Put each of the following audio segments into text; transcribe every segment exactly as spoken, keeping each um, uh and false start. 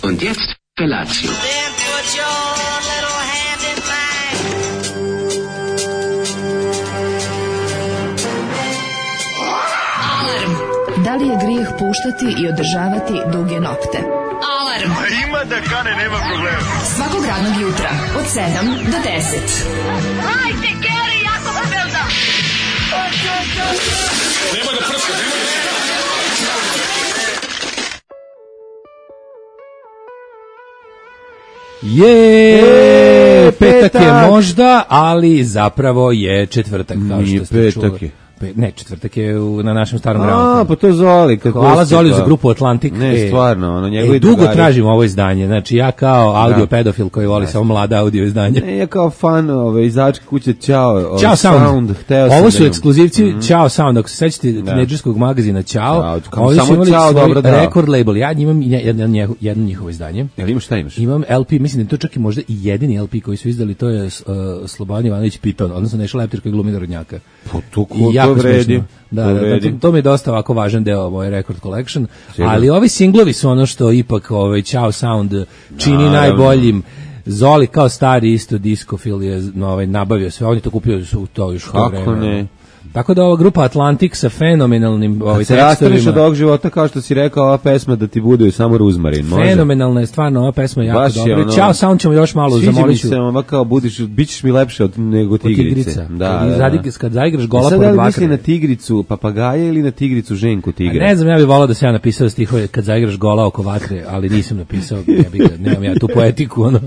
Und jetzt Felatio. Then put your little hand in mine. Alarm. Da li je grijeh puštati i održavati duge nokte? Alarm. A ima da kane, nema problema. Svakog radnog jutra od sedam do deset. Hajde, Geri, jako se velda. Nema da prska, nema da prska. Je, petak je možda, ali zapravo je četvrtak, kao što ste čuli. Petak je. Ne, četvrtak je u, na našem starom A, gramofonu. pa to je Zoli. Hvala Zoli za grupu Atlantik. Ne, e, stvarno, ono, njegovi e, dugo drugari. tražimo ovo izdanje, znači ja kao audio Da. pedofil koji voli samo mlada audio izdanje. Ne, ja kao fan ove izačke kuće Ćao. Ćao Sound. sound hteo sam Ovo da su imam. ekskluzivci mm-hmm. Ćao Sound. Ako se sećate tinejdžerskog magazina Ćao, Ćao, kao ovdje su samo imali Ćao, svoj dobro, da. rekord label. Ja imam jedno, jedno, jedno njihovo izdanje. Jel imaš, šta imaš? Imam L P, mislim da je to čak i možda i jedini L P koji su izdali, to je uh, Slobodan Ivanović Piton, odnosno Neša Leptir koji glumi Narodnjaka. Pa to ko I jako to vredi. smešno. Da, to, da, vredi. da, to mi je dosta ovako važan deo moje record collection, Sigurno. ali ovi singlovi su ono što ipak ovaj Ćao Sound čini Naravno. najboljim. Zoli kao stari isto diskofil je no, ovaj, nabavio sve, on je to kupio su to još u to Kako vreme. ne? Tako da ova grupa Atlantik sa fenomenalnim ovaj, Kad se rastaneš od tekstovima. ovog života, kao što si rekao, ova pesma da ti bude samo ruzmarin, može? Fenomenalna je stvarno, ova pesma je jako Baš je dobra. ono- Ćao Sound ćemo još malo Sviđa mi zamoliću. se, ova kao budiš, bit ćeš mi lepše od nego Od tigrice. tigrica. Da, kad, da, zadig, da. kad zaigraš gola E sad, pored da li bakra. misli na tigricu papagaja ili na tigricu ženku tigra? Ne znam, ja bih volao da se ja napisao stihove kad zaigraš gola oko vatre, ali nisam napisao, ja bih ga, nemam ja tu poetiku, ono,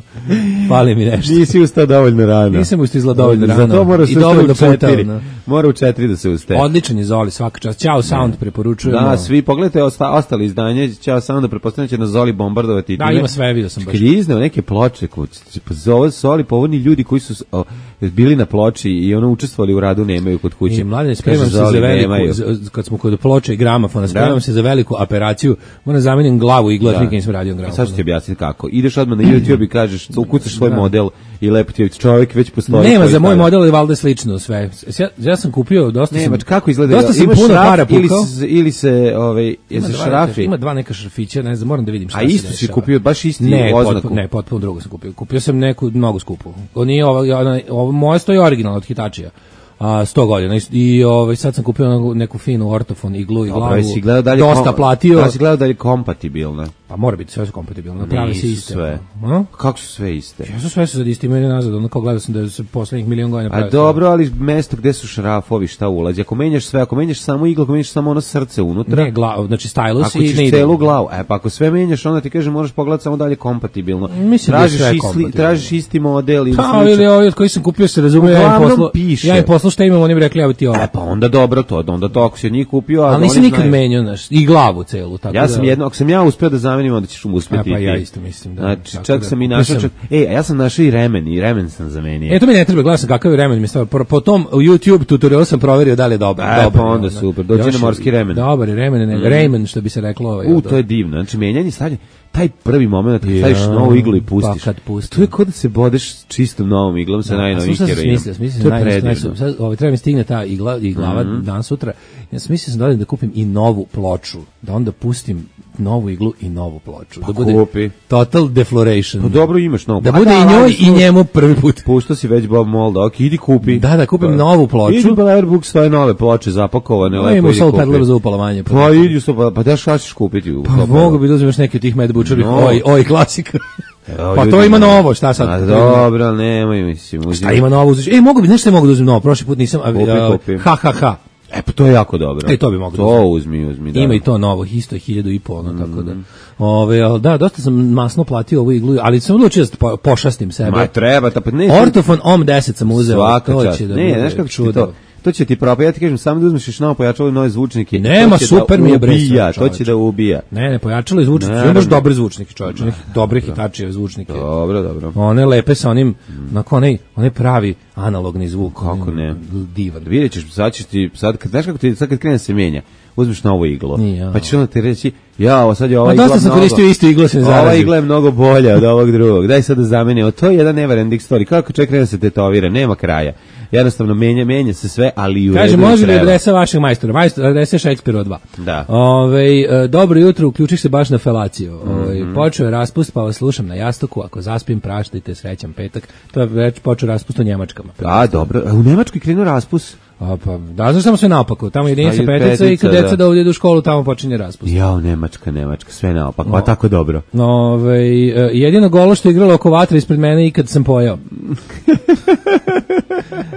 fali mi nešto. Nisi ustao dovoljno rano. Nisam ustao dovoljno rano. Zato mora se I ustati dovoljno u četiri. puta, ono. Mora u četiri da se ustaje. Odličan je Zoli, svaka čast. Ćao Sound preporučujemo. Da, svi pogledajte osta, ostali izdanje, Ćao samo da pretpostavljam će na Zoli bombardovati. Da, ima sve, vidio sam baš. Kad je izneo neke ploče, kuć, pa zove Zoli, pa oni ljudi koji su o, bili na ploči i ono učestvovali u radu nemaju kod kuće. I mladine, spremam Kaže, se za Zoli, veliku, nemaju. za- kad smo kod ploče i gramofona, spremam Da. se za veliku operaciju, moram zamenim glavu i glas, Da. nikad nisam radio A gramofon. sad ću ti objasniti kako. Ideš odmah na YouTube i kažeš, ukucaš svoj Da. model i lepo ti je čovjek već postoji. Nema, koji za moj stavlja. model je valjda slično sve. Ja, ja sam kupio, dosta Nema, sam... kako izgleda? Dosta sam Imaš puno šraf para ili, pukao. se- ili se, ovaj, Ima jesi dva šrafi? neka- Ima dva neka šrafića, ne znam, moram da vidim šta A se isto si dešava. kupio, baš isti ne, oznaku? potpuno, ne, potpuno drugo sam kupio. Kupio sam neku mnogo skupu. Ovo nije ovo, ovo, ovo moje stoji originalno od Hitačija. A sto godina i, i ovaj sad sam kupio neku, neku finu ortofon iglu i Dobro, glavu. jesi gledao da li je dosta kom- platio. Da si gledao da li je kompatibilna? Pa mora biti sve su kompatibilno. Pravi se Nisu iste. sve. A? Kako su sve iste? Ja su sve su sad isti imaju nazad, ono kao gledao sam da se poslednjih milion godina A pravi. dobro, ali mesto gde su šrafovi, šta ulazi? Ako menjaš sve, ako menjaš samo iglu, ako menjaš samo ono srce unutra, Ne, glav, znači stylus ako i ćeš ne ide. celu glavu, e pa ako sve menjaš, onda ti kaže moraš pogledati samo dalje kompatibilno. Mislim da je tražiš sve isti, kompatibilno. tražiš isti model ili Pa, slično. ili ovi od koji sam kupio se razume, ja im Uglavnom poslao, piše. ja im poslao šta imam, oni bi rekli, evo ti ovo. E pa onda dobro to, onda to ako si od njih kupio, a Ali nisam oni nikad znaju- menjao, znaš, i glavu celu, tako Ja da... sam jedno, ako sam ja uspeo da zamenim, onda ćeš mu uspeti. E, pa i ti. ja isto mislim, da. Znači, Tako čak da, sam i kupio našao, sam- čak, e, a ja sam našao i remen, i remen sam zamenio. E, to mi ne treba, gledao sam kakav je remen mi stavio. Po, po tom u YouTube tutorialu sam proverio da li je dobar. E, dobar pa onda je, super, dođi Još na je- morski remen. Dobar je remen, ne, Mm. remen, što bi se reklo. Ovaj, U, to je divno. Znači, menjanje stavljanje, taj prvi moment kad Ja, staviš novu iglu i pustiš. pa kad pustim. To je kod da se bodeš čistom novom iglom sa najnovijim Slušaj, sam heroinom. smislio, smislio To sam je naj, naj, predivno. sad, ovaj, treba mi stigne ta igla i glava Mhm. dan sutra. Ja sam mislio sam da odem da kupim i novu ploču, da onda pustim novu iglu i novu ploču. da bude kupi. total defloration. Pa dobro imaš novu. Da Pa bude da, i njoj ali i njemu prvi put. Pušto si već Bob Molda, ok, idi kupi. Da, da kupim novu ploču. Idi u Belerbook, stoje nove ploče zapakovane, No, lepo ima idi sol kupi. pedalera za upalovanje. Pa idi u sto, pa, pa da šta ćeš kupiti? U Pa Soul mogu Pedal? bi da uzmeš neki od tih Mad Butcherih, No. oj, oj, klasika. Evo, Pa ljudi, to ima no. novo, šta sad? A dobro, ali nemoj, mislim. A uzimaj. ima novo uzeti. E, mogu bi, nešto mogu da uzmem novo, prošli put nisam, a, Kupi, a, kupi. ha, ha, ha. E, pa to je jako dobro. E, to bi moglo da To uzmem. uzmi, uzmi. Da. Ima i to novo, isto je hiljadu i po, ono, tako Mm. da. Ove, ali da, dosta sam masno platio ovu iglu, ali sam odlučio da po, pošastim sebe. Ma treba, ta, pa ne. Ortofon O M deset sam uzeo, Svaka to čast. će da Ne, bude znaš kako će ti čudo. to? To će ti propati. Ja ti kažem, samo da uzmeš još novo pojačalo i nove zvučnike. Nema, To će super da mi je, bre, ubija, sve, to će da ubija. Ne, ne, pojačalo je zvučnike, Naravno. imaš dobre zvučnike, čovječe, onih dobrih Hitačijeve zvučnike. Dobro, dobro. One lepe sa onim, onako onaj, onaj pravi analogni zvuk. Kako onaj ne? Divan. Vidjet ćeš, sad ćeš ti, sad, kad, znaš kako ti, sad kad krene se mijenja, uzmeš novu iglu. Nije, Pa ćeš onda ti reći, ja, ovo sad je ova Ma igla dosta sam mnogo... koristio istu iglu, se ne Ova zarazim. igla je mnogo bolja od ovog drugog. Daj sad da zamenimo. To je jedan never ending story. Kako čovjek krene da se tetovira, nema kraja. Jednostavno menja, menja se sve, ali i u Kaže, redu može li treba. adresa vašeg majstora? Majstor, adresa Šekspirova dva. Da. Ove, e, dobro jutro, uključiš se baš na felaciju. Ove, počeo je raspust, pa vas slušam na jastuku. Ako zaspim, praštajte, srećan petak. To je već počeo raspust u Njemačkama. A, dobro. A u Nemačkoj krenuo raspust? A, pa, da, znaš samo sve naopako. Tamo jedinica Šta je petica i kad petica, deca da. da ovdje idu u školu, tamo počinje raspust. Jao, Nemačka, Nemačka, sve naopako, pa tako dobro. Ove, e, jedino golo što je igralo oko vatre ispred mene i kad sam pojao.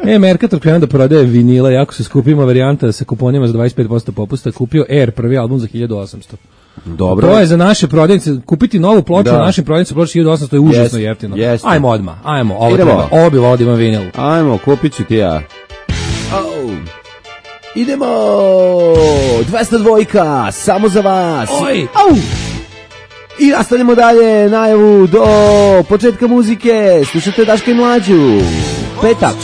E, Mercator krenuo da prodaje vinila, jako se skupima varijanta sa kuponima za dvadeset pet posto popusta, kupio Air, prvi album za hiljadu osamsto. Dobro. To je za naše prodavnice, kupiti novu ploču Da. na našim prodavnicama ploču hiljadu osamsto je užasno Jest, jeftino. jeste. Ajmo odmah, ajmo, ovo Idemo. treba, ovo bi volio da ima vinil. Ajmo, kupit ću ti ja. Oh. Idemo! dvesta dvojka, samo za vas! Oj! Au! I nastavljamo dalje, najavu do početka muzike. Slušajte Daška i Mlađu. Petak.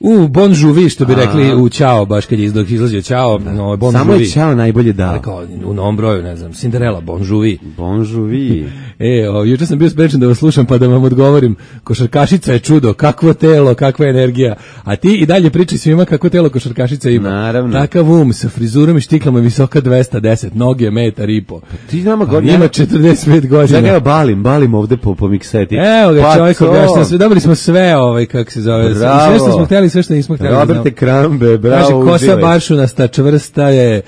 U, Bon Jovi, što bi rekli u Ćao, baš kad je iz- dok izlazio Ćao, no, Bon Samo Jovi. je Ćao najbolje dao. Kao u novom broju, ne znam, Cinderella, Bon Jovi. Bon Jovi. E, o, juče sam bio sprečen da vas slušam pa da vam odgovorim. Košarkašica je čudo, kakvo telo, kakva energija. A ti i dalje pričaj svima kako telo košarkašica ima. Naravno. Takav um sa frizurom i štiklama visoka dvesta deset, noge metar i po. Ti nama Pa godina. ima četrdeset pet godina. Ja ga balim, balim ovde po, po mikseti. Evo ga, Pa čovjek to. objašnja sve, dobili smo sve, ovaj, kako se zove, Bravo. sve što smo htjeli, sve što nismo htjeli. Roberte Krambe, bravo, Kaže, kosa uživaj. baršunasta, čvrsta je,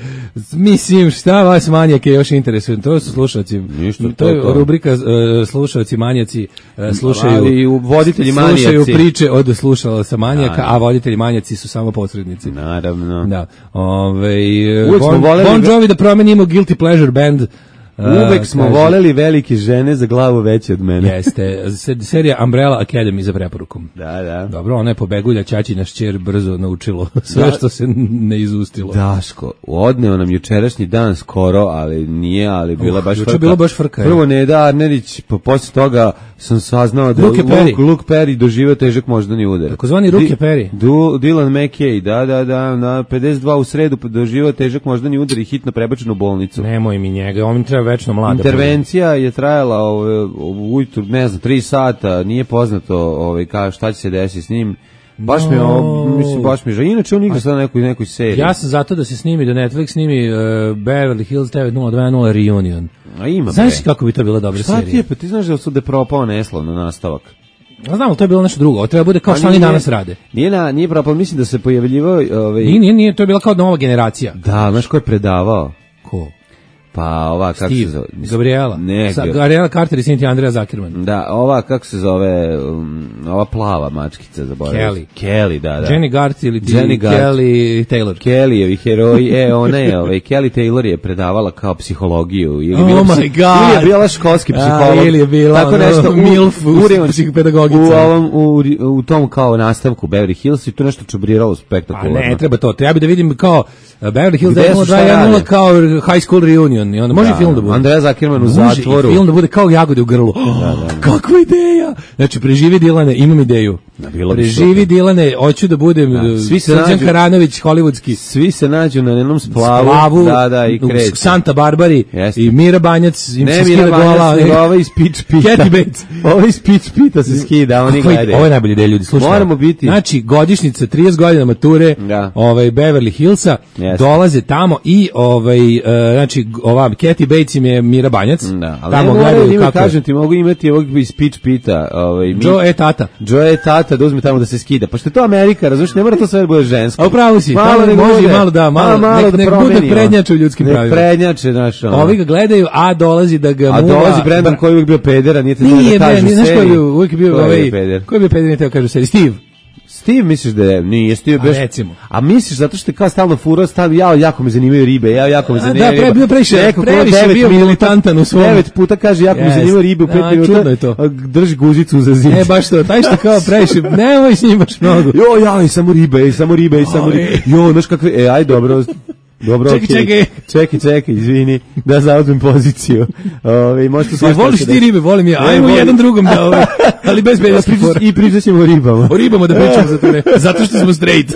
mislim, šta vas manjake još interesuje, to su slušalci, Ništa, to, to je to. rubrika uh, slušalci manjaci, uh, slušaju, Ali u voditelji slušaju manijaci. priče od slušalaca manjaka, Da, da. a voditelji manjaci su samo posrednici. Naravno. Da. Ove, Uvek bon, smo voleli- Bon Jovi da promenimo Guilty Pleasure Band. uh, Uvek smo kaže, voleli velike žene za glavu veće od mene. Jeste, se- serija Umbrella Academy za preporukom. Da, da. Dobro, ona je pobegulja, Ćaćina šćer brzo naučilo sve Da. što se ne izustilo. Daško, odneo nam jučerašnji dan skoro, ali nije, ali bila Uh, baš juče frka. bilo baš frka, je. Prvo Neda Arnerić, pa posle toga sam saznao da Luke Perry. Luke, Luke Perry doživio težak moždani udar. Takozvani Luke Perry. Du, Dylan McKay, da, da, da, na pedeset dva u sredu doživio težak moždani udar i hitno prebačen u bolnicu. Nemoj mi njega, on mi treba večno mlada. Intervencija je trajala ove, ujutru, ne znam, tri sata, nije poznato ove, ka, šta će se desiti s njim. Baš mi je, ovo, mislim, baš mi je žao. Inače on igra sada nekoj, nekoj seriji. Ja sam zato da se snimi, da Netflix snimi uh, Beverly Hills devet nula dva nula Reunion. A ima, Znaš bre. kako bi to bila dobra Šta ti serija? je, pa ti znaš da su da je propao neslavno nastavak. Ja znam, ali to je bilo nešto drugo. Ovo treba bude kao A što oni nije- danas rade. Nije, na, nije propao, mislim da se pojavljivao... Ovaj, Nije, nije, nije, to je bila kao nova generacija. Da, znaš ko je predavao? Ko? Pa ova, kako se Steve, zove? Gabriela. Ne, Sa, Ga- Gabriela Carter i Cynthia Andrea Zuckerman. Da, ova, kako se zove, um, ova plava mačkica, zaboravim. Kelly. Kelly, da, da. Jenny Garth ili ti Jenny Garth. Kelly Taylor. Kellyjevi heroji, e, ona je, ovaj, Kelly Taylor je predavala kao psihologiju. Ili Oh bila my psi- God. Ili je bila školski A, psiholog. ili je bila Tako ono, nešto, u, milf u u- psihopedagogica. U, ovom, u, u tom kao nastavku Beverly Hills i tu nešto čubriralo Pa spektakularno. ne, treba to. Treba da vidim kao uh, Beverly Hills Gde devet nula su, dva šta jedan nula rade? kao High School Reunion. I onda može Da, i film da bude. Andreja Zuckerman u Može zatvoru. i film da bude kao jagode u grlu. Kakva ideja! Znači, preživi Dilane, imam ideju. Da, bilo bi Preživi super. Dilane, hoću da budem Da, uh, svi se Srđan nađu- Karanović, hollywoodski. Svi se nađu na jednom splavu. Splavu, Da, da, i u kreću. Santa Barbari Jeste. i Mira Banjac im Ne se Mira skida Banjac, gola. nego ovaj iz Pitch Pita. Kathy Bates. Ovaj iz Pitch Pita se skida, oni Kako je- gledaju. Ovo je najbolja ideja, ljudi, slušajte. Moramo biti- Znači, godišnjica, trideset godina mature, Da. ovaj, Beverly Hillsa, Jeste. dolaze tamo i, ovaj, uh, znači, ova, Kathy Bates im je Mira Banjac. Da, ali tamo ne moraju gledaju ime, kako je. kažem ti, mogu imati ovog iz Pitch Pita. Ovaj, mi- Joe e tata. Joe je tata da uzme tamo da se skida. Pa što je to Amerika, razumiješ, ne mora to sve da bude žensko. A upravo si, tamo nego može i bude- malo da, malo, nek, da nek bude promenimo. prednjače u ljudskim Nek pravima. prednjače, znaš, ono. Ovi ga gledaju, a dolazi da ga A muva. dolazi Brendan Bra- koji je uvijek bio pedera, nije te znao Nije, da bre, kaže nije, znaš ko je seriji. bio, uvijek je bio Ko je ovaj, bio peder? ko je bio peder, nije teo kaže seriji, Steve. Steve misliš da je, nije, Steve je A baš... recimo. A misliš zato što je kao stalno furao, stalno, ja, jako me zanimaju ribe, ja, jako me A, zanimaju da, ribe. pre- bio previše- Neko ko previše devet bio minuta- militantan u svom- Devet puta kaže, jako me Jest. zanimaju ribe u pet A, minuta. čudno je to. a drži guzicu za zid. E, baš to, taj što kao previše, nemoj s njim baš mnogo. Jo, ja, i samo ribe, i samo ribe, i samo Oj. ribe. Jo, znaš kakve, e, aj, dobro, dobro, Čekaj, okej. čekaj. Čekaj, čekaj, izvini, da zauzmem poziciju. Ove, možete E, svašta voliš da se ti desi. ribe, volim ja, Ne, ajmo volim- jedan drugom da ovaj, ali bez bedeskih fora. I pričat ćemo o ribama. O ribama da pričamo za to ne, zato što smo straight.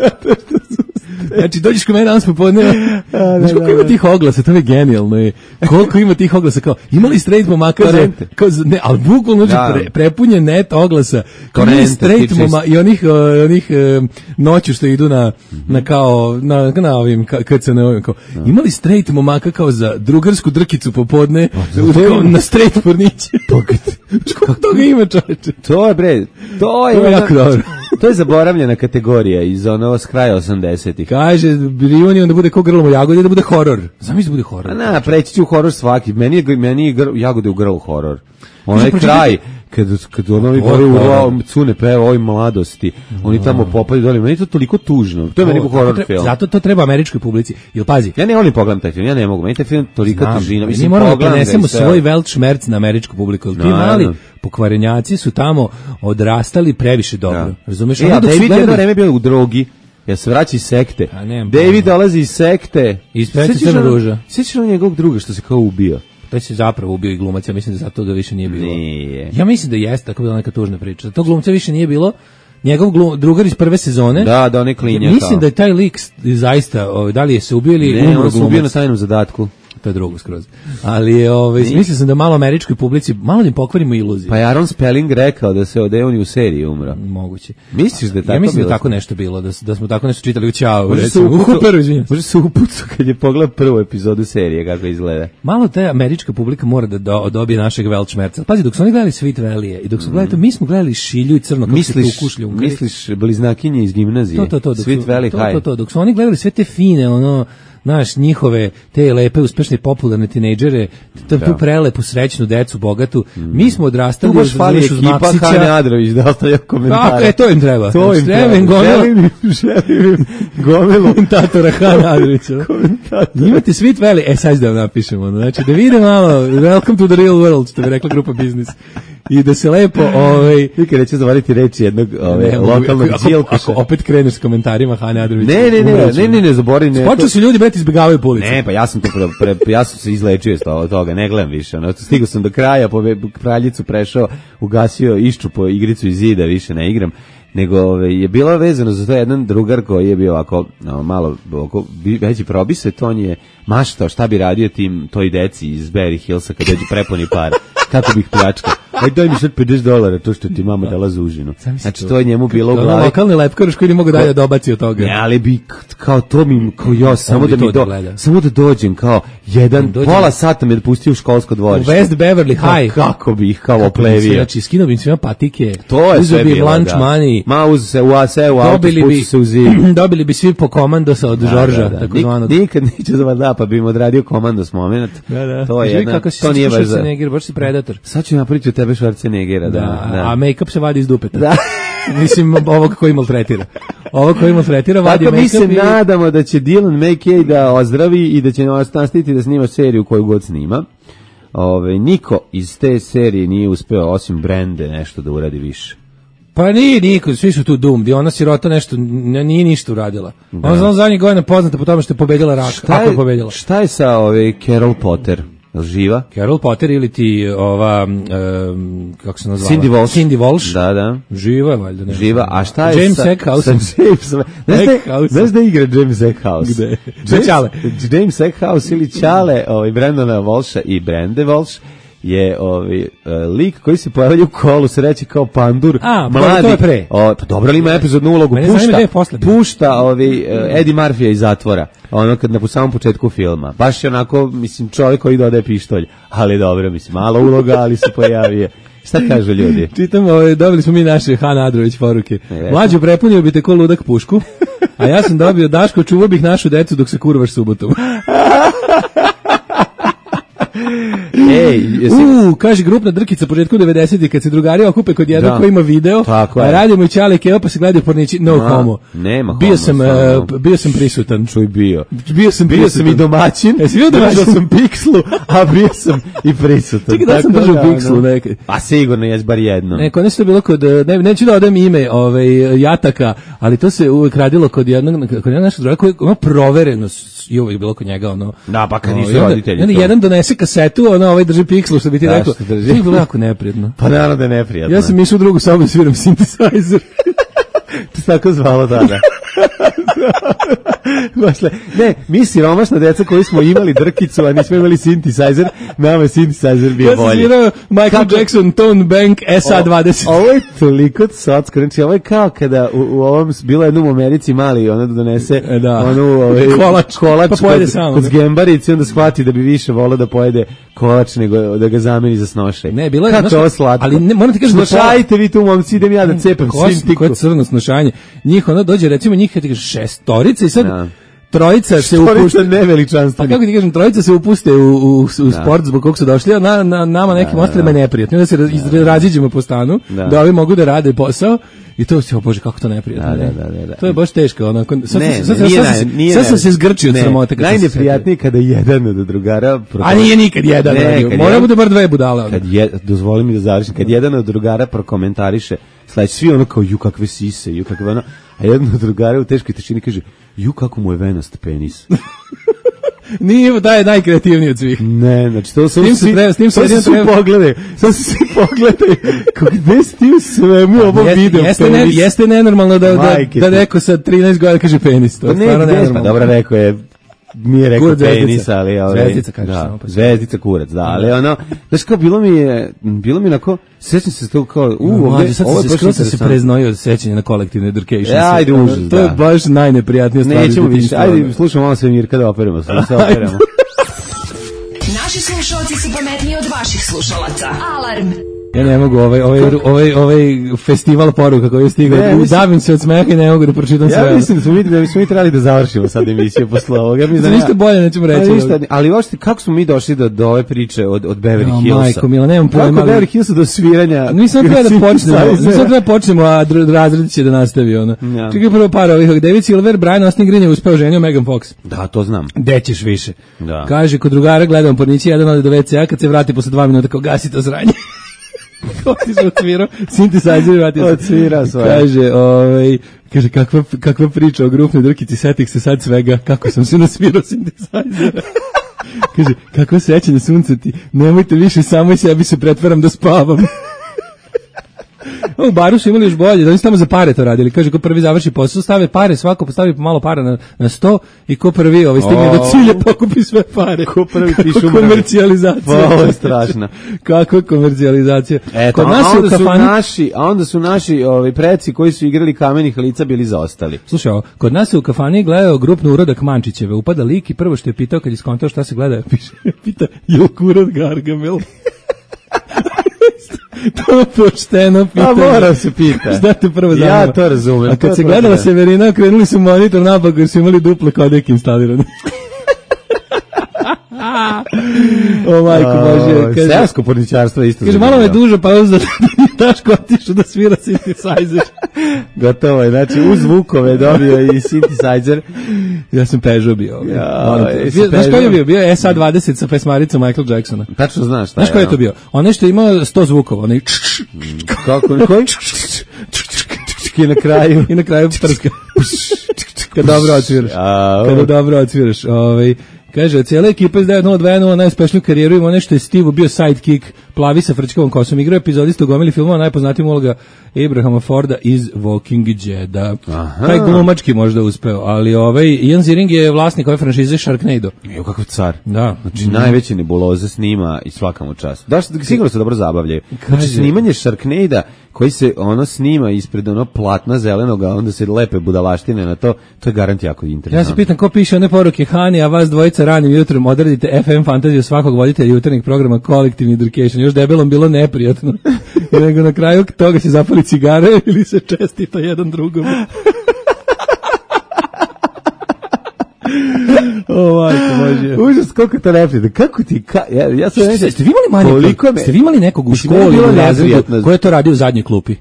Znači, dođeš kod mene danas popodne, znači, koliko ima tih oglasa, to je genijalno. Je. Koliko ima tih oglasa, kao, imali straight momaka za, kao, ne, ali bukvalno, znači, pre, prepunje net oglasa, kao imali straight moma i onih, uh, onih uh, noću što idu na, na kao, na, na ovim, kad se ne ovim, kao, imali straight momaka kao za drugarsku drkicu popodne, kao, na straight porniće. Kako toga ima, čoveče? To je, bre, to je, to je jako dobro. To je zaboravljena kategorija iz onoga s kraja osamdesetih. Kaže, reunion da bude ko grlom u jagodi, da bude horor. Zamisli da bude horor. A na, preći ću u horor svaki. Meni je, meni je gr, jagode u grlu horor. Onaj kraj, kad, kad ono gore u cune peva ovoj mladosti, oni tamo popaju dole, meni je to toliko tužno. To je meni horor treba, film. Zato to treba američkoj publici. Jel pazi? Ja ne volim pogledam taj film, ja ne mogu. Meni taj film toliko tužina. Mi moramo da prenesemo svoj velt šmerc na američku publiku. Ti mali pokvarenjaci su tamo odrastali previše dobro. Razumeš? Ja, David jedno vreme bio u drogi. Ja se vraća iz sekte. David dolazi iz sekte. Ispeće Crna ruža. Sjećaš na njegovog druga što se kao ubio? To se zapravo ubio i glumac, ja mislim da zato ga više nije bilo. Nije. Ja mislim da jeste, tako bila neka tužna priča. To glumca više nije bilo. Njegov glum, drugar iz prve sezone. Da, da on je klinja. Mislim kao da je taj lik zaista, ovaj, da li je se ubio ili ne, umro on se ubio na tajnom zadatku. To je drugo skroz. Ali ovaj mislio sam da malo američkoj publici malo im pokvarimo iluzije. Pa je Aaron Spelling rekao da se Odeon u seriji umro. Moguće. Misliš da je tako? Ja mislim bilo? da tako nešto bilo, da da smo tako nešto čitali u Ćao, recimo. Može se upucu kad je pogledao prvu epizodu serije kako izgleda. Malo ta američka publika mora da do, dobije našeg Welchmerca. Pazi, dok su oni gledali Sweet Valley i dok su gledali to, mi smo gledali Šilju i Crno kako misliš, se tu kušlju. Misliš bliznakinje iz gimnazije? To, to, to, Sweet su, Valley to, High. To, to, dok su oni gledali sve te fine, ono, znaš, njihove, te lepe, uspešne, popularne tinejdžere, tu prelepu, srećnu decu, bogatu, mi smo odrastali... Tu baš fali ekipa Hane Adrović da ostavlja komentare. Tako je, to im treba. To im treba. Želim im, želim im gomilu komentatora Hane Adrovića. Imate Sweet Valley, e, sad da vam napišemo, znači, da vide malo, welcome to the real world, što bi rekla grupa Biznis. I da se lepo, ovaj, nikad neće zavariti reći jednog ove, lokalnog džilkoša. Ako opet kreneš s komentarima Hane Adrovića. Ne, ne, ne, ne, ne, ne, zabori, ne. Počeo su ljudi breti izbegavaju po ulici. Ne, pa ja sam to pre, pre, ja sam se izlečio od toga, ne gledam više. Ono, stigao sam do kraja, po kraljicu prešao, ugasio, išču po igricu iz zida, više ne igram. Nego ove, je bilo vezano za to jedan drugar koji je bio ovako no, malo ovako, veći probise, to on je maštao šta bi radio tim toj deci iz Beverly Hillsa kad dođu prepuni para. Kako bih pljačkao. Aj daj mi sad pedeset dolara to što ti mama dala za užinu. Znači to je njemu bilo u glavi. Lokalni lepkaroš koji ne mogu dalje dobaci od toga. Ne, ali bi kao to mi kao ja samo da mi do, samo da dođem kao jedan pola sata me pustio u školsko dvorište. U West Beverly High. Kako bi ih kao oplevio. Znači skinuo bi svima patike. To je sve bilo. Lunch money. Ma uz se u ase u auto spusti se u zid. Dobili bi svi po komandosa od Žorža, tako zvanog. Nikad neće da da pa bi im odradio komandos momenat. To je jedna. To nije baš za Schwarzenegger, baš si predator. Sad ću napraviti od tebe Schwarzeneggera, da, da, da. A make-up se vadi iz dupeta. Da. Mislim, ovog koji maltretira. Ovog koji maltretira vadi make-up. Tako mi se i... nadamo da će Dylan McKay da ozdravi i da će nastaviti da snima seriju koju god snima. Ove, niko iz te serije nije uspeo, osim Brande, nešto da uradi više. Pa nije niko, svi su tu dumdi, ona sirota nešto, nije ništa uradila. Da. Ona za zadnjih godina poznata po tome što je pobedila rak, šta ako je pobedila. Šta je sa ove Carol Potter? Živa? Carol Potter ili ti ova um, kako se nazvala? Cindy Walsh. Cindy Walsh. Da, da. Živa je valjda. Živa, a šta je James sa Eckhouse? Znaš da igra James Eckhouse? Gde? James, Čale. James Eckhouse ili Čale, ovaj Brandona Walsha i Brande Walsh je ovaj uh, lik koji se pojavlja u kolu sreće kao pandur, a, mladi. To je pre. O, pa dobro li ima epizodnu ulogu, mene pušta, pušta ovaj, uh, Eddie Murphy iz zatvora, ono kad na samom početku filma. Baš je onako, mislim, čovjek koji dodaje pištolj, ali dobro, mislim, malo uloga, ali se pojavio. Šta kažu ljudi? Čitamo, ovaj, dobili smo mi naše Hana Adrović poruke. Mlađu prepunio bi te ko ludak pušku, a ja sam dobio Daško, čuvao bih našu decu dok se kurvaš subotom. Ej, jesi... U, kaže grupna drkica početku devedesetih kad se drugari okupe kod jednog da. Koji ima video, tako a radimo i Ćale Keva pa se gledaju pornići, no Ma, homo. Nema homo. Bio sam, uh, bio sam prisutan. Čuj bio. Bio sam, bio sam i domaćin. Jesi bio domaćin? Držao sam pikslu, a bio sam i prisutan. Čekaj da sam držao da, pikslu nekaj. A sigurno jes bar jedno. Ne, kod nešto je bilo kod, ne, neću da odem ime ovaj, Jataka, ali to se uvek radilo kod jednog, kod jednog našeg druga koji ima provereno i uvek bilo kod njega ono. Da, pa kad nisu onda, roditelji. Onda jedan donese kasetu, ono ovaj drži pikslu, što bi ti rekao. To je bilo jako neprijatno. Pa naravno da je neprijatno. Ja sam išao u drugu sobu i sviram synthesizer. To se tako zvalo tada. Baš le, ne, mi siromašna deca koji smo imali drkicu, a nismo imali synthesizer, nama je synthesizer bio bolji. Ja sam svirao Michael Kako? Jackson, Tone Bank, S A dvadeset. O, ovo je toliko socko, znači ovo je kao kada u, u ovom, bilo jednom u Americi mali, ona da donese da. onu ovaj, kolač, kolač pa pojede kod, samo. Kod zgembarici, onda shvati da bi više volao da pojede kolač nego da ga zameni za snošaj. Ne, bilo je kako je ovo slatko. Ali ne, moram ti kažem, snošajte vi tu momci, idem ja da cepam svim tiku. Koje crno snošanje. Njih ono dođe, recimo njih, ti kažeš šestorica i sad no. trojica se upušte, neveličanstveni. Pa kako ti kažem, trojica se upuste u, u, u sport zbog kog su došli, a na, na, nama nekim ostalima je neprijatno. Da se raz, raziđemo po stanu, da. da ovi mogu da rade posao i to se, o Bože, kako to neprijatno. Da, da, da, da. To je baš teško. Ono, sad ne, sad, ne, sad, sad, nije, sad sam se zgrčio od sramote. Najneprijatnije kada jedan od drugara... A nije nikad jedan. Mora bude bar dve budale. Kad je, dozvoli mi da završim, kad jedan od drugara prokomentariše, sledeći svi ono kao, ju kakve sise, ju kakve ono, a jedan od drugara u teškoj tišini kaže, ju kako mu je venast penis. Nije, da je najkreativniji od svih. Ne, znači to su svi, s tim se svi pogledaju, sad se svi pogledaju, kako gde si ti u svemu ovo video jeste, penis. Ne, jeste nenormalno da, da, da neko sa trinaest godina kaže penis, to je stvarno nenormalno. Pa dobro, rekao je, nije rekao penis, ali... Ovaj, zvezdica, kažeš da, samo. Pa zvezdica, kurac, da, ali ono, znaš kao, bilo mi je, bilo mi onako, sećam se to kao, u, uh, ovdje, sad se skoro se preznojio od sećanja na kolektivne education. Ja, ajde užas, da. To je baš najneprijatnija stvar. Nećemo više, ajde, slušamo malo sve Mirka da operemo, sve se operemo. Naši slušalci su pametniji od vaših slušalaca. Alarm! Ja ne mogu, ovaj, ovaj, ovaj, ovaj festival poruka koji je stigao, ne, mislim, davim se od smeha i ne mogu da pročitam sve. Ja mislim da smo mi, da bismo mi trebali da završimo sad emisiju posle ovoga. Ja mislim, ništa bolje nećemo reći. Ništa, ali uopšte, kako smo mi došli do, do ove priče od, od Beverly no, Hillsa? Majko, Mila, nemam pojma. Kako Beverly Hillsa do sviranja? Nisam treba da počnemo, nisam treba da počnemo, a razred će da nastavi ono. Ja. Čekaj prvo par ovih, David Silver, Brian Austin Green je uspeo ženio Megan Fox. Da, to znam. Gde ćeš više? Da. Kaže, kod drugara gledam pornići, jedan ode do ve ce a, kad se vrati posle dva minuta, kao gasi to zranje. Otišao odsvirao, synthesizer i vratio se. Odsvirao svoje. Kaže, ovaj, kaže, kakva, kakva priča o grupnoj drkici, setih se sad svega, kako sam se nasvirao synthesizera. Kaže, kakva sećanja suncati, nemojte više, samo i sebi se pretvaram da spavam. U baru su imali još bolje, da oni su tamo za pare to radili. Kaže, ko prvi završi posao, stave pare, svako postavi malo para na, na sto i ko prvi ovaj, stigne do cilja, pokupi sve pare. Ko prvi pišu mrve. Komercijalizacija. Pa, ovo je strašno. Kakva komercijalizacija. Eto, kod nas a, onda su kafani... naši, a onda su naši ovaj, preci koji su igrali Kamenih lica bili zaostali. Slušaj, ovo, kod nas se u kafani gledao grupno urodak Mančićeve. Upada lik i prvo što je pitao kad je skontao šta se gleda, piše, pita, je li kurat Gargamel? To je pošteno pitanje. A mora se pita. Šta te prvo zanima? Ja to razumem. A kad se gledala Severina, krenuli su monitor napak jer su imali duple kodek instalirane. O majko Bože. Seosko porničarstvo isto. Kaže, malo me dužo pauza da Daško otišu da svira synthesizer. Gotovo je, znači uz zvukove dobio i synthesizer. Ja sam Peugeot bio. Ja, znaš koji je bio? Bio je S A dvadeset sa pesmaricom Michael Jacksona. Tačno znaš šta je. Znaš koji je to bio? Onaj što je imao sto zvukova. Onaj... Kako? Koji? I na kraju. I na kraju prska. Kad dobro odsviraš. Kada dobro odsviraš. Ovaj... Kaže, cijela ekipa iz devet nula dva jedan najuspešniju karijeru ima nešto je Steve bio sidekick, plavi sa frčkovom kosom, igrao epizodista u gomili filmova, najpoznatijim uloga Abrahama Forda iz Walking Deada. Taj glumački možda uspeo, ali ovaj Ian Ziering je vlasnik ove franšize Sharknado. Evo kakav car. Da. Znači, mm. najveće nebuloze snima i svaka mu čast. Da, sigurno se dobro zabavljaju. Znači, snimanje Sharknada koji se ono snima ispred ono platna zelenoga, onda se lepe budalaštine na to, to je garant jako interesantno. Ja se pitam ko piše one poruke, Hani, a vas dvojica ranim jutrom odradite F M fantaziju svakog voditelja jutarnjeg programa Kolektivni Education. Još debelom bilo neprijatno. Nego na kraju toga se zapali cigare ili se čestita jedan drugom. O, majko Bože. Užas, koliko to neprijatno. Kako ti, ka, ja, ja sam neće... Ste vi imali manje, ste vi imali nekog u školi u razredu ko je to radio u zadnjoj klupi?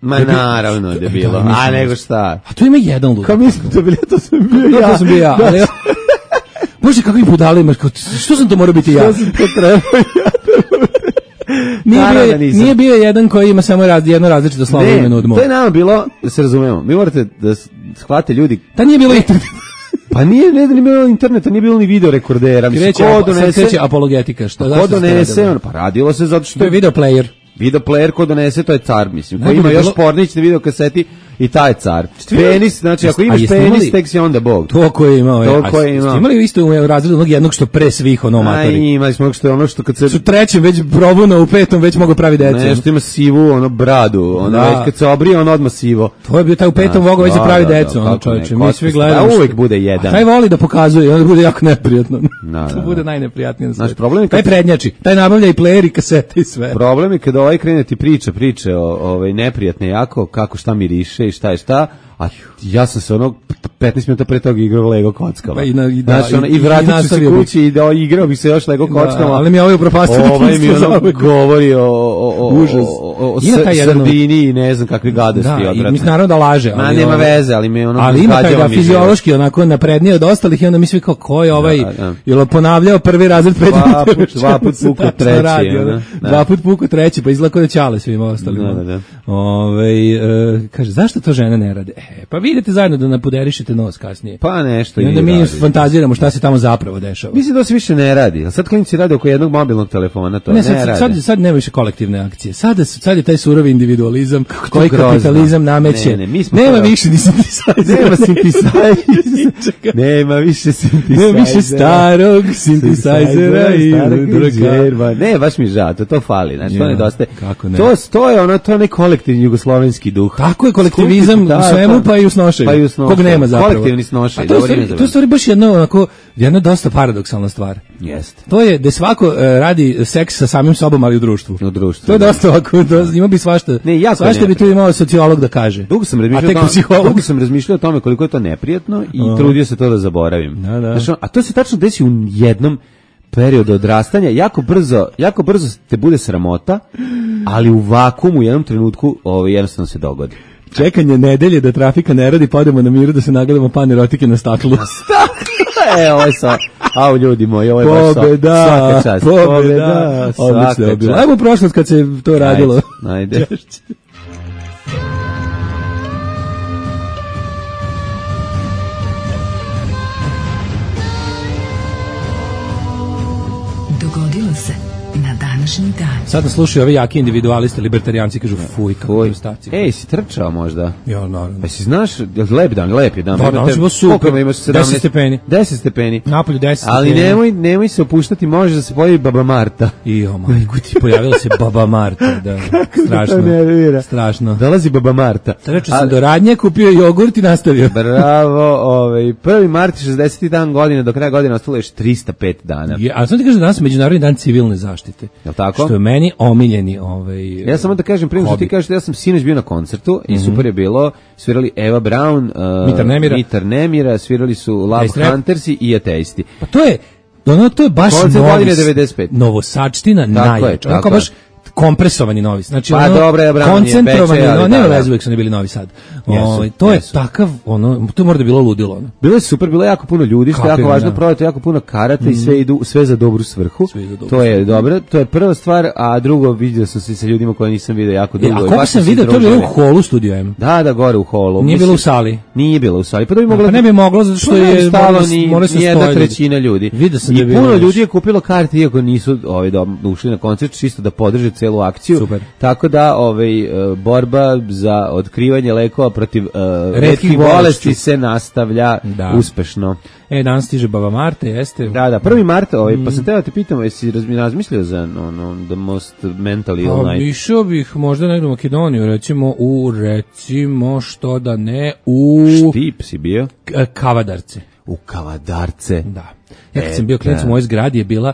Ma naravno da je bilo. A nego šta? A tu ima jedan lud. Kao mislim to bili, to sam bio ja. To sam bio ja, ali... Bože, kakvi budale imaš, što sam to morao biti ja? Što sam to trebao ja? Nije, bio, nije bio jedan koji ima samo raz, jedno različito slovo imenu od mog. To je nama bilo, da se razumemo, mi morate da shvate ljudi. Da nije bilo internet. Pa nije, ne, nije bilo interneta, nije bilo ni video rekordera. Mislim, ko donese... apologetika, što ko donese, on, pa radilo se zato što... To je video player. Video player ko donese, to je car, mislim. Ko ima još pornić na video kaseti i taj car. Penis, znači ako imaš penis, tek si onda bog. To ko je imao. To ko je imao. Ste imali isto u razredu onog jednog što pre svih ono matori? Aj, imali smo što je ono što kad se... U trećem već probuna, u petom već mogu pravi decu. Ne, što ima sivu, ono bradu, ono već kad se obrije, on odmah sivo. To je bio taj u petom mogu već da pravi decu, ono čovječe. Mi svi gledamo. Da, uvijek bude jedan. Taj voli da pokazuje, onda bude jako neprijatno. Da, to da, bude da. najneprijatnije. Znaš, problem je kad... Taj prednjači, taj nabavlja i player i kasete i sve. Problem je kada ovaj krene ti priča, priče o ovaj neprijatne jako, kako šta miriše i šta je šta, a ja sam se onog petnaest minuta pre toga igrao Lego kockama. Pa i, na, i, da, znači, ono, i, i vratit ću se kući i da igrao bi se još Lego kockama. Da, ali mi je ovaj upropastio. Ovaj mi ono govori o, o, o, Užas. o, o, o sardini i ne znam kakve gadosti. Da, i mislim naravno da laže. Ma nema ovo, veze, ali mi je ono... Ali ima taj da fiziološki onako naprednije od ostalih i onda mi svi kao ko je ovaj, da, da. Jel ponavljao prvi razred pet dva put, dva put puko treći. Radi, da, da. Dva put puko treći, pa izgleda kao da ćale svima ostalima. Da, da, da. Ove, uh, kaže, zašto to žene ne rade? E, pa vidite zajedno da napuderišete nos kasnije. Pa nešto i onda mi radi. Fantaziramo šta se tamo zapravo dešava. Mislim da se više ne radi. Sad klinci rade oko jednog mobilnog telefona, to ne, ne sad, radi. Sad, sad nema više kolektivne akcije. Sad, sad je taj surovi individualizam koji kapitalizam nameće. Ne, ne, mi smo nema to... više ni synthesizer. Nema synthesizer. Nema više synthesizer. Nema više starog synthesizera i drugog. Ne, baš mi žao, to, to fali. Znači, ja, to nedostaje. Kako ne? To, to je ono, to je kolektivni jugoslovenski duh. Tako je kolektivizam da, u svemu, pa i u snošaju. Pa i u snošaju. Kog nema zapravo. Kolektivni snošaj. To je stvari baš jedna, onako, jedna dosta paradoksalna stvar. Jeste. To je da svako uh, radi seks sa samim sobom, ali u društvu. U društvu. To je dosta ovako, to, ima bi svašta. Ne, jako svašta ne. bi tu imao sociolog da kaže. Dugo sam razmišljao, o tome, dugo sam razmišljao o tome koliko je to neprijatno i uh. trudio se to da zaboravim. Da, da. Znači, a to se tačno desi u jednom periodu odrastanja, jako brzo, jako brzo te bude sramota, ali u vakuumu u jednom trenutku ovo jednostavno se dogodi. Čekanje nedelje da trafika ne radi, pa odemo na miru da se nagledamo pan erotike na staklu. E, ovo je sa, au ljudi moji, ovo je baš pobeda, svaka čast. Pobeda, pobeda, odlično je bilo. Ajmo u prošlost kad se to radilo. Ajde, ajde. Dogodilo se na današnji dan. Sad nas slušaju ovi jaki individualisti, libertarijanci, kažu fuj, kako prestaci. Ej, si trčao možda? Ja, naravno. Pa si znaš, lep dan, lep je dan. Da, danas je bilo super. Imaš deset stepeni. deset stepeni. Napolju deset Ali stepeni. nemoj, nemoj se opuštati, može da se pojavi Baba Marta. I o majku ti, pojavila se Baba Marta, da. Strašno. Strašno. Dolazi Baba Marta. Trčao sam do radnje, kupio jogurt i nastavio. Bravo, ovaj, prvi mart šezdeseti dan godine, do kraja godine ostalo još trista pet dana. Je, a sam ti kažem da danas je Međunarodni dan civilne zaštite. Jel tako? Što je meni omiljeni ovaj. Ja samo da kažem, prije što ti kažeš, ja sam sinoć bio na koncertu i mm-hmm. super je bilo, svirali Eva Braun, uh, Mitar Nemira. Mitar Nemira, svirali su Love Huntersi i Ateisti. Pa to je, ono, to je baš novi, devedeset pet. Novosačtina najjača. Tako baš kompresovani Novi. Znači pa, ono dobra, ja, koncentrovani, Beče, no, ne da, veze uvijek su ne bili Novi Sad. Jesu, o, to jesu. je takav, ono, to mora da bilo ludilo. Ono. Bilo je super, bilo je jako puno ljudi, što je jako važno, prodato jako puno karata mm. i sve idu, sve za dobru svrhu. Za dobru to je dobro, to je prva stvar, a drugo vidio sam se sa ljudima koje nisam video jako dugo. E, a kako sam vidio, to je bilo u holu Studio M. Da, da, gore u holu. Nije bilo u sali. Nije bilo u sali, pa da bi moglo. Pa ne bi moglo zato što je stalo ni jedna trećina ljudi. I puno ljudi je kupilo karte iako nisu ovaj ušli na koncert čisto da podrže celu akciju. Tako da ovaj borba za otkrivanje lekova protiv uh, retkih bolesti se nastavlja da. uspešno. E, danas stiže Baba Marta, jeste? Da, da, prvi mart, ovaj, mm. pa sam teo te pitamo, jesi razmišljao za ono, the most mental ill night? Pa, išao bih možda negdje u Makedoniju, recimo u, recimo, što da ne, u... Štip si bio? K- Kavadarce. U Kavadarce? Da. Ja kad e, sam bio klinac u mojoj zgradi je bila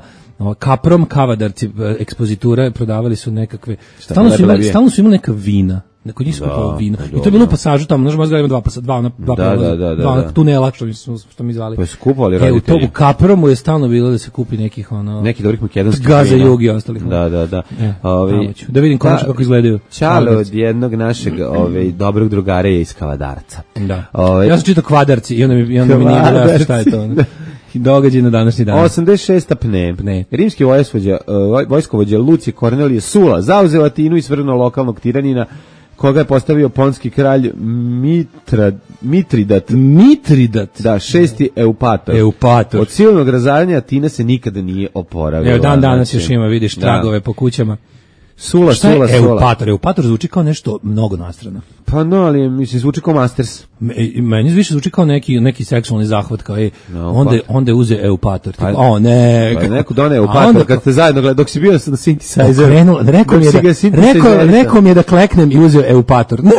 Kaprom Kavadarci, ekspozitura, prodavali su nekakve, stalno su, imali, stalno su imali neka vina. Kod njih su kupovali vino. I to je bilo u pasažu tamo, znaš, možda ima dva, dva, dva, dva, da, da, da, dva da. tunela, što mi, što mi zvali. Pa su kupovali roditelji. E, u to u Kapromu je stalno bilo da se kupi nekih, ono... Neki dobrih makedonskih Gaza, Jugi i ostalih. Da, da, da. E, Ovi, da vidim konačno kako izgledaju. Čale od jednog našeg ovaj, dobrog drugara je iz Kavadarca. Da. Ove, ja sam čitao Kvadarci i onda mi, i onda mi nije bilo šta je to. Ono. Događaj na današnji dan. osamdeset šesta pne. pne. Rimski vojskovođa, uh, vojskovođa Lucije Kornelije Sula zauzeo Atinu i svrgnuo lokalnog tiranina koga je postavio ponski kralj Mitra, Mitridat. Mitridat? Da, šesti Eupator. Eupator. Od silnog razaranja Atina se nikada nije oporavila. Evo, dan danas još ima, vidiš, tragove da. po kućama. Sula, Šta sula, je sula. Eupator? Eupator zvuči kao nešto mnogo nastrano. Pa no, ali mislim, zvuči kao Masters. Me, meni više zvuči kao neki, neki seksualni zahvat, kao je, No, onda, onda je uze Eupator. Pa- Tipo, o ne. Pa je neko doneo A Eupator onda- kad ste zajedno gledali, dok si bio na synthesizer. Okrenuo, rekao mi je Dok da, si ga rekao, synthesizerisa. rekao mi je da kleknem i uzeo Eupator. Ne!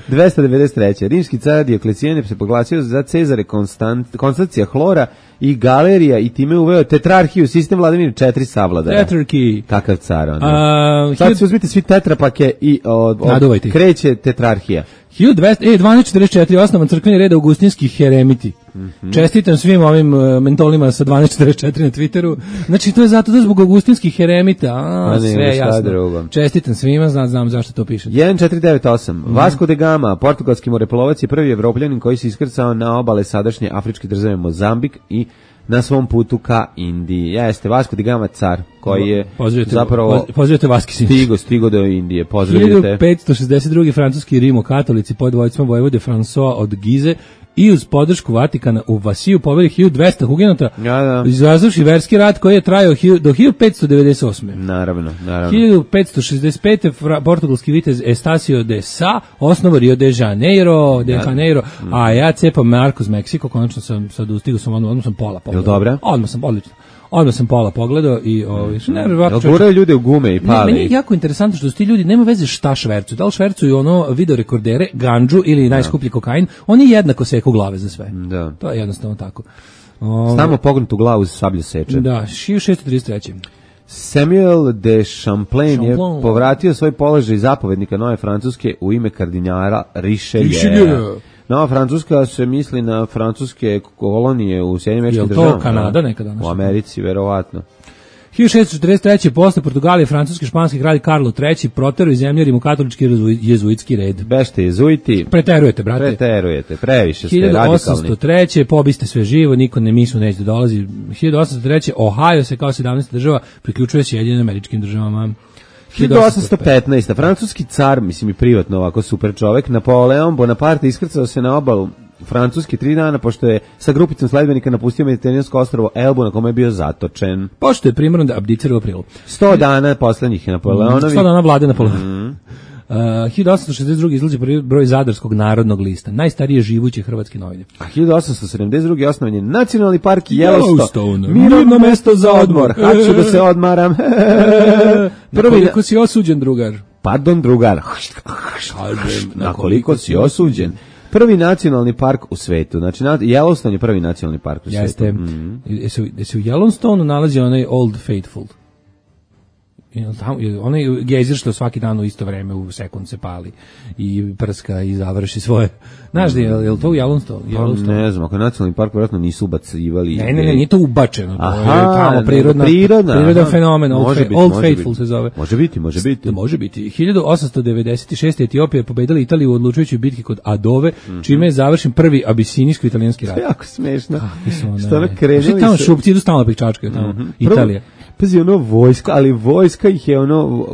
dvesta devedeset treće Rimski car Dioklecijan je se proglasio za Cezare Konstant, Konstancija Hlora i Galerija i time uveo tetrarhiju, sistem vladavine četiri savladara. Tetrarchy. Kakav car on. A, Sad hiljadu- će uzmiti svi tetrapake i od, od, Naduvajte ih. kreće tetrarhija. hiljadu dvesta, e, dvanaest četrdeset četiri osnovan crkveni red augustinskih heremiti. Mhm. Čestitam svim ovim uh, mentolima sa dvanaest četrdeset četiri na Twitteru. Znači, to je zato da zbog augustinskih heremita. A, A ne, sve šta jasno. drugo. Čestitam svima, znam, znam zašto to piše. jedan četiri devet osam Vasco de Gama, portugalski moreplovac, je prvi evropljanin koji se iskrcao na obale sadašnje afričke države Mozambik i na svom putu ka Indiji. Jeste, Vasco de Gama car, koji je Pozdravite, zapravo poz- pozdravite Vaski Sinić. stigo, stigo do Indije. Pozdravite. hiljadu petsto šezdeset drugi francuski rimokatolici pod vojstvom vojvode François od Gize i uz podršku Vatikana u Vasiju poveli hiljadu dvesta hugenota, Ja, da. izazvavši verski rat koji je trajao hilj- do hiljadu petsto devedeset osme. Naravno, naravno. hiljadu petsto šezdeset pete fra- portugalski vitez Estacio de Sá osnovo Rio de Janeiro, de Janeiro, a ja cepam Marcos Meksiko, konačno sam sad ustigao sam, odmah, odmah sam pola pogledao. dobra? Odmah sam, odlično. Odmah sam pola pogledao i ovaj, što ne, verovatno Jel čovječe- guraju ljude u gume i Ne, pali? meni je jako interesantno što su ti ljudi, nema veze šta švercuju, da li švercuju ono videorekordere, ganđu ili najskuplji kokain, oni jednako seku glave za sve. Da. To je jednostavno tako. O, Samo pognutu glavu za sablju seče. Da, hiljadu šeststo trideset treće Samuel de Champlain je Champlain. povratio svoj položaj zapovednika Nove Francuske u ime kardinala Richelieu. Richelieu. Nova Francuska se misli na francuske kolonije u Sjedinjenim Američkim Jel to državama. Kanada nekada našla? U Americi, verovatno. hiljadu šeststo četrdeset treće posle Portugalije francuski španski kralj Karlo treći proterao iz zemlje rimokatolički jezu- jezuitski red. Bešte jezuiti, Preterujete, brate. preterujete, previše ste hiljadu osamsto radikalni. treće pobiste sve živo, niko ne misli neće da dolazi. hiljadu osamsto treće Ohio se kao sedamnaesta država priključuje Sjedinjenim Američkim državama. hiljadu osamsto petnaeste Francuski car, mislim i privatno ovako super čovek, Napoleon Bonaparte iskrcao se na obalu Francuski tri dana, pošto je sa grupicom sledbenika napustio mediteransko ostrvo Elbu na kome je bio zatočen. Pošto je primorno da abdicira u aprilu. sto dana poslednjih je Napoleonovi. sto dana vlade Napoleona. Mhm. Uh, hiljadu osamsto šezdeset druge izlazi prvi broj Zadarskog narodnog lista, najstarije živuće hrvatske novine. A hiljadu osamsto sedamdeset druge osnovan je Nacionalni park Yellowstone. Yellowstone. Mirno mesto za odmor. Haću da se odmaram. Na koliko si osuđen, drugar? Pardon, drugar. Kažem, Na koliko si osuđen? Prvi nacionalni park u svetu. Znači, na- Yellowstone je prvi nacionalni park u Jeste. svetu. Mhm. Jesi jesi u Yellowstoneu nalazi onaj Old Faithful. Jel tamo- jel onaj gejzir što svaki dan u isto vreme u sekund se pali i prska i završi svoje. Znaš da je, je li to u Yellowstone? Pa, Yellowstone? ne znam, ako je nacionalni park, vjerojatno nisu ubacivali. Ne, ne, ne, nije to ubačeno. To Aha, je tamo prirodna, prirodna, prirodan aha. fenomen. Old, Može Fa- biti, Old može Faithful biti. se zove. Može biti, može biti. Može biti. hiljadu osamsto devedeset šeste Etiopija je pobedila Italiju u odlučujućoj bitki kod Adove, čime je završen prvi abisinijsko-italijanski rat. Jako smešno. Mislim, ono, Što ono ne. krenuli Znaš, tamo su- šupci idu stalno pečačkaju tamo. Italija. Prvo, pazi, ono vojska, ali vojska ih je ono,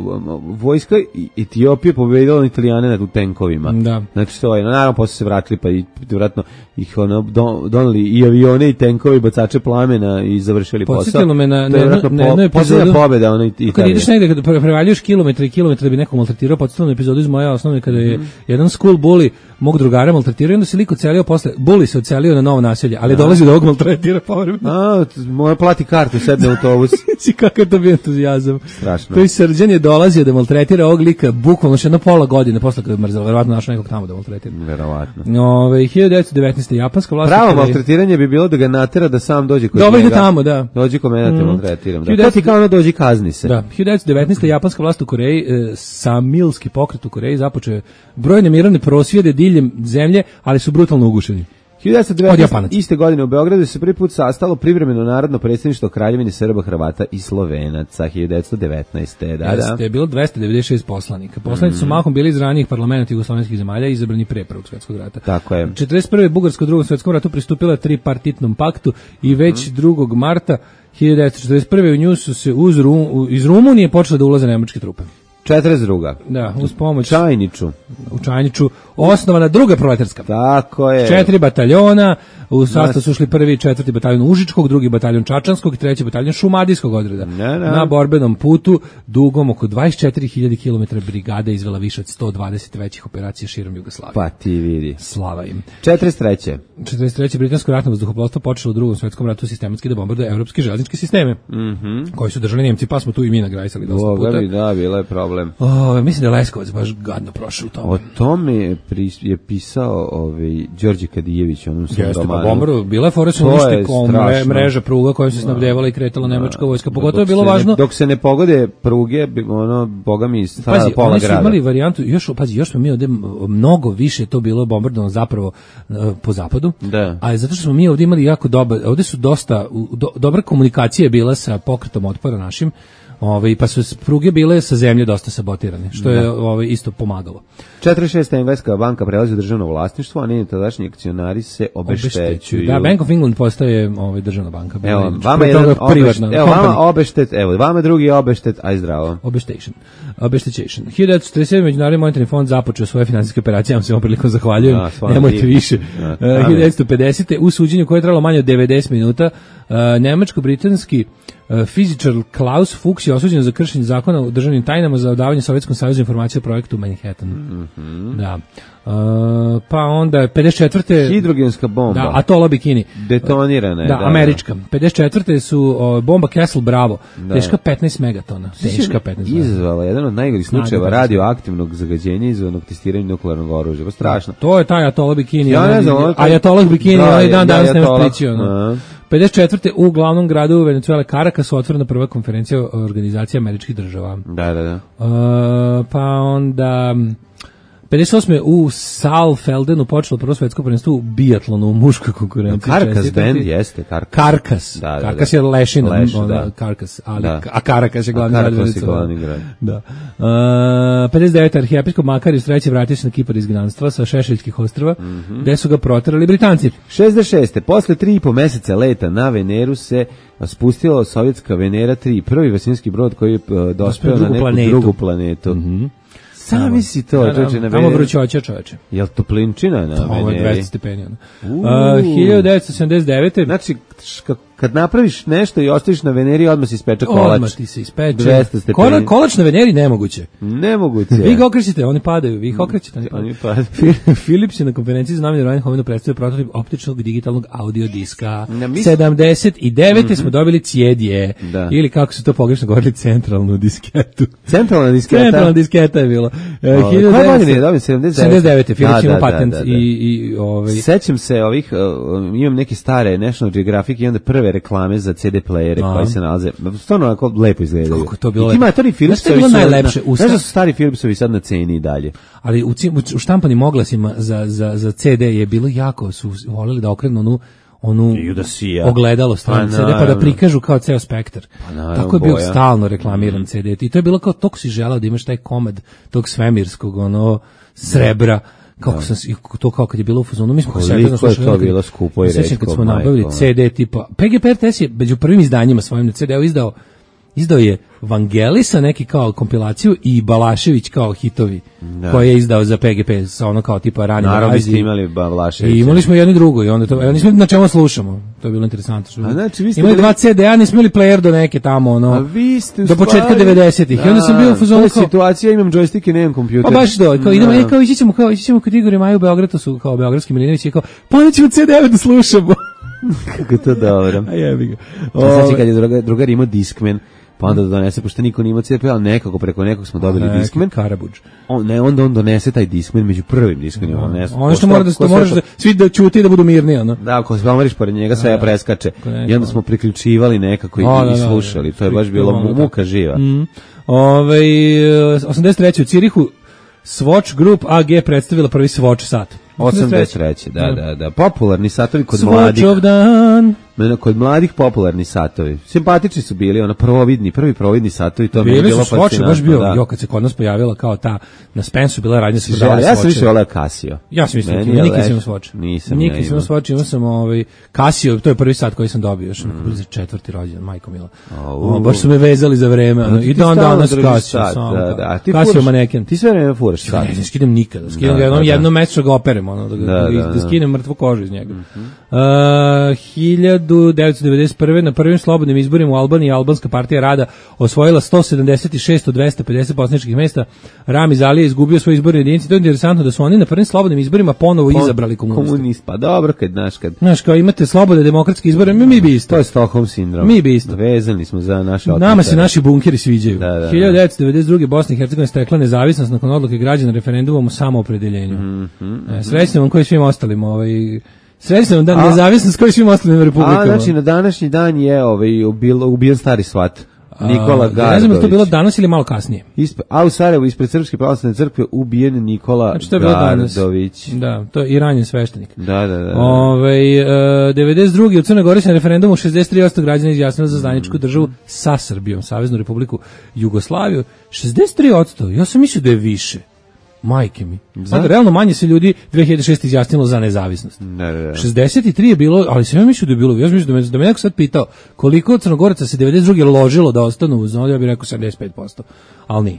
vojska Etiopije pobedila na Italijane na tu tenkovima. Da. Znači to je, no, naravno posle se vratili pa i vratno ih ono don, doneli i avione i tenkovi, bacače plamena i završili posao. Podsjetilo me na- To je na- vjerojatno na po- jednu posljednja epizodu- pobeda ono Italije. Kad ideš negde, kada pre- prevaljuješ kilometre i kilometre da bi nekog maltretirao, podsjetilo me epizodu iz moje osnovne kada je jedan school bully mog drugara maltretirao i onda se lik ocelio posle, bully se ocelio na novo naselje, ali dolazi do ovog maltretira povremeno. A, t- mora plati kartu, sedne u autobus. Si kakav to bio entuzijazam. Strašno. To i Srđan je dolazio da maltretira ovog lika bukvalno še jedno pola godine posle kada je mrzelo, verovatno našao nekog tamo da maltretira. Verovatno. Ove, hiljadu devetsto devetnaeste japanska vlast... Pravo kada je- maltretiranje bi bilo da ga natera da sam dođe kod Dobro, njega. ide tamo, da. Dođi kod mene da te Mm. maltretiram. Da. hiljadu To ti kao ono dođi kazni se. Da, hiljadu devetsto devetnaeste japanska vlast u Koreji, e, Samilski pokret u Koreji započeo je brojne mirovne prosvjede diljem zemlje, ali su brutalno ugušeni. hiljadu devetsto Od devetnaeste Japanaca. iste godine u Beogradu se prvi put sastalo privremeno narodno predsjedništvo Kraljevine Srba, Hrvata i Slovenaca. hiljadu devetsto devetnaeste. Da, da. Jeste, je bilo dvesta devedeset šest poslanika. Poslanici su mahom bili iz ranijih parlamenta jugoslovenskih zemalja izabrani pre Prvog svjetskog rata. Tako je. četrdeset prve Bugarska u Drugom svjetskom ratu pristupila tripartitnom paktu i već drugog marta hiljadu devetsto četrdeset prve u nju su se uz Rum, iz Rumunije počele da ulaze nemačke trupe. četrdeset druga Da, uz pomoć Čajniču. U Čajniču osnovana druga proletarska. Tako je. Četiri bataljona, u sastav su ušli prvi i četvrti bataljon Užičkog, drugi bataljon Čačanskog i treći bataljon Šumadijskog odreda. Ne, ne. Na borbenom putu, dugom oko dvadeset četiri hiljade kilometara brigada izvela više od sto dvadeset većih operacija širom Jugoslavije. Pa ti vidi. Slava im. četrdeset treće četrdeset treće britansko ratno vazduhoplovstvo počelo u Drugom svetskom ratu sistematski da bombarduje evropske železničke sisteme, Mhm. koji su držali Nemci, pa smo tu i mi nagrajsali dosta Boga puta. mi, da, bila je problem. O, mislim da je Leskovac baš gadno prošao u tome. O tome je, pri, je pisao ovaj, Đorđe Kadijević, onom svom Jeste, pa romanu. bombaru, bila je fora su To je uništi strašno. mreža pruga kojom se snabdevala i kretala nemačka vojska. Pogotovo je bilo Dok se važno. Ne, dok se ne pogode pruge, bi- ono, boga mi, stara Pazi, pola oni su grada. imali varijantu, još, pazi, još smo mi ovde m- mnogo više to bilo bombardovano zapravo e, po zapadu, Da. a zato što smo mi ovde imali jako dobar, ovde su dosta, u- do, dobra komunikacija je bila sa pokretom otpora našim, ovaj, pa su s- pruge bile sa zemlje dosta sabotirane, što je ovaj, isto pomagalo. četrdeset šeste Engleska banka prelazi u državno vlasništvo, a njeni tadašnji akcionari se obeštećuju. Da, Bank of England postaje ovaj, državna banka. Evo, Znači, vama pre jedan toga privatna obeštet, evo vama company. obeštet, evo, vama drugi obeštet, aj zdravo. Obeštation. Obeštećation. hiljadu devetsto četrdeset sedme Međunarodni monetarni fond započeo svoje finansijske operacije, ja vam se ovom prilikom zahvaljujem, Da, stvarno nemojte divno. više. Da, Uh, da, hiljadu devetsto pedesete u suđenju koje je trajalo manje od devedeset minuta, uh, nemačko-britanski uh, fizičar Klaus Fuchs je osuđen za kršenje zakona o državnim tajnama za odavanje Sovjetskom savezu informacije o projektu Manhattan. Mhm. Da. Uh, pa onda pedeset četvrte Hidrogenska bomba. Da, Atola Bikini. Detonirana je, Da, da, američka. pedeset četvrte su o, bomba Castle Bravo, Da. teška petnaest megatona. Teška petnaest megatona. Izazvala jedan od najgorih slučajeva Snaga radioaktivnog zagađenja izvanog testiranjem nuklearnog oružja. Pa strašno. To je taj Atola Bikini. Ja ne znam, ono- Ajatolah Bikini, Da, onaj dan ja- danas nema Ajatolah. spričio. Aha. pedeset četvrte u glavnom gradu Venezuele Caracas otvorena prva konferencija organizacije američkih država. Da, da, da. Uh, pa onda pedeset osme u Saalfeldenu počelo prvo svetsko prvenstvo u biatlonu u muškoj konkurenciji. Karkas Čestitati. band jeste, Karkas. Karkas. Da, da, Karkas da. je lešina, Leš, ono, da. Karkas, ali, Da. a Karakas je glavni A grad. Karakas je Venezuele. glavni grad. Da. Uh, pedeset devete arhijepiskop Makarius treći vratio se na Kipar izgnanstva sa Šešeljskih ostrva, Mhm. gde su ga proterali Britanci. šezdeset šeste Posle tri i po meseca leta na Veneru se spustila sovjetska Venera tri, prvi vesinski brod koji je uh, dospeo na drugu neku planetu. drugu planetu. Sami si to, Da, da, čoveče, na tamo Veneri. vrućoća, čoveče. Jel toplinčina na Ovo je Veneri? dvesta stepeni. ono. Uuu. Uh, hiljadu devetsto sedamdeset devete Znači, š- kad napraviš nešto i ostaviš na Veneri, odmah si ispeče kolač. Odmah ti se ispeče. dvesta stepeni. Kola, kolač na Veneri nemoguće. Nemoguće. Vi ga okrećete, oni padaju, vi ih okrećete. Oni Oni padaju. padaju. Philips je na konferenciji za novinare Reinhovenu predstavio prototip optičnog digitalnog audio diska. Na mis- sedamdeset devete smo dobili cijedje. Da. Ili kako su to pogrešno govorili, centralnu disketu. Centralna disketa. Centralna disketa je bila. E, Ove, hiljadu koje devetsto godine je dobio? sedamdeset devete? sedamdeset devete Philips Da, ima da, patent da, da, da. i, i ovaj, Sećam se ovih, uh, imam neke stare National Geographic i onda prve reklame za ce de playere Aha. koji se nalaze, stvarno onako lepo izgledaju. Kako je to bilo I ti lepo. matori Philipsovi Znaš šta je bilo su, najlepše? na- U znaš da sta- su stari Philipsovi sad na ceni i dalje. ali u, ci- u štampanim oglasima za, za, za ce de je bilo jako, su voleli da okrenu onu onu I da sija. ogledalo strane Pa ce de pa da naravno. prikažu kao ceo spektar. naravno, Tako je bio boja. stalno reklamiran ce de. I to je bilo kao tog si želao da imaš taj komad tog svemirskog ono srebra. Kako sam si- to kao kad je bilo u fazonu, mi smo kao Koliko sedeli, je slušali, to kad- bilo skupo i sećam kad retko, smo majko nabavili moja. ce de tipa P G P R T S je među prvim izdanjima svojim na ce de-u izdao izdao je Vangelisa neki kao kompilaciju i Balašević kao hitovi koje je izdao za P G P sa ono kao tipa rani Naravno Aziji. ste imali Balaševića. I imali smo jedno i drugo i onda to, evo nismo na čemu slušamo. To je bilo interesantno. Što A znači, vi ste imali bili- dva ce de-a, nismo imali player do neke tamo, ono, A vi ste u do početka stvari- devedesetih. I onda sam bio u Da, fazonu to je kao, situacija, imam joystick i nemam kompjuter. pa baš to, kao idemo, Da. e, kao ići ćemo, kao ići ćemo kod Igora i Maju u Beograd, to su kao beogradski Milinović i kao, pa onda ćemo ce de da slušamo. Kako je to dobro. A jebi ga. Znači kad je drugar, drugar imao Discman, pa onda donese, pošto niko nije imao ce de, ali nekako preko nekog smo dobili Neki Discman. Karabuđ. On, ne, onda on donese taj Discman među prvim Discmanima. On donese- Ono što ko mora da ko to moraš da svi da ćute i da budu mirni, ono. Da, ako se pomeriš pored njega, sve ja preskače. neko- I onda smo priključivali nekako i, Da, da, i da, slušali. da. To je baš bilo Ono, mu- da. muka živa. Mm. Ove, osamdeset treće u Cirihu Swatch Group A G predstavila prvi Swatch sat. osamdeset treće da, da, da. Popularni satovi kod Swatch mladih. of dan. kod mladih popularni satovi. Simpatični su bili, ono providni, prvi providni satovi, to mi je bilo fascinantno. Bili su baš bio, da. jo, kad se kod nas pojavila kao ta, na Spensu bila radnja se prodala Ja sam više voleo Casio. Ja sam isto, nikad sam imao Swatch. Nisam nikad ja sam imao Swatch, imao sam ovaj, Casio, to je prvi sat koji sam dobio, još mm. za četvrti rođendan, majko mila. O, baš su me vezali za vreme, ono, i dan danas Casio. Da, da. Casio maneken. Ti sve vreme furaš sat. Ne, ne skidam nikada, skidam ga jednom, jednom mesečno ga operem, ono, da, da, da, da skinem mrtvu kožu iz njega. Uh, hiljadu devetsto devedeset prve na prvim slobodnim izborima u Albaniji albanska partija rada osvojila sto sedamdeset šest od dvesta pedeset poslaničkih mesta. Ramiz Ali je izgubio svoj izborni jedinici. To je interesantno da su oni na prvim slobodnim izborima ponovo Pon, izabrali komuniste. Komunist, pa dobro, kad znaš kad. Znaš, kao imate slobodne demokratske izbore, mi, mi bi isto. To je Stockholm sindrom. Mi bi isto. Vezani smo za naše otmice. Nama se naši bunkeri sviđaju. Da, da, hiljadu devetsto devedeset druge Bosna i Hercegovina stekla nezavisnost nakon odluke građana referendumom o samoopredeljenju. Mm -hmm. e, Srećno vam koji svim ostalim ovaj Srećno vam da nezavisnost koji svim ostalim republikama. A znači na današnji dan je ovaj ubil, ubijen stari svat. Nikola Gardović. Ne znam da to bilo danas ili malo kasnije. Ispe, a u Sarajevu ispred Srpske pravoslavne crkve ubijen Nikola znači, to je Gardović. Da, to je i ranjen sveštenik. Da, da, da. Ove, e, devedeset druge u Crnoj Gori se na referendumu šezdeset tri posto građana izjasnilo za zajedničku državu sa Srbijom, Saveznu Republiku Jugoslaviju. šezdeset tri posto Ja sam mislio da je više. Majke mi. Sad, realno manje se ljudi dve hiljade šeste izjasnilo za nezavisnost. Ne, ne, ne. šezdeset tri je bilo, ali sam ja mislio da je bilo, ja sam mislio da me, da me neko sad pitao koliko Crnogoraca se devedeset druge ložilo da ostanu uz ono, ja bih rekao sedamdeset pet posto ali nije.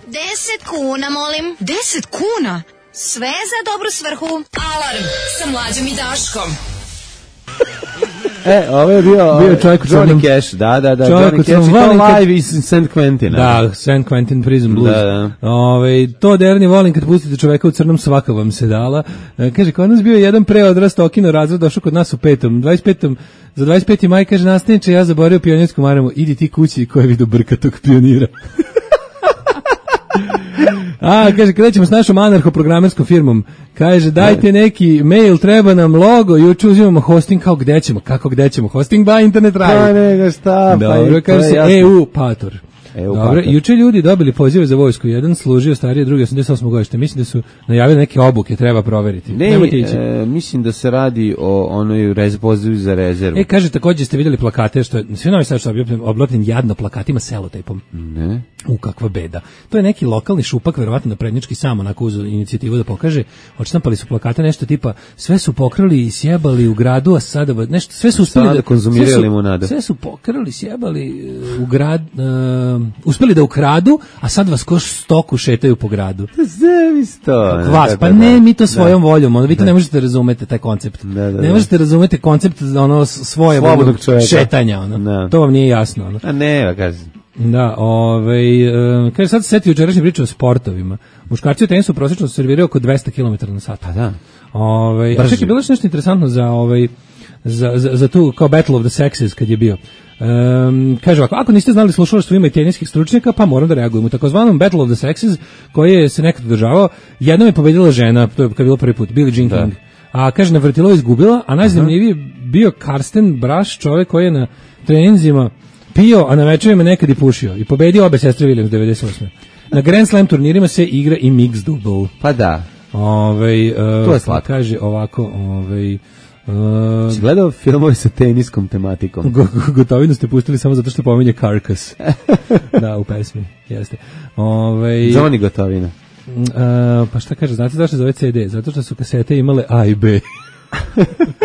deset kuna, molim. deset kuna? Sve za dobru svrhu. Alarm sa Mlađom i Daškom. E, ovo je bio, bio čovjek u Johnny Cash, da, da, da, Johnny Cash, to live iz Saint Quentin. Da, Saint Quentin Prison Blues. Da, da. Ove, to derni volim kad pustite čoveka u crnom, svaka vam se dala. E, kaže, kod nas bio jedan preodrast okino razred, došao kod nas u petom, dvadeset petom za dvadeset peti maj, kaže, nastavniče, ja zaboravio pionirsku maramu, idi ti kući ko je vidio brkatog pionira. A, kaže, kada ćemo s našom anarcho-programerskom firmom, kaže, dajte neki mail, treba nam logo, juče uzimamo hosting, kao gde ćemo, kako gde ćemo, hosting ba internet radi. Pa nego šta, pa dobro, kaže se E U Pator. Evo, dobro, juče ljudi dobili pozive za vojsku, jedan služio starije, drugi osamdeset osme godište, mislim da su najavili neke obuke, treba proveriti. Ne, e, mislim da se radi o onoj rez, pozivu za rezervu. E, kaže, također ste vidjeli plakate, što je, svi novi sad što je oblopljen jadno plakatima selotejpom. Ne. U, kakva beda. To je neki lokalni šupak, verovatno na prednjački sam onako uz inicijativu da pokaže, odštampali su plakate nešto tipa, sve su pokrali i sjebali u gradu, a sada, nešto, sve su uspeli da, konzumirali limunade. Sve su pokrali, sjebali u grad, uh, uspeli da ukradu, a sad vas ko stoku šetaju po gradu. Zavisto. Vas, pa ne, mi to svojom da. voljom, ono, vi to ne možete razumete taj koncept. Da, da, ne možete razumete koncept ono svoje šetanja, ono. Da. To vam nije jasno, ono. A ne, kažem. Da, ovaj, uh, kaže sad se setio jučerašnje priče o sportovima. Muškarci u tenisu prosječno serviraju oko dvesta kilometara na sat. Pa da. Ovaj, a čekaj, bilo je nešto interesantno za ovaj za, za, za tu kao Battle of the Sexes kad je bio. Um, kaže ovako, ako niste znali slušalaštvo ima i teniskih stručnjaka, pa moram da reagujem. U takozvanom Battle of the Sexes, koji je se nekad održavao, jednom je pobedila žena, to je kad je bilo prvi put, Billie Jean King. A kaže, na vrtilo izgubila, a najzanimljiviji bio Karsten Braš, čovjek koji je na treninzima pio, a na večerima nekad i pušio. I pobedio obe sestre Williams devedeset osme Na Grand Slam turnirima se igra i mixed double. Pa da. Ovaj, uh, to je slatko. Kaže ovako, ovaj, uh, si gledao filmove sa teniskom tematikom? Go, go, gotovinu ste pustili samo zato što pominje Carcass. Da, u pesmi, jeste. Ovaj, Johnny Gotovina. Uh, pa šta kaže, znate zašto zove C D? Zato što su kasete imale A i B.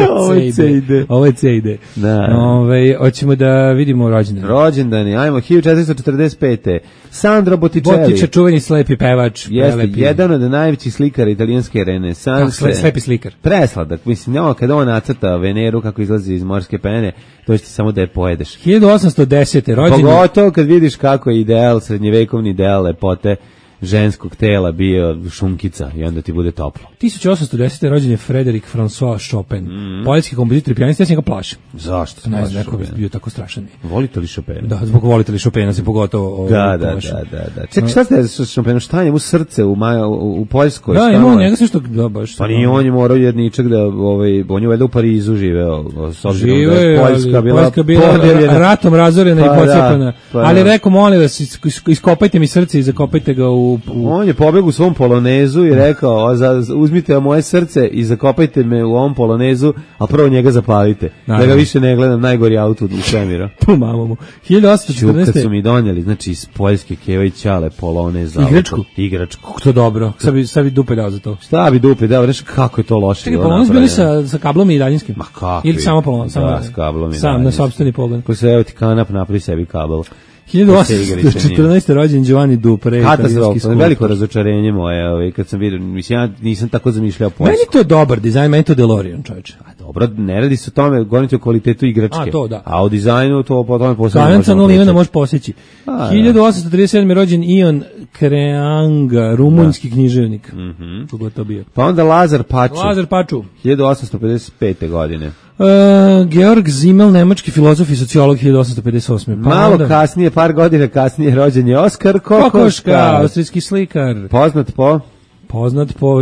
Ovo je C I D. Ovo je C I D. Da. Ove, hoćemo da vidimo rođendane. Rođendani, ajmo, hiljadu četiristo četrdeset pete Sandro Botticelli. Bottice, čuveni slepi pevač. Jeste, prelepi. Jedan od najvećih slikara italijanske renesanse. Kako, slepi slikar. Presladak, mislim, ono, kada on nacrta Veneru kako izlazi iz morske pene, to će ti samo da je pojedeš. hiljadu osamsto desete rođendan. Pogotovo kad vidiš kako je ideal, srednjevekovni ideal lepote ženskog tela bio šunkica i onda ti bude toplo. tisuću osamsto desete rođen je Frédéric François Chopin, mm. poljski kompozitor i pijanist, ja sam ga plašim. Zašto? Ne znam, neko bi bio tako strašan. Volite li Chopina? Da, zbog volite li Chopina se pogotovo da, da, da, da, da. Čekaj, šta ste sa Chopinom? Šta je mu srce u, Maja, u, u Poljskoj? Da, ima njega sve što... Da, baš, pa nije on je morao jedničak da, ovaj, on je valjda u Parizu živeo, s obzirom žive, da je Poljska bila, Poljska bila ratom razorena pa, i pocijepana. Pa, ali rekao, molim vas, iskopajte mi srce i zakopajte ga u u, u... On je pobegao u svom polonezu i rekao, za, uzmite moje srce i zakopajte me u ovom polonezu, a prvo njega zapalite. Naravno. Da ga više ne gledam, najgori auto u svemiru. Tu mamu. hiljadu osamsto četrnaeste. Kad su mi donijeli, znači iz Poljske Keva i Ćale polonez. Igračku? Igračku. Kako to dobro. Sad bi, sad bi dupe dao za to. Šta bi dupe dao, reći kako je to loše. Čekaj, polonez bili sa, sa kablom i daljinskim? Ma kako? Ili samo polonez? Da, s kablom i sam, na sopstveni pogled. Ko se evo ti kanap, napravi sebi kabel. hiljadu osamsto četrnaeste. rođen Giovanni Dupre, italijanski skulptor. Veliko razočarenje moje, ovaj, kad sam vidio, mislim, ja nisam tako zamišljao Poljsku. Meni to dobar dizajn, meni to DeLorean, čovječe. A dobro, ne radi se o tome, govorim ti o kvalitetu igračke. A, to da. A o dizajnu to po tome posebno možemo pričati. Kananca nula može posjeći. hiljadu osamsto trideset sedme. rođen Ion Creanga, rumunjski da. književnik. Mm-hmm. Kogo to bio. Pa onda Lazar Paču. Lazar Paču. hiljadu osamsto pedeset pete. godine. Uh, Georg Simmel, nemački filozof i sociolog, hiljadu osamsto pedeset osme. Pa malo onda... kasnije, par godina kasnije, rođen je Oskar Kokoška. Kokoška, austrijski slikar. Poznat po... Poznat po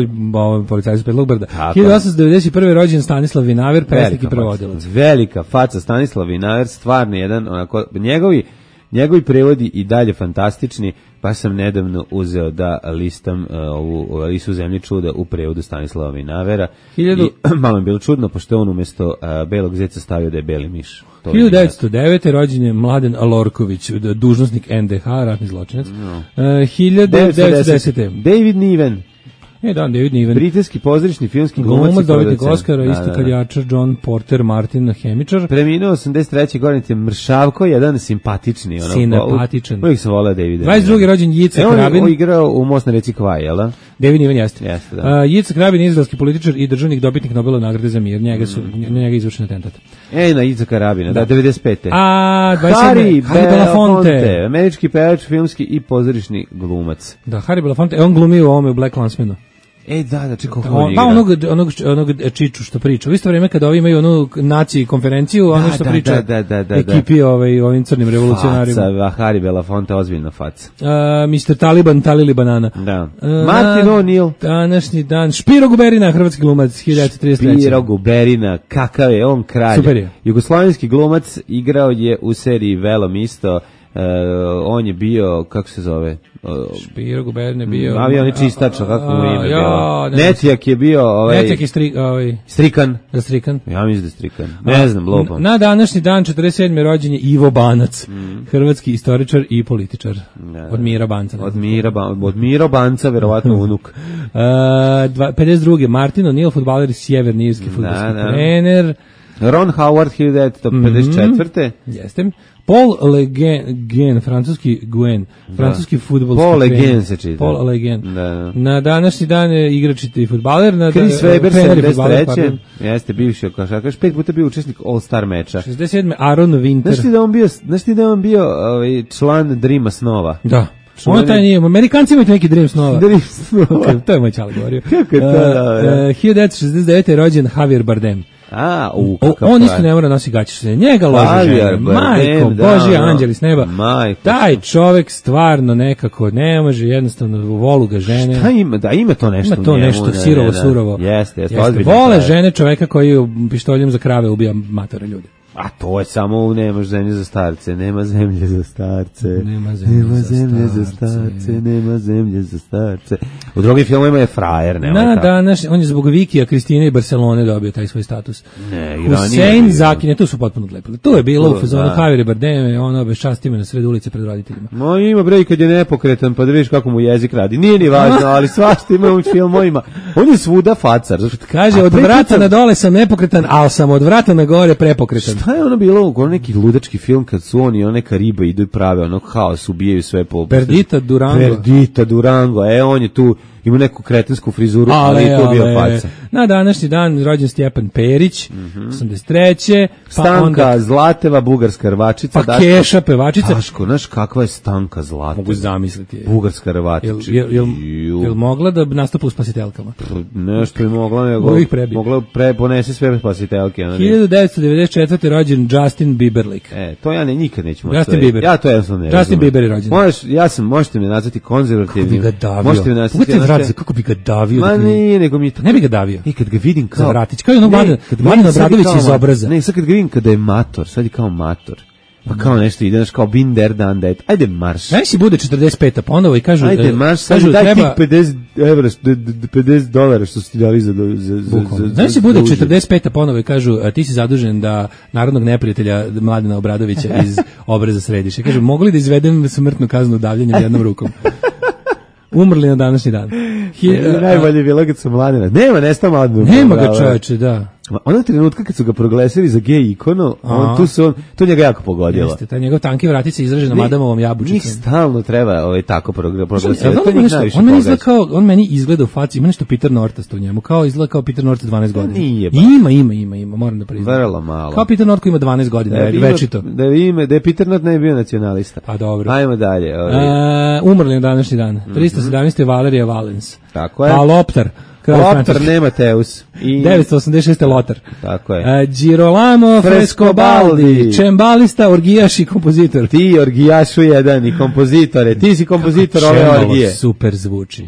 policajcu Petlog brda. hiljadu osamsto devedeset prve. rođen Stanislav Vinaver, pesnik i prevodilac. Velika faca Stanislav Vinaver, stvarno jedan, onako, njegovi, njegovi prevodi i dalje fantastični, pa sam nedavno uzeo da listam uh, ovu Alisu u zemlji čuda u prevodu Stanislava Vinavera. Hiljadu... I malo je bilo čudno, pošto je on umjesto uh, belog zeca stavio da je beli miš. To hiljadu devetsto devete. rođen je Mladen Alorković, dužnosnik en de ha, ratni zločinac. No. Uh, hiljadu devetsto desete. David Niven. E, da, David Niven. Britanski pozorišni filmski glumac. Glumac, dobitnik Oscara, da, isto kaljačar, John Porter Martin, hemičar. Preminuo osamdeset treće. godine je mršavko, jedan simpatični. Ono, Simpatičan. Uvijek sam voleo Davida. dvadeset drugi. rođen Jica Krabin. On je igrao u Most na reci Kvaj, jel da? David Niven jeste. Jeste, da. Uh, Jica Krabin, izraelski političar i državnik, dobitnik Nobelove nagrade za mir. Njega su, mm. njega izvršen atentat. Ej, na Jica Krabina, da, da devedeset pete. A, dvadeset sedme. Harry Belafonte. Američki pevač, filmski i pozorišni glumac. Da, Harry Belafonte, e, on glumi u ovome u Black Landsmanu. Ej, da, da, čekaj, kako on, pa onog, onog, onog Čiču što priča. U isto vrijeme kada ovi imaju onu naciji konferenciju, da, ono što da, priča da, da, da, ekipi ovaj, ovim crnim revolucionarima. Faca, Harry Belafonte, ozbiljna faca. Uh, mister Taliban, Talili Banana. Da. Uh, Martin O'Neill. Današnji dan. Špiro Guberina, hrvatski glumac, hiljadu devetsto trideset treće. Špiro Guberina, kakav je on kralj. Super je. Jugoslovenski glumac, igrao je u seriji Velom isto. Uh, on je bio, kako se zove? Uh, Špiro Guberin je bio... Avion je čistač, kako mu ime ja, bilo? Netjak je bio... Ovaj, Netjak je stri, ovaj, Strikan. Da, Strikan. Ja mislim da je Strikan. Ne znam, lopam. Na današnji dan, četrdeset sedme. rođen je Ivo Banac, mm. hrvatski istoričar i političar. Ne, od Mira Banca. Od Mira, ba, od Mira Banca, verovatno unuk. uh, pedeset druge. Martin O'Neill, fudbaler iz Sjeverne Irske, fudbalski trener. Ron Howard, hiljadu devetsto pedeset četvrte. Mm-hmm. Jeste. Paul Le Guen, francuski Guen, francuski fudbalski Paul Le Guen se čita. Paul Le Guen. Da. Na današnji dan je igrač i fudbaler. Na Chris Weber, sedamdeset treće. Jeste bivši košarkaš, pet puta bio učesnik All-Star meča. šezdeset sedme. Aaron Winter. Znaš ti da on bio, znaš ti da on bio ovaj, član Dreama snova? Da. On taj nije, Amerikanci imaju neki Dream snova. Dream snova. Okay, to je moj čale govorio. Kako je to, da, da. hiljadu devetsto šezdeset devete. je rođen Javier Bardem. A, u, on isto ne mora nosi gaće, njega loži žene, majko, Božji anđeli s neba, majko. Taj čovek stvarno nekako ne može, jednostavno volu ga žene. Šta ima, da ima to nešto ima to njemu, nešto ne, sirovo, ne, ne. surovo. Jeste, jeste, jeste. Vole žene čoveka koji pištoljem za krave ubija matore ljudi. A to je samo nemaš zemlje za starce, nema zemlje za starce, nema zemlje, nema za, zemlje starce. za starce, nema zemlje za starce. U drugim filmovima je frajer, nema Na, danas, on je zbog Vikija, Kristine i Barcelone dobio taj svoj status. Ne, Husein Zaki, ne, tu su potpuno odlepili. Tu je bilo to, u fazonu Javier Bardem, ono bez častime na sred ulice pred roditeljima. No ima bre kad je nepokretan, pa da vidiš kako mu jezik radi. Nije ni važno, ali svašta ima u filmovima. On je svuda facar. Kaže, od vrata na dole sam nepokretan, al sam od vrata na gore prepokretan. Šta je ono bilo? Ono neki ludački film kad su oni, ono neka riba idu i prave ono haos, ubijaju sve po... Perdita Durango. Perdita Durango, e on je tu, ima neku kretensku frizuru, ali, ali to bio faca. Na današnji dan rođen Stjepan Perić, mm-hmm. osamdeset treće Pa Stanka onda, Zlateva, bugarska rvačica. Pa Daško, Keša, pevačica. Daško, znaš kakva je Stanka Zlateva? Mogu zamisliti. Bugarska rvačica. Jel, jel, jel, jel mogla da nastupa u Spasiteljkama? Nešto je mogla, nego mogla pre, ponese sve Spasiteljke. hiljadu devetsto devedeset četvrte rođen Justin Bieberlik. E, to ja ne, nikad neću moći. Justin Bieber. Ja to jednostavno ne Justin Bieber je rođen. Možeš, ja sam, možete me nazvati konzervativnim. Kako bi ga davio? Možete me nazvati... Vratze, kako bi ga davio? Ma ne, nego mi... Ne bi ga davio. I kad ga vidim kao... Zavratić, kao i ono Mladen Obradović iz Obraza. Ne, sad kad ga vidim kada je mator, sad je kao mator. Pa kao nešto ide, znaš, kao been there, done that. Ajde, marš. Meni si bude četrdeset peta ponovo i kažu... Ajde, marš, sad kažu, daj treba... tih pedeset evra, pedeset dolara što su ti dali za... za, za, za Meni si bude četrdeset peta ponovo i kažu, a ti si zadužen da narodnog neprijatelja Mladena Obradovića iz Obreza središ. I kažu, mogu li da izvedem smrtnu kaznu davljenjem jednom rukom? Umrli na današnji dan. Hi, uh, najbolje je bilo kad su Mladena. Nema, nestao Mladenu. Nema ga, čoveče, da. Onog trenutka kad su ga proglasili za gej ikonu, on, tu se on, to njega jako pogodilo. Jeste, taj njegov tanki vratica izražena Madamovom jabučicom. Njih stalno treba ovaj, tako proglasiti. Ja, on, on, meni izgleda kao, on meni izgleda u faci, ima nešto Peter Nortas u njemu, kao izgleda kao Peter Nortas dvanaest godina. Nije ba. Ima, ima, ima, ima, moram da priznam. Vrlo malo. Kao Peter Nortas ima dvanaest godina, da je večito. Da je ime, da je Peter Nort ne bio nacionalista. Pa dobro. Ajmo dalje. Ovaj. Uh, umrli na današnji dan. tristo sedamnaesti. Valerija Valens. Tako je. Pa Loptar. Loptar nema Teus. I... devetsto osamdeset šeste. Lotar. Tako je. Uh, Girolamo Frescobaldi, čembalista, orgijaš i kompozitor. Ti orgijašu jedan i kompozitore. Ti si kompozitor ove orgije. Super zvuči.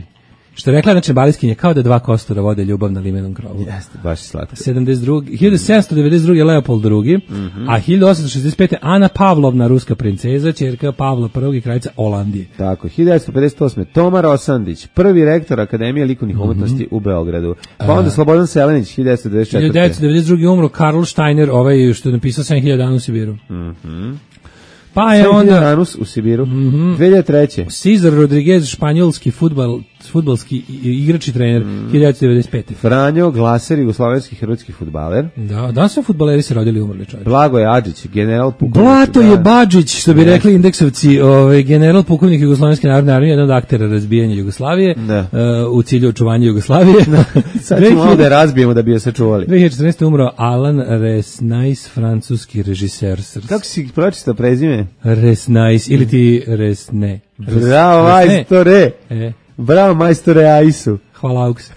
Što je rekla na čembaliskinje, kao da dva kostura vode ljubav na limenom krovu. Jeste, baš slatko. sedamdeset druge. hiljadu sedamsto devedeset druge. Leopold drugi. Mm-hmm. A hiljadu osamsto šezdeset pete. Ana Pavlovna, ruska princeza, ćerka Pavla prvog i kraljica Olandije. Tako, hiljadu devetsto pedeset osme. Toma Rosandić, prvi rektor Akademije likovnih mm-hmm. umetnosti u Beogradu. Pa onda Slobodan Selenić, hiljadu devetsto devedeset četvrte. hiljadu devetsto devedeset druge. umro Karl Steiner, ovaj što je napisao sedam hiljada dana u Sibiru. Mhm. Pa je onda Danus u Sibiru. Mm-hmm. dve hiljade treće. Cesar Rodriguez, španjolski fudbal, fudbalski igrač i trener, mm. hiljadu devetsto devedeset pete. Franjo Glaser, jugoslovenski hrvatski fudbaler. Da, danas su fudbaleri se rodili i umrli, čovječ. Blagoje Adžić, general pukovnik. Blato je Badžić, što bi rekli indeksovci, ovaj general pukovnik Jugoslovenske narodne armije, jedan od aktera razbijanja Jugoslavije, uh, u cilju očuvanja Jugoslavije. Sad ćemo ovdje razbijemo da bi je sačuvali. dve hiljade četrnaeste. umro Alan Resnais, francuski režiser. Kako si pročitao prezime? Resnais, ili ti Resne. Res, Bravo, majstore. E. Bravo, majstore Aisu. Hvala, Auks.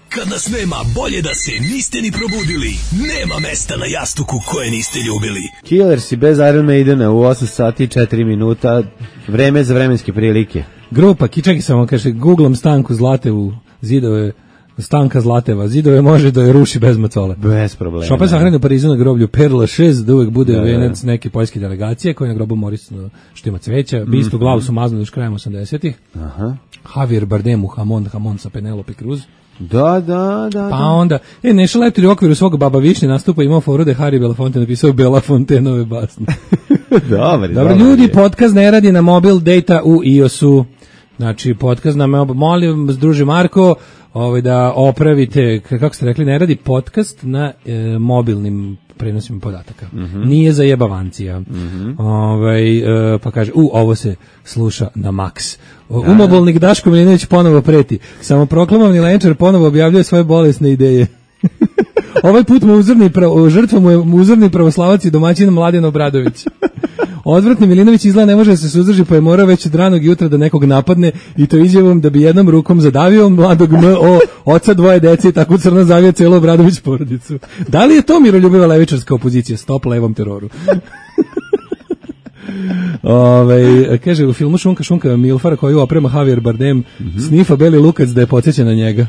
Kad nas nema, bolje da se niste ni probudili. Nema mesta na jastuku koje niste ljubili. Killersi bez Iron Maidena u osam sati i četiri minuta. Vreme za vremenske prilike. Grupa, čekaj samo, kaže, googlam Stanku Zlatevu, zidove, Stanka Zlateva, zidove može da je ruši bez macole. Bez problema. Chopin sahranjen u Parizu na groblju Père Lachaise, da uvek bude da, venac neke poljske delegacije, koji je na grobu Moris što ima cveća. Mm-hmm. Bistu glavu su maznuli još krajem osamdesetih. Aha. Javier Bardem u Hamon, Hamon sa Penelope Cruz. Da, da, da. Pa da. onda, e, Neša Leptir u okviru svog Baba Višnje nastupa imao foru da je Harry Belafonte napisao Belafontenove basne. Dobar, Dobro, ljudi, podcast ne radi na mobil data u iOS-u. Znači, podcast nam, molim, druže Marko, ovaj, da opravite, kako ste rekli, ne radi podcast na e, mobilnim prenosima podataka. Mm-hmm. Nije za jebavancija. Mm-hmm. Ovaj, e, pa kaže, u, ovo se sluša na maks. Da. Umobolnik Daško Milinović ponovo preti. Samoproklamovani lenčar ponovo objavljuje svoje bolesne ideje. Ovaj put mu uzorni pravo, žrtva mu je uzorni pravoslavac i domaćin Mladen Obradović. Odvratni Milinović izgleda ne može da se suzdrži, pa je morao već od ranog jutra da nekog napadne i to izjavom da bi jednom rukom zadavio mladog M O, oca dvoje dece i tako crno zavio celu Obradović porodicu. Da li je to miroljubiva levičarska opozicija? Stop levom teroru. Ove, kaže, u filmu Šunka Šunka Milfara koju oprema Javier Bardem mm-hmm. snifa beli lukac da je podsjeća na njega.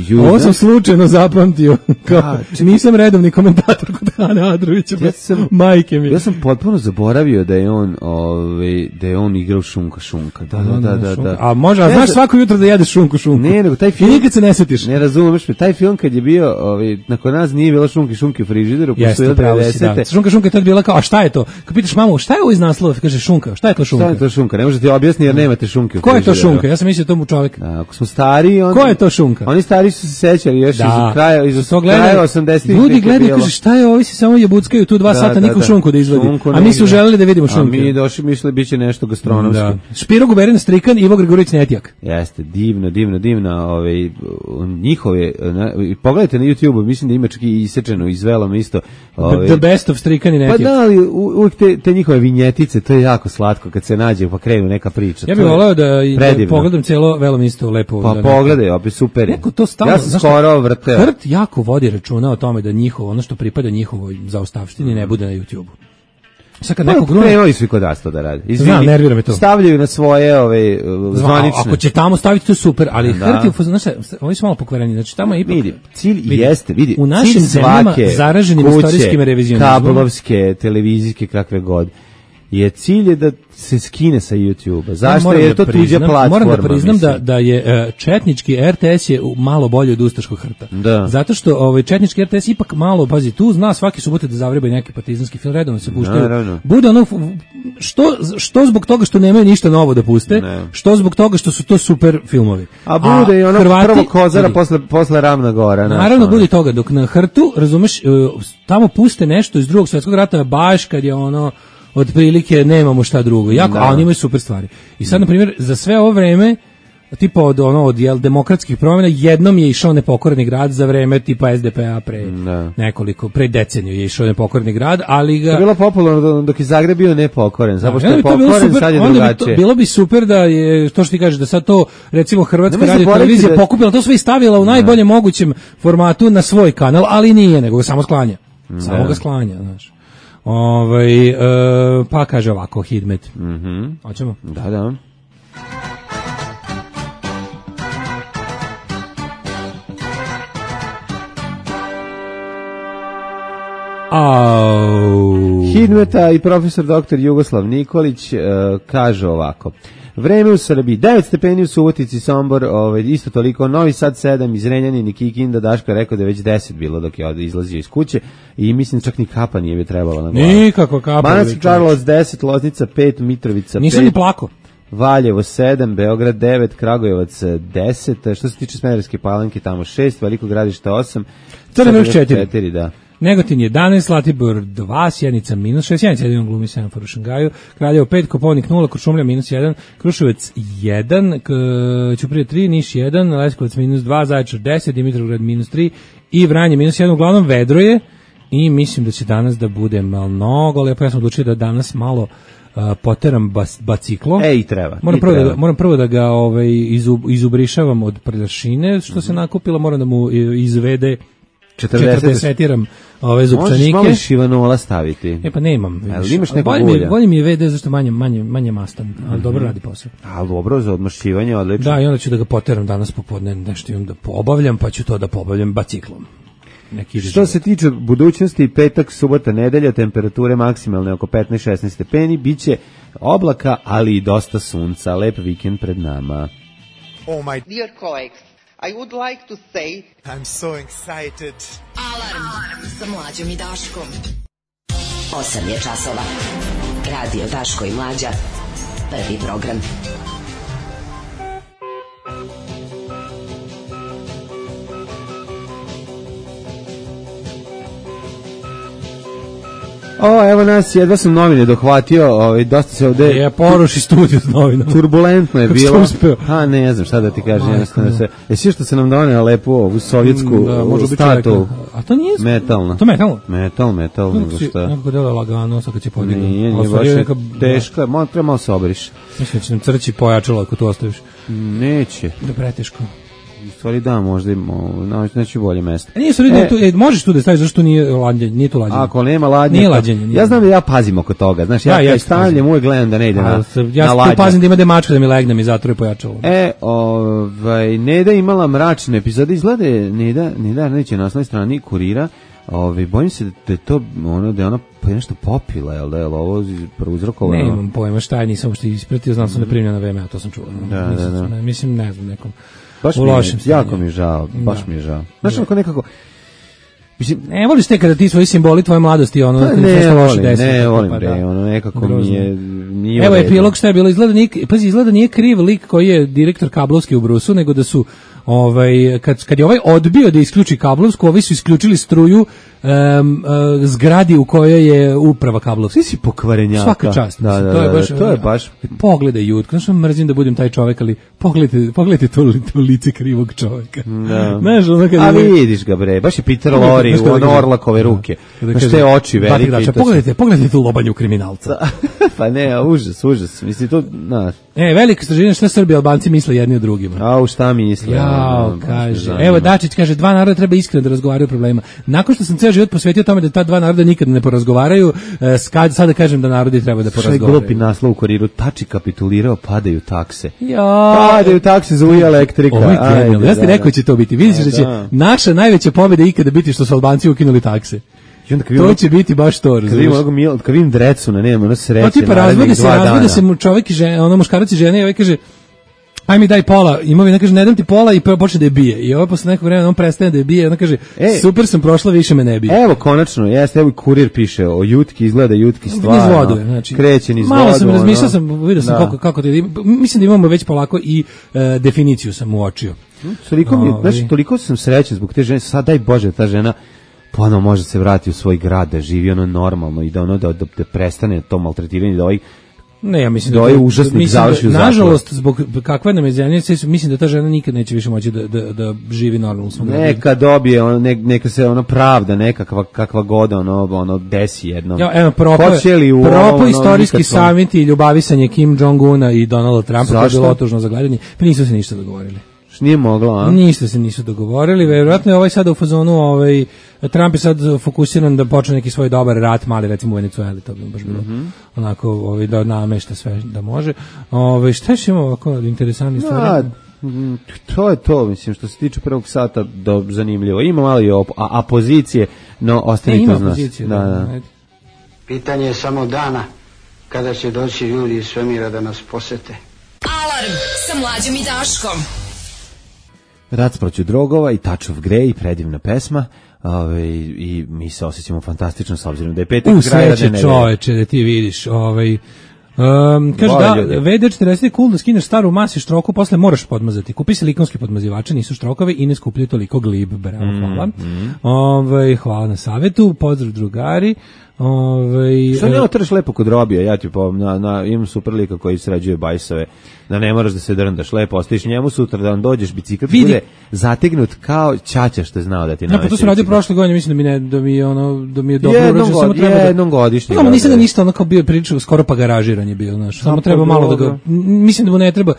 Juda. Ovo sam slučajno zapamtio. Kao, da, nisam redovni komentator kod Hane Adrovića, ja sam, majke mi. Ja sam potpuno zaboravio da je on, ovaj, da je on igrao Šunka Šunka. Da, da, da, da, da. A može, a znaš ne, svako jutro da jedeš Šunku Šunku? Ne, nego taj film. I nikad se ne setiš. Ne razumeš me, taj film kad je bio, ovaj, nakon nas nije bilo Šunki Šunki u frižideru, jeste, pravo si, da. Šunka Šunka je tad bila kao, a šta je to? Kad pitaš mamu, šta je ovo iz naslova? Kaže Šunka, šta je to Šunka? Šta je to Šunka? Ne možete objasniti jer nemate Šunke u frižideru. Ko je to Šunka? Ja sam mislio tomu čovjek. Da, ako smo stari, on. Ko je to Šunka? Oni stari su se sećali još da. iz kraja iz kraja osamdesetih. Ljudi gledaju, kaže šta je, ovi se samo jebuckaju tu dva da, sata, da, niko da. Šunku da izvadi. Šunku a mi su želeli da vidimo Šunku. A mi došli, mislili biće nešto gastronomsko. Da. Špiro Guberin Strikan, Ivo Gregorić Netjak. Jeste, divno, divno, divno, ovaj njihove, na, pogledajte na YouTubeu, mislim da ima čak i isečeno, izvelo isto. Ovaj, the best of Strikan i Netjak. Pa da, ali uvijek te, te njihove vinjetice, to je jako slatko kad se nađe pa krenu neka priča. Ja bih voleo da, da pogledam celo Velom isto lepo. Pa pogledaj, opet super je. To stalno, ja sam skoro vrteo. Hrt jako vodi računa o tome da njihovo, ono što pripada njihovoj zaostavštini ne bude na YouTubeu. Sad kad neko grune... Krenuli su i kod nas to da radi. Izvini, Znam, nervira me to. Stavljaju na svoje ove, zvanične. Ako će tamo staviti, to je super, ali hrti, znaš, oni su malo pokvareni, znači tamo je ipak... Vidi, cilj vidi, jeste, vidi, u našim zemljama zaraženim kuće, istorijskim revizionizmom, kablovske, televizijske, kakve god, je cilj je da se skine sa YouTube-a. Zašto? Jer je to tuđa platforma. Moram da priznam da, da je četnički R T S je malo bolje od ustaškog hrta. Da. Zato što ovaj, četnički R T S ipak malo, pazi, tu zna svaki subote da zavrebaju neki partizanski film, redovno se puštaju. Naravno. Bude ono, što, što zbog toga što nemaju ništa novo da puste, ne. Što zbog toga što su to super filmovi. A bude A, i ono Hrvati, prvo Kozara vidi, posle, posle Ravna Gora. Naravno, bude toga, dok na hrtu, razumeš, tamo puste nešto iz drugog svjetskog rata, baš kad je ono otprilike nemamo šta drugo. Jako, a oni imaju super stvari. I sad, na primjer, za sve ovo vreme, tipa od, ono, od jel, demokratskih promjena, jednom je išao Nepokoreni grad za vreme tipa S D P A pre da. nekoliko, pre deceniju je išao Nepokoreni grad, ali ga... To je bilo popularno dok je Zagreb bio nepokoren, zato što je pokoren, sad je drugačije. Bi bilo bi super da je, to što ti kažeš, da sad to, recimo, Hrvatska radio televizija da... pokupila to sve i stavila u najboljem ne. mogućem formatu na svoj kanal, ali nije, nego ga samo sklanja. Ne. Samo ga sklanja, znaš. Ovaj e, pa kaže ovako Hidmet. Mhm. Hoćemo? Da, da. Au. Hidmeta i profesor doktor Jugoslav Nikolić e, kaže ovako. Vreme u Srbiji, devet stepeni u Subotici, Sombor, ovaj, isto toliko, Novi Sad sedam, iz Renjanina i Kikinda, Daško je rekao da je već deset bilo dok je izlazio iz kuće i mislim čak ni kapa nije bi trebalo na glavu. Nikako kapa. Banatski Karlovac deset, Loznica pet, Mitrovica pet. Nisam ni plako. Valjevo sedam, Beograd devet, Kragujevac deset, što se tiče Smederevske Palanke tamo šest, Veliko Gradište osam, Crni Vrh četiri. Da. Negotin jedanaest, Zlatibor dva, Sjenica minus šest, Sjenica jedan glumi semafor u Šangaju, Kraljevo pet, Koponik nula, Kuršumlija minus jedan, Kruševac jedan, Ćuprija tri, Niš jedan, Leskovac minus dva, Zaječar deset, Dimitrovgrad minus tri i Vranje minus jedan, uglavnom vedro je i mislim da će danas da bude malo mnogo, ali ja sam odlučio da danas malo uh, poteram bas, baciklo. E, i treba. Moram, i prvo, treba. Da, moram prvo da ga ovaj, izub, izubrišavam od prljašine, što mm-hmm. se nakupila, moram da mu izvede četrdesetiram ove zupčanike. Možeš malo šivanola staviti. E pa nemam. Ali imaš nekog ulja? ulja? Bolje mi je vede zašto manje, manje, manje mastan, ali mm-hmm. dobro radi posao. Ali dobro, za odmašćivanje, odlično. Da, i onda ću da ga poteram danas popodne, nešto imam da poobavljam, pa ću to da poobavljam baciklom. Neki Što se tiče budućnosti, petak, subota, nedelja, temperature maksimalne oko petnaest šesnaest stepeni, biće oblaka, ali i dosta sunca. Lep vikend pred nama. Oh my dear colleagues, I would like to say I'm so excited. Alarm, Alarm. Sa Mlađom i Daškom. osam je časova. Radio Daško i Mlađa. Prvi program. O, evo nas, jedva sam novine dohvatio, ovaj, dosta se ovde... Ja poruši studiju s novinama. Turbulentno je bilo. A ne, ne znam šta da ti kažem, jednostavno se... Jesi što se nam donela lepo ovu sovjetsku da, statu? A to nije... Metalna. To metalno? Metal, metal, nego šta? Nekako dela lagano, sad kad će podignu. Nije, nije baš neka... teška, malo, treba malo se oberiš. Mislim da će nam crći pojačalo ako to ostaviš. Neće. Da preteško. U stvari da, možda neće bolje mesto. E, nije stvari, e, tu, e, možeš tu da staviš zašto nije lađenje, nije tu lađenje. Ako nema lađenje, nije lađenje. Nije. Ja znam da ja pazim oko toga, znaš, ja, ja, ja stavljam uvijek gledam da ne ide na, ja na lađenje. Ja tu pazim da ima demačka da mi legne mi zatvore pojačalo. E, ovaj, Neda imala mračne epizode, izgleda Neda, Neda neće na osnovnoj strani Kurira, ovaj, bojim se da je to ono, da je ona pa je nešto popila, jel da je ovo prouzrokovano? Ne imam pojma šta je, nisam što ispratio, znam sam da primljena V M A, to sam čuo. Da, da, da. Mislim, ne znam, nekom. Baš mi je, jako mi je žao, baš da. mi je žao. Znaš, onako nekako... Mislim, ne voliš te kada ti svoji simboli tvoje mladosti, ono... Pa ne volim, ne volim, bre, ono nekako mi je... Nije evo, epilog šta je bilo, izgleda nije, pazi, izgleda nije kriv lik koji je direktor kablovski u Brusu, nego da su, ovaj, kad, kad je ovaj odbio da isključi kablovsku, ovi su isključili struju um, uh, zgradi u kojoj je uprava kablovska. Svi si pokvarenjaka. Svaka čast. Da, da, to je baš, da, to je baš... Pogledaj jutko, znaš, mrzim da budem taj čovek, ali pogledajte, pogledajte to, to lice krivog čoveka. Da. Znaš, ono kada... A vidiš ga, bre, baš je Peter Lorre u ono Orlakove ruke. Baš te oči velike. Dača, pogledajte, pogledajte tu lobanju kriminalca. Pa ne, užas, užas. Mislim, to, znaš. E, velika istraživanje šta Srbi i Albanci misle jedni o drugima. A, u šta misle? Ja, Jao, kaže. Evo Dačić kaže, dva naroda treba iskreno da razgovaraju o problemima. Nakon što sam ceo život posvetio tome da ta dva naroda nikad ne porazgovaraju, skad, sada kažem da narodi treba da porazgovaraju. Što je glupi naslov u Kuriru, Tači kapitulirao, padaju takse. Ja. Padaju takse, zuji elektrika. Ovo je genijalno. Ja ste rekao će to biti. Vidiš da će naša najveća pobjeda ikada biti što su Albanci ukinuli takse. To će biti baš to, razumiješ. Kad vidim Drecuna, nema ono sreće. Pa tipa razvode se, razvode se čovjek i žena, ono muškarac i žena i ovaj kaže, aj mi daj pola imovine, kaže ne dam ti pola i počne da je bije. I ovo posle nekog vremena on prestane da je bije, ona kaže e, super sam prošla, više me ne bije. Evo konačno, jeste, evo i Kurir piše o Jutki, izgleda Jutki stvarno. Niz vodu, znači. Kreće niz malo vodu. Malo sam razmišljao, sam, vidio sam da. kako, kako te, mislim da imamo već polako i uh, definiciju sam uočio. Toliko, mi, znači, toliko sam srećan zbog te žene, sad daj Bože ta žena ponovo može se vratiti u svoj grad, da živi ono normalno i da ono da, da, da prestane to maltretiranje, da ovaj ne, ja mislim da, da je užasnik završi u zatvoru. Nažalost, zbog kakva nam je zemlja, mislim da ta žena nikad neće više moći da, da, da živi normalno u svom gradu. Neka dobije, ono, ne, neka se ono pravda, nekakva kakva god ono, ono desi jednom. Ja, evo, propo, propo istorijski samit i ljubavisanje Kim Jong-una i Donalda Trumpa, to je bilo otužno za gledanje, pa nisu se ništa dogovorili. Nije mogla, a? Ništa se nisu dogovorili, verovatno je ovaj sada u fazonu, ovaj, Trump je sad fokusiran da počne neki svoj dobar rat, mali recimo u Venecueli, to bi baš bilo mm-hmm. onako ovaj, da namešta sve da može. Ovaj, šta još ima ovako interesantnih stvari? No, to je to, mislim, što se tiče prvog sata do zanimljivo. Ima malo i op- a, opozicije, no ostane to zna. Da, da. Pitanje je samo dana kada će doći ljudi iz svemira da nas posete. Alarm sa Mlađom i Daškom. Rat protiv drogova i Touch of Grey, predivna pesma. Ove, i mi se osjećamo fantastično s obzirom da je petak u sreće čoveče da ti vidiš ovaj Um, kaže da, V D četrdeset je cool da skineš staru masi štroku, posle moraš podmazati. Kupi silikonski podmazivače, nisu štrokovi i ne skupljaju toliko glib. Bravo, hvala. Mm, mm. Ove, hvala na savetu, pozdrav drugari. Ove, što ne otreš lepo kod Robija, ja ti po, na, na, imam super lika koji sređuje bajsove, da ne moraš da se drndaš, lepo ostaviš njemu sutra da on dođeš, bicikl bude zategnut kao ćaća što je znao da ti navesti. Ja, pa to sam radio prošle godine, mislim da mi, ne, da mi, ono, da mi je dobro urađeno, samo treba da... Jednom godišnje. No, nisam da ništa ono kao bio pričao, skoro pa garažiranje bio, znaš, samo treba malo da ga, mislim da mu ne treba,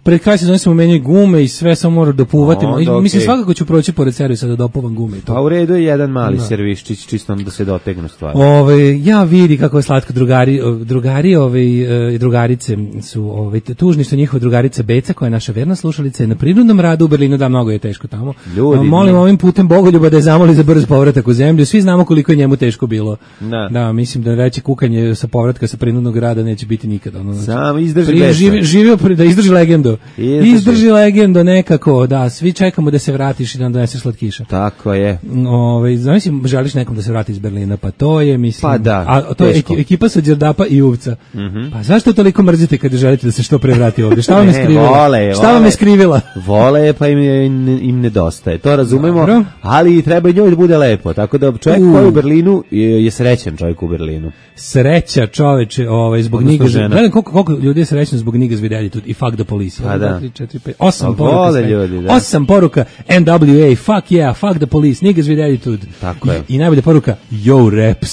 pred kraj sezone se mu menjaju gume i sve samo mora dopuvati. No, okay. Mislim, svakako ću proći pored servisa da dopuvam gume. Pa u redu je jedan mali da. Serviščić, čisto da se dotegnu stvari. Ove, ja vidi kako je slatko drugari, drugari ove, i drugarice su ove, tužni što njihova drugarica Beca, koja je naša verna slušalica, je na prinudnom radu u Berlinu, da mnogo je teško tamo. Ljudi, molim ne. ovim putem Bogoljuba da je zamoli za brz povratak u zemlju. Svi znamo koliko je njemu teško bilo. Da, da mislim da reći kukanje sa povratka sa prinudnog rada neće biti nikada. Ono, znači, samo izdrži živi, živio da izdrži legendu. Izdrži, izdrži legendo nekako, da, svi čekamo da se vratiš i da nam doneseš slatkiša. Tako je. Ove, znači, želiš nekom da se vrati iz Berlina, pa to je, mislim... Pa da, a to teško. Je ekipa sa Đerdapa i Uvca. Mm-hmm. Pa zašto toliko mrzite kada želite da se što pre vrati ovdje? Šta vam je skrivila? Vole, Šta vam je skrivila? Vole, pa im, im, im nedostaje. To razumemo, dobro. Ali treba i njoj da bude lepo. Tako da čovjek uh. koji u Berlinu je, je srećan čovjek u Berlinu. Sreća čoveče, ovaj, zbog Niga... Gledam koliko, koliko ljudi je srećno zbog Niga zvidjelji tu i fuck the police. Pa da. četiri, pet, osam poruka, ljudi, da. osam poruka, N W A, fuck yeah, fuck the police, niggas with attitude. Tako je. I, i najbolja poruka, yo raps.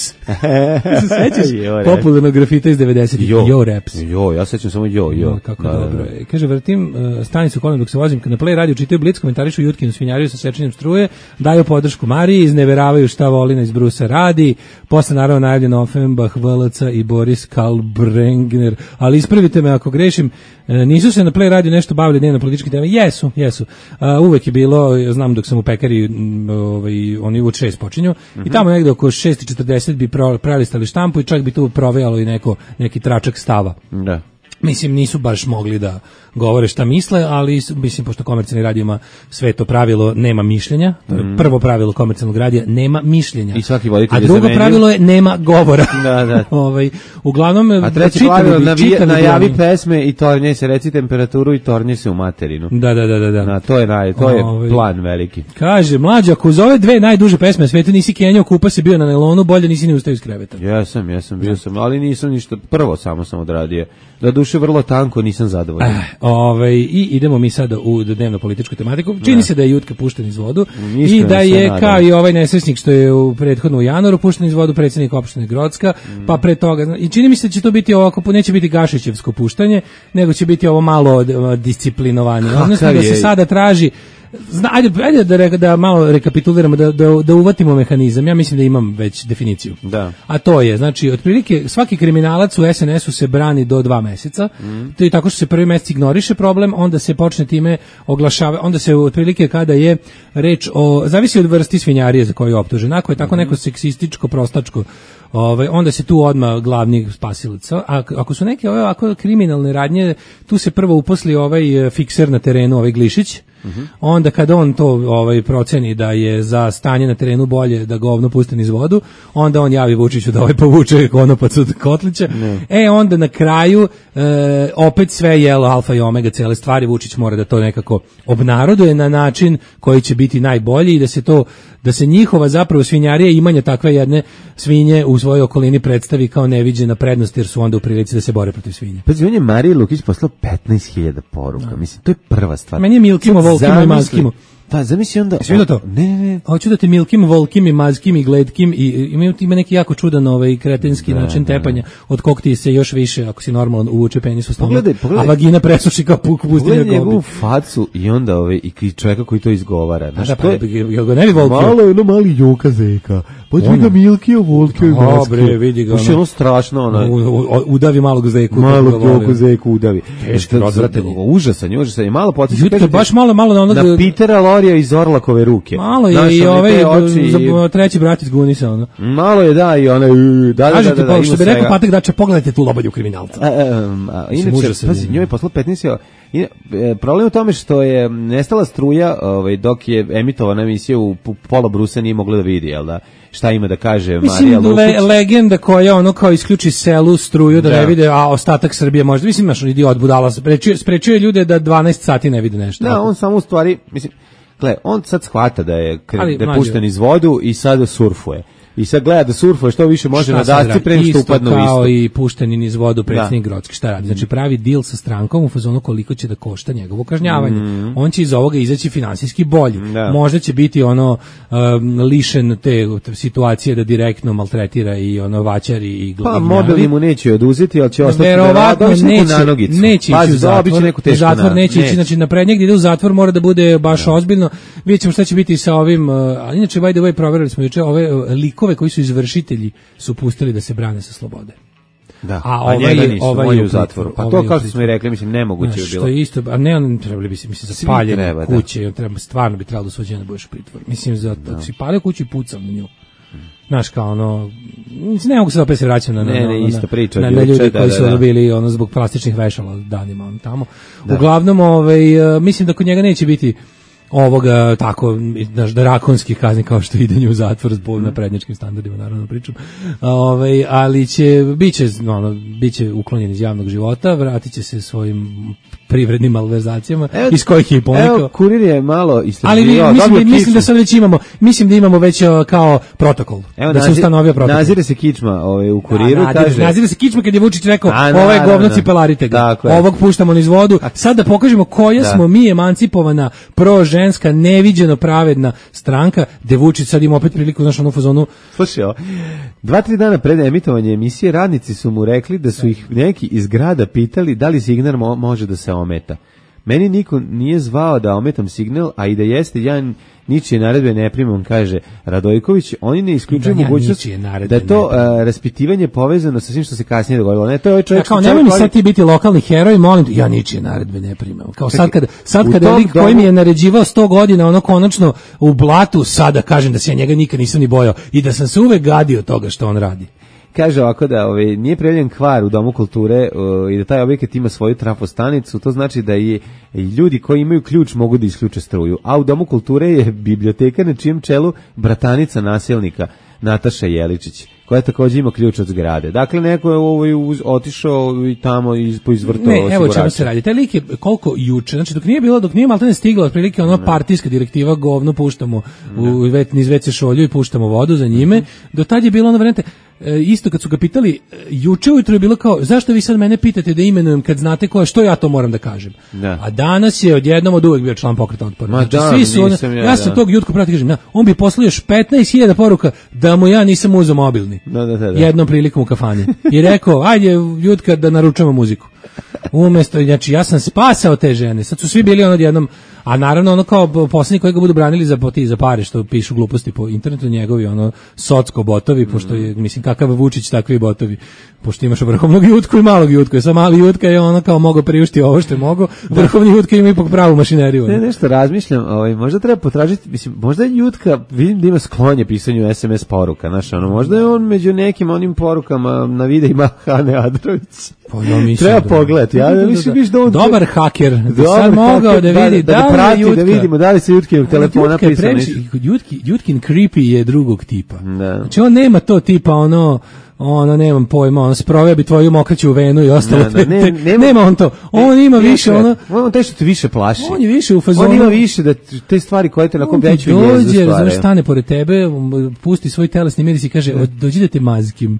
Se sećaš popularnog grafita iz devedesetih, yo, yo raps. Jo, ja sećam samo yo, yo. No, kako da, dobro. Da, da. Kaže, vrtim uh, stanicu kolem dok se vozim, kad na Play radio čitaju Blic, komentarišu Jutkinu svinjariju sa sečenjem struje, daju podršku Mariji, izneveravaju šta Volina iz Brusa radi, posle naravno najavljeno Offenbach, V L C i Boris Kalbrengner, ali ispravite me ako grešim, nisu se na Play radio nešto bavili dnevno političke teme. Jesu, jesu. Uh, uvek je bilo, znam dok sam u pekari, ovaj, oni u šest počinju, mm-hmm. i tamo negde oko šest četrdeset bi pro, prelistali štampu i čak bi tu provejalo i neko, neki tračak stava. Da. Mislim, nisu baš mogli da govore šta misle, ali mislim, pošto komercijalni radio ima sve to pravilo, nema mišljenja, to je mm. prvo pravilo komercijalnog radija, nema mišljenja. I svaki voditelj a drugo pravilo je nema govora. Da, da. ovaj, uglavnom, a treće pravilo, navije, najavi pesme i tornje se, reci temperaturu i tornje se u materinu. Da, da, da. da, da. Na, to je, naj, to je ovaj, plan veliki. Kaže, mlađa, ako uz ove dve najduže pesme na svetu nisi kenjao, kupa se bio na nelonu, bolje nisi ni ustao iz kreveta. Jesam, jesam, bio sam, ali nisam ništa, prvo samo sam odradio. Da duše vrlo tanko, nisam zadovoljan. Eh, ovaj, i idemo mi sada u dnevno političku tematiku. Čini ne. se da je Jutka pušten iz vodu i da je kao i ovaj nesrećnik što je u prethodno u januaru pušten iz vodu, predsjednik opštine Grocka, mm. pa pre toga, i čini mi se da će to biti ovako, neće biti Gašićevsko puštanje, nego će biti ovo malo disciplinovanije. Odnosno da se sada traži Zna, ajde, ajde da, re, da malo rekapituliramo, da, da, da uvatimo mehanizam. Ja mislim da imam već definiciju. Da. A to je, znači, otprilike svaki kriminalac u es en esu se brani do dva meseca. Mm. To je tako što se prvi mesec ignoriše problem, onda se počne time oglašava, onda se otprilike kada je reč o, zavisi od vrsti svinjarije za koju je optužen. Ako je tako neko seksističko, prostačko, ovaj, onda se tu odmah glavni spasilac. A ako su neke ove ovako kriminalne radnje, tu se prvo uposli ovaj fikser na terenu, ovaj Glišić. Uh-huh. Onda kad on to ovaj proceni da je za stanje na terenu bolje da govno pusti niz vodu, onda on javi Vučiću da ovaj povuče konopac od Kotlića. Ne. E onda na kraju e, opet sve jelo alfa i omega cele stvari, Vučić mora da to nekako obnaroduje na način koji će biti najbolji i da se to da se njihova zapravo svinjarija imanja takve jedne svinje u svojoj okolini predstavi kao neviđena prednost, jer su onda u prilici da se bore protiv svinje. Pa on je Mariji Lukić poslao petnaest hiljada poruka. No. Mislim, to je prva stvar. Meni je Milkimo, Volkimo i Mazkimo. Pa zamisli onda... Jesi vidio to? Ne, ne, ne. Hoću da te Milkim, Volkim i Mazkim i Gledkim i ima, ima neki jako čudan ovaj kretenski da, način tepanja, od kog ti se još više, ako si normalan, uvuče penis u stomak, a vagina presuši kao puk pustinja gobi. Pogledaj njegovu facu i onda ovaj, i čovjeka koji to izgovara. Znaš, da, pa, pa, jel ga ne bi Volkio? Malo je ono mali Joka Zeka. Pođi ga Milkio, Volkio i Mazkio. Dobre, vidi ga. Ono, ono strašno. Ono, u, u, udavi malog Zeku. Malog Joku Zeku udavi. Teško, odvratelji. Užasan, užasan. I malo podsjeća. Jutro baš malo, malo na onog... Na Pitera Lorija iz Orlakove ruke. Malo je znaš, i ovaj oči, za, treći brat iz Gunisa, ono. Malo je, da, i ona... Da, da, kažete, da, da, da, što bi rekao Patak Dača, pogledajte tu lobanju kriminalca. A, a, a, inače, pazi, njoj je poslao petnaest. I, e, problem u tome što je nestala struja ovaj, dok je emitovana emisija u pola Brusa nije mogla da vidi, jel da? Šta ima da kaže mislim, Marija Lukić? Le, legenda koja ono kao isključi selu struju da, da ne vide, a ostatak Srbije možda. Mislim, imaš idiot budala, sprečuje, sprečuje ljude da dvanaest sati ne vide nešto. Da, on samo u stvari, mislim, gle, on sad shvata da je, Ali, da je pušten iz vodu i sad surfuje. I sad gleda da surfuje što više može na dasci pre nego što upadne u isto. Kao i pušteni niz vodu predsjednik Grocki. Šta radi? Znači pravi deal sa strankom u fazonu koliko će da košta njegovo kažnjavanje. Mm. On će iz ovoga izaći finansijski bolji. Da. Možda će biti ono um, lišen te situacije da direktno maltretira i ono vaćari i glavinjavi. Pa mobilni mu neće oduzeti, ali će ostati verovatno da neće, na nogicu. Neće ići u zatvor. Neku zatvor na, neće ići, znači na prednjeg gdje ide u zatvor mora da bude baš da. ozbiljno. Vidjet ćemo šta će biti sa ovim, uh, ali inače by the way proverili smo juče ove uh, likove koji su izvršitelji su pustili da se brane sa slobode. Da. A, a ovaj, njega nisu, ovaj on je u zatvoru. Pa to kao što smo i rekli, mislim, nemoguće je bilo. Što je isto, a ne on trebali bi se, mislim, za paljenje kuće, on treba, stvarno bi trebalo suđenje da budeš u pritvoru. Mislim, za da si palio kuću i pucao na nju. Znaš, kao ono, ne mogu se opet se vraćati na, na, ne, ne, isto priča, na, na ljudi koji su da, da. bili ono, zbog plastičnih vešala danima on tamo. Da. Uglavnom, ovaj, mislim da kod njega neće biti ovoga tako znaš drakonski kazni kao što idenje u zatvor zbog na prednjačkim standardima naravno pričam. Ovaj ali će biće ono biće uklonjen iz javnog života, vratiće se svojim privrednim malverzacijama evo, iz kojih je i ponikao. Evo Kurir je malo istraživao. Ali mislim, da, mislim da sad već imamo, mislim da imamo već kao protokol. Evo, da nazir, se ustanovio protokol. Nazire se kičma ovaj u Kuriru da, kaže. Nazire se kičma kad je Vučić rekao ovo je govno cipelarite ga. Ovog puštamo niz vodu. Sad da pokažemo koja da. smo mi emancipovana pro ženska neviđeno pravedna stranka, gde Vučić sad ima opet priliku znaš onu fazonu. Slušaj, dva, tri dana pred emitovanje emisije radnici su mu rekli da su ih neki iz grada pitali da li signal mo- može da se ometa. Meni niko nije zvao da ometam signal, a i da jeste, ja ničije naredbe ne primam, kaže Radojković. Oni ne isključuju da, mogućnost da to uh, raspitivanje povezano sa svim što se kasnije dogodilo. Ne, to je ovaj čovjek. Ja, kao nemoj mi sad ti biti lokalni heroj, molim te, ja ničije naredbe ne primam. Kao sad kada sad kada lik koji mi je naređivao sto godina, ono konačno u blatu, sada kažem da se ja njega nikad nisam ni bojao i da sam se uvek gadio toga što on radi. Kaže ovako da ovaj, nije prijavljen kvar u Domu kulture uh, i da taj objekat ima svoju trafostanicu, to znači da i ljudi koji imaju ključ mogu da isključe struju. A u Domu kulture je biblioteka na čijem čelu bratanica nasilnika Nataša Jeličić, koja također ima ključ od zgrade. Dakle, neko je ovaj, otišao i tamo iz, poizvrtao osigurača. Ne, evo čemu se radi. Taj lik je koliko juče, znači dok nije bilo, dok nije maltene stigla otprilike ono partijska direktiva, govno puštamo u, niz ve ce šolju i puštamo vodu za njime, do tad je bilo ono variante, isto kad su ga pitali, juče ujutro je bilo kao, zašto vi sad mene pitate da imenujem kad znate ko je, što ja to moram da kažem. Da. A danas je odjednom od uvek bio član Pokreta otpora. Znači, da, svi su, on, ja, ja sam da. tog jutka prati kažem, na, on bi poslao još petnaest hiljada poruka da mu ja nisam uzeo mobilni. Da, da, da, da. Jednom prilikom u kafani. I rekao, ajde jutka da naručamo muziku. Umesto, znači ja sam spasao te žene. Sad su svi bili ono odjednom, a naravno ono kao posljednji koji ga budu branili za poti za pare što pišu gluposti po internetu, njegovi ono socko botovi, pošto je mislim kakav Vučić takvi botovi. Pošto imaš vrhovnog Jutku i malog Jutku, sa mali Jutka je ono kao mogao priušti ovo što je mogao, vrhovni Jutka ima ipak pravu mašineriju. Ne, nešto razmišljam, ovaj, možda treba potražiti, mislim, možda je Jutka, vidim da ima sklonje pisanju es em es poruka, znaš, ono, možda je on među nekim onim porukama na videima Hane Adrović. Pa ja mislim treba da, pogledati, ja da, mislim da, da on dobar haker, da sad mogao da vidi da, da, da, prati, da vidimo da li se Jutkinog telefona pisano. Jutki, Jutkin creepy je drugog tipa. Da. Znači on nema to tipa ono ono nemam pojma, on sproveo bi tvoju mokraću venu i ostalo. Ne, ne, ne, nema, nema on to. On ima ne, više ono, on te što te više plaši. On je više u fazonu. On ima više da te stvari koje te nakon veću jezdu stvaraju. Dođe, stane pored tebe, pusti svoj telesni miris i kaže, dođi da te mazkim.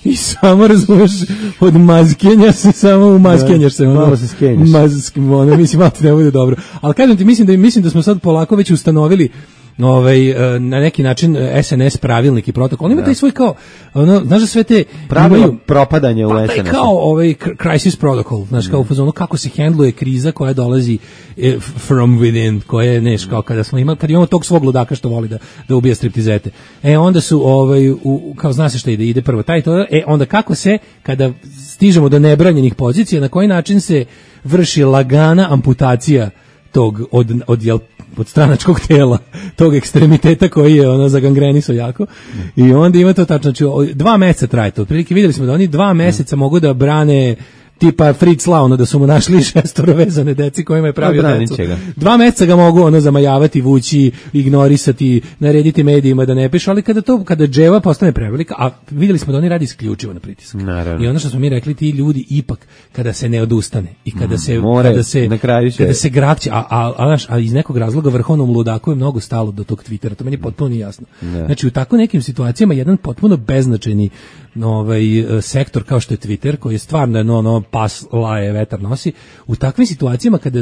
I samo razumeš, od mazkenja se samo umazkenjaš se. Ono, malo se skenjaš. Mazkim, ono, mislim, malo ti ne bude dobro. Ali kažem ti, mislim da, mislim da smo sad polako već ustanovili ovaj, na neki način es en es pravilnik i protokol. On ima taj svoj kao, ono, znaš da sve te... Pravilo propadanje u pa, es en es. Kao ovaj crisis protocol, znaš, kao u fazonu kako se hendluje kriza koja dolazi from within, koja je, neš, kao kada smo imali, kad imamo tog svog ludaka što voli da, da ubija striptizete. E, onda su, ovaj, u, kao zna se šta ide, ide prvo taj to, e, onda kako se, kada stižemo do nebranjenih pozicija, na koji način se vrši lagana amputacija tog od, od, jel, od stranačkog tela, tog ekstremiteta koji je ono zagangrenisao jako. I onda ima to tačno, znači dva meseca traje to. Otprilike vidjeli smo da oni dva meseca mogu da brane tipa Fritz Lau, ono da su mu našli šestoro vezane deci kojima je pravio decu. Dva meseca ga mogu ono zamajavati, vući, ignorisati, narediti medijima da ne pišu, ali kada to, kada dževa postane prevelika, a vidjeli smo da oni radi isključivo na pritisak. Naravno. I ono što smo mi rekli, ti ljudi ipak kada se ne odustane i kada se, More, kada se, na kraju će... kada se grakće, a, a, a, a iz nekog razloga vrhovnom ludaku je mnogo stalo do tog Twittera, to meni je potpuno nije jasno. Ne. Znači u tako nekim situacijama jedan potpuno beznačajni ovaj sektor kao što je Twitter, koji je stvarno no, no, pas laje, vetar nosi, u takvim situacijama kada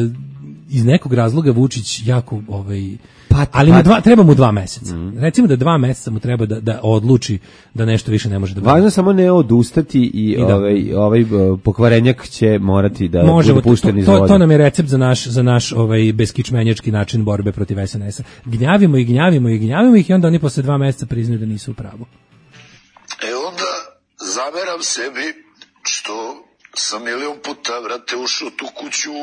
iz nekog razloga Vučić jako ovaj pat, ali pat. Mu dva, treba mu dva meseca. Mm. Recimo da dva meseca mu treba da, da odluči da nešto više ne može da bude. Važno samo ne odustati i, I da, ovaj ovaj pokvarenjak će morati da Možemo, bude pušten iz to, vode. To nam je recept za naš za naš ovaj beskičmenjački način borbe protiv es en es-a. Gnjavimo i gnjavimo i gnjavimo ih i onda oni posle dva meseca priznaju da nisu u pravu. E onda zameram sebi što sam milion puta, vrate, ušao tu kuću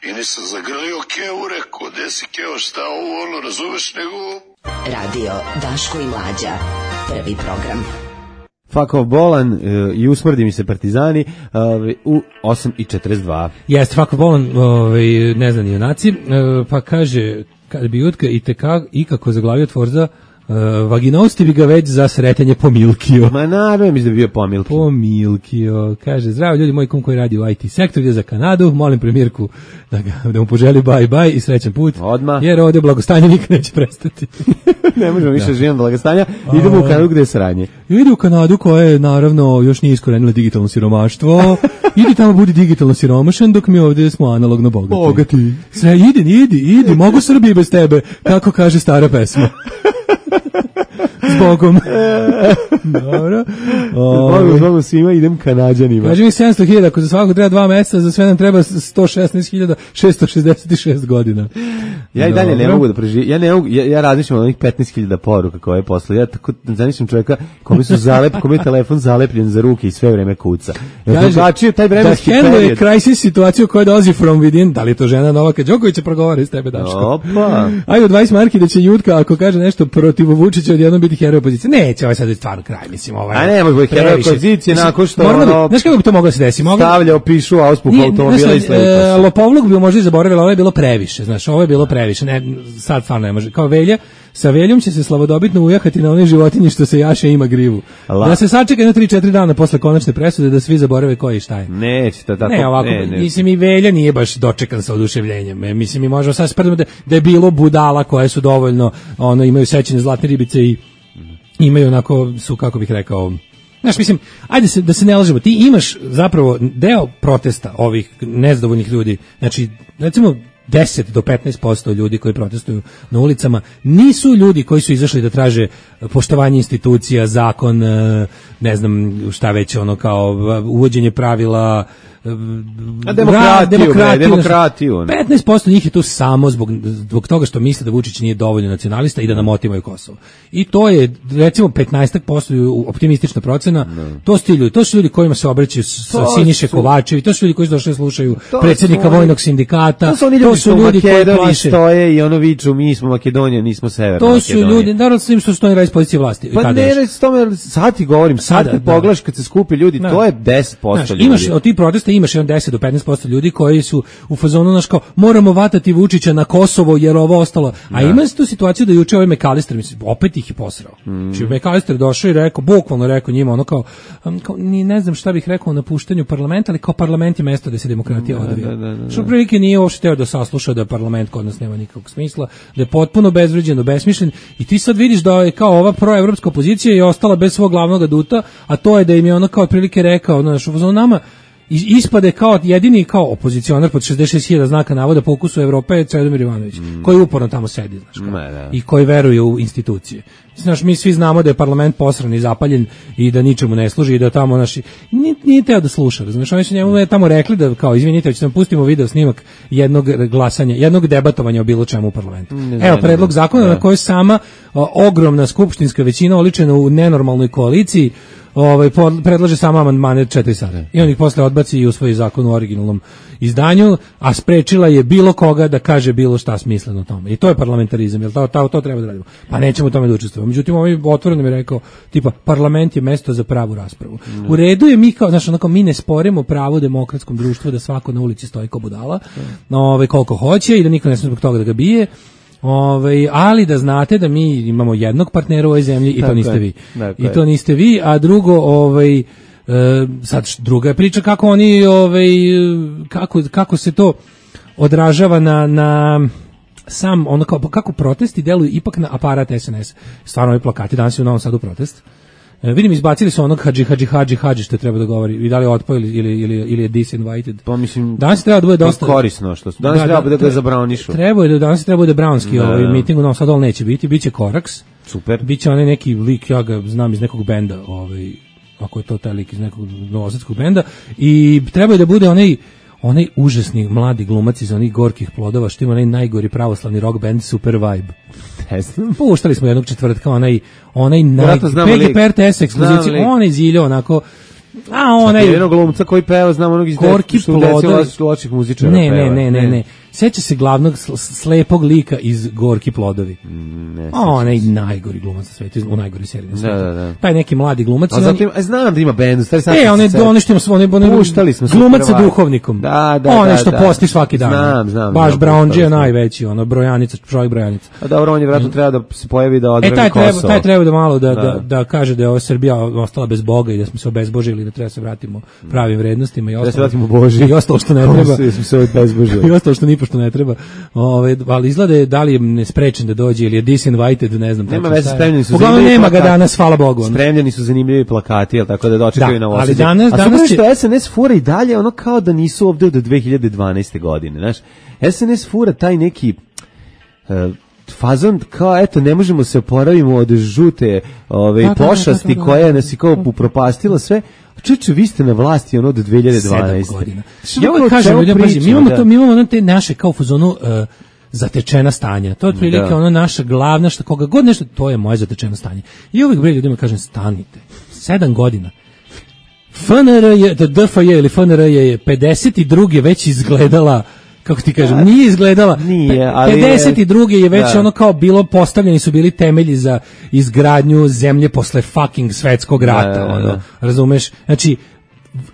i nisam zagrlio Keo, rekao, gde si Keo, šta ovo, ono, razumeš, nego... Radio Daško i Mlađa, prvi program. Fakov bolan uh, i usmrdi mi se partizani uh, u osam i četrdeset dva. Jeste, Fakov bolan, ovaj, ne znam, junaci, uh, pa kaže, kad bi Jutka i tekak ikako zaglavio Tvorza, Uh, vaginosti bi ga već za sretanje pomilkio. Ma naravno, mislim da bi bio pomilkio. Pomilkio. Kaže, zdravo ljudi, moj kum koji radi u i te sektor, ide za Kanadu, molim premijerku da, ga, da mu poželi bye bye i srećan put. Odmah. Jer ovdje blagostanje nikad neće prestati. Ne možemo više živjeti blagostanja. Idemo u Kanadu gde je sranje. Ide u Kanadu koja je, naravno, još nije iskorenila digitalno siromaštvo. Idi tamo, budi digitalno siromašan, dok mi ovdje smo analogno bogati. Bogati. Sve, idi, idi, idi, mogu Srbiji bez tebe, kako kaže stara pesma. Zbogom. Dobro. Zbogom, zbogom svima, idem Kanađanima. Kaži mi sedamsto hiljada, ako za svako treba dva meseca, za sve nam treba sto šesnaest hiljada šesto šezdeset šest godina. Ja i dalje Dobro. ne mogu da preživim. Ja ne mogu, ja, ja razmišljam o onih petnaest hiljada poruka koje je posle. Ja tako zamišljam čovjeka kome su zalep, kome je telefon zalepljen za ruke i sve vreme kuca. Kaže, taj vremenski da handle crisis situaciju koja dolazi from within, da li je to žena Novaka Đokovića progovara iz tebe, Daško? Opa. Ajde, dvadeset marki da će Jutka, ako kaže nešto protiv Vučića, odjednom biti heroj opozicije. Neće, ovaj sad je stvarno kraj, mislim, ovaj. A ne, može biti heroj opozicije nakon što ono... Znaš kako bi to moglo da se desi? Moglo... Stavljao, pišu, auspuh automobila i sve. Lopovluk bi možda i zaboravila, ovo je bilo previše, znaš, ovo je bilo previše, ne, sad stvarno ne može. Kao Velja, sa Veljom će se slavodobitno ujahati na one životinje što se jaše ima grivu. La. Da se sačeka na tri četiri dana posle konačne presude da svi zaborave ko je i šta je. Neće to tako. Ne, ovako, ne, ne. Mislim i Velja nije baš dočekan sa oduševljenjem. E, mislim i možemo sad sprdimo da, da je bilo budala koje su dovoljno, ono, imaju sećanje zlatne ribice i imaju onako, su, kako bih rekao, znaš, mislim, ajde se, da se ne lažemo, ti imaš zapravo deo protesta ovih nezadovoljnih ljudi, znači, recimo, deset do petnaest posto ljudi koji protestuju na ulicama nisu ljudi koji su izašli da traže poštovanje institucija, zakon, ne znam šta već, ono kao uvođenje pravila, A demokratiju, demokratiju, bre, demokratiju. petnaest posto njih je tu samo zbog, zbog toga što misle da Vučić nije dovoljno nacionalista i da nam otimaju Kosovo. I to je, recimo, petnaest posto optimistična procena. No. To su ti ljudi, to su ljudi kojima se obraćaju sa Siniše Kovačevi, to su ljudi koji su došli da slušaju predsjednika oni, vojnog sindikata. To su oni ljudi, to su ljudi koji plaše. Stoje i ono viču, mi smo Makedonija, nismo Severna to Makedonija. To su ljudi, naravno s što stoji iz pozicije vlasti. Pa ne reći s tome, sad ti govorim, sad ti pogledaš kad se skupi ljudi, da. To je deset posto Znaš, ljudi. Imaš od tih protesta imaš jedan deset do petnaest posto ljudi koji su u fazonu naš kao moramo vatati Vučića na Kosovo jer ovo ostalo. A ima se tu situaciju da juče ovaj McAllister, mislim, opet ih je posrao. Mm. Znači McAllister došao i rekao, bukvalno rekao njima ono kao, kao ni ne znam šta bih rekao o napuštanju parlamenta, ali kao parlament je mesto gde se demokratija da, odvija. Da, da, da, da. Što prilike nije uopšte teo da sasluša da parlament kod nas nema nikakvog smisla, da je potpuno bezvređen, besmišljen i ti sad vidiš da je kao ova proevropska opozicija je ostala bez svog glavnog aduta, a to je da im je ono kao otprilike rekao, znaš, u fazonu nama ispade kao jedini kao opozicionar pod šezdeset šest hiljada znaka navoda po ukusu Evrope je Čedomir Ivanović, mm. koji uporno tamo sedi, znaš, kao, ne, ne. i koji veruje u institucije. Znaš, mi svi znamo da je parlament posran i zapaljen i da ničemu ne služi i da tamo naši nije, nije teo da sluša, razumiješ, oni su njemu tamo rekli da kao izvinite, hoćete da pustimo video snimak jednog glasanja, jednog debatovanja o bilo čemu u parlamentu. Ne, Evo predlog zakona da. Na kojoj sama o, ogromna skupštinska većina oličena u nenormalnoj koaliciji ovaj predlaže samo amandmane četiri sata. I on ih posle odbaci i usvoji zakon u originalnom izdanju, a sprečila je bilo koga da kaže bilo šta smisleno o tome. I to je parlamentarizam, jel to, to, to treba da radimo. Pa nećemo u tome da učestvujemo. Međutim, ovaj otvoreno mi je rekao, tipa, parlament je mesto za pravu raspravu. Mm. U redu je mi kao, znaš, onako, mi ne sporimo pravo demokratskom društvu da svako na ulici stoji kao budala, mm. ove, koliko hoće i da niko ne sme zbog toga da ga bije. Ove, ali da znate da mi imamo jednog partnera u ovoj zemlji i to niste vi. I to niste vi, a drugo, ovaj, e, sad druga je priča kako oni, ovaj, kako, kako se to odražava na, na sam, ono kao, kako protesti deluju ipak na aparat S N S. Stvarno ovi plakati, danas je u Novom Sadu protest. E, vidim, izbacili su onog hadži, hadži, hadži, hadži što treba da govori. I da li je otpao ili, ili, ili, ili je disinvited. Pa mislim, danas treba da bude dosta korisno što su. Danas da, treba da, da ga zabranišu. Treba je, danas treba da bude brownski da, ovaj miting u Novom Sadu, ali neće biti. Biće Koraks. Super. Biće onaj neki lik, ja ga znam iz nekog benda, ovaj, ako je to taj lik iz nekog novosadskog benda. I treba je da bude onaj onaj užasni mladi glumac iz onih Gorkih plodova, što ima onaj najgori pravoslavni rock band Super Vibe. Puštali smo jednog četvrtka, onaj, onaj naj... P G P R T S ekspoziciju, onaj ziljo, onako... A onaj... Jednog glumca koji peva, znam onog iz Gorki plodovi... loših muzičara. Ne, ne, ne, ne, ne. Seća se glavnog slepog lika iz Gorki plodovi. Ne, a onaj najgori glumac na svetu, u najgori seriji na svetu. Da, da, da. Taj neki mladi glumac. A zatim, a znam da ima bend, stari sam. E, one one što smo, one puštali smo glumac sa duhovnikom. Da, da, one da. što da, posti svaki dan. Znam, znam. Baš Brownđe najveći, ono brojanica, čovjek brojanica. A dobro, on je vjerojatno treba da se pojavi da odbrani e, taj Kosovo. Treba, taj treba da malo da, da. Da, da kaže da je ova Srbija ostala bez Boga i da smo se obezbožili, da treba se vratimo pravim vrednostima i ostalo. Da se vratimo Boži. I ostalo što ne treba. Smo se obezbožili. I ostalo što ni pošto ne treba. Ove, ali izgleda je da li je nesprečen da dođe ili je disinvited, ne znam. Nema veze, spremljeni su. Uglavnom nema ga danas, hvala Bogu. Spremljeni su zanimljivi plakati, jel tako da dočekaju da, na Novosađe. Ali danas, a danas će... što S N S fura i dalje ono kao da nisu ovde od dve hiljade dvanaeste. godine, znaš. S N S fura taj neki uh, fazon kao eto ne možemo se oporavimo od žute ove da, pošasti da, da, da, da, koja nas je kao upropastila sve. Čuče, vi ste na vlasti ono od dve hiljade dvanaeste. godina. Ja uvijek kažem, ljudima, pazi, mi imamo, da. to, mi imamo ono te naše kao fuzonu uh, zatečena stanja. To je otprilike da. ono naša glavna, šta koga god nešto, to je moje zatečeno stanje. I uvijek bre ljudima kažem, stanite. Sedam godina. F N R je, D F J ili F N R je pedeset druge već izgledala, kako ti kažem, nije izgledala. Nije, ali pedeset druge je već da. ono kao bilo postavljeni su bili temelji za izgradnju zemlje posle fucking svetskog rata, da, da, da. ono, razumeš? Znači,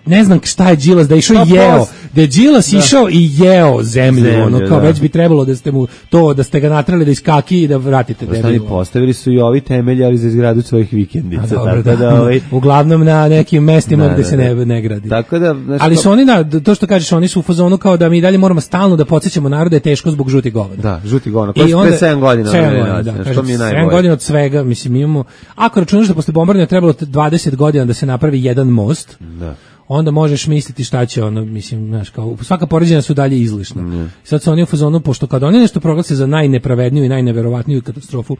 ne znam šta je Đilas da je išao i jeo, da je Đilas da. išao i jeo zemlju, zemlju ono kao da. već bi trebalo da ste mu to, da ste ga natrali da iskaki i da vratite debilu. Postavili su i ovi temelji, ali za izgradu svojih vikendica. A, dobro, tako da, da ovaj... uglavnom na nekim mestima da, gde da, se ne, ne gradi. Tako da, znači, ali su oni, da, to što kažeš, oni su u fazonu kao da mi dalje moramo stalno da podsjećamo narod da je teško zbog žutih govana. Da, žuti govana. Koji su pre sedam godina. sedam godina od svega, mislim, imamo, ako računaš da posle bombardovanja trebalo dvadeset godina da se napravi jedan most, da. onda možeš misliti šta će ono, mislim, znaš, kao, svaka poređenja su dalje izlišna. Mm. Sad su oni u fazonu, pošto kad oni nešto proglase za najnepravedniju i najneverovatniju katastrofu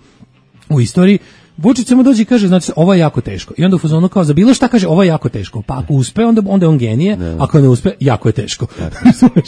u istoriji, Vučić samo dođe i kaže, znači, ovo je jako teško. I onda u fazonu kao za bilo šta kaže, ovo je jako teško. Pa ako uspe, onda, onda je on genije, ne. Ako ne uspe, jako je teško.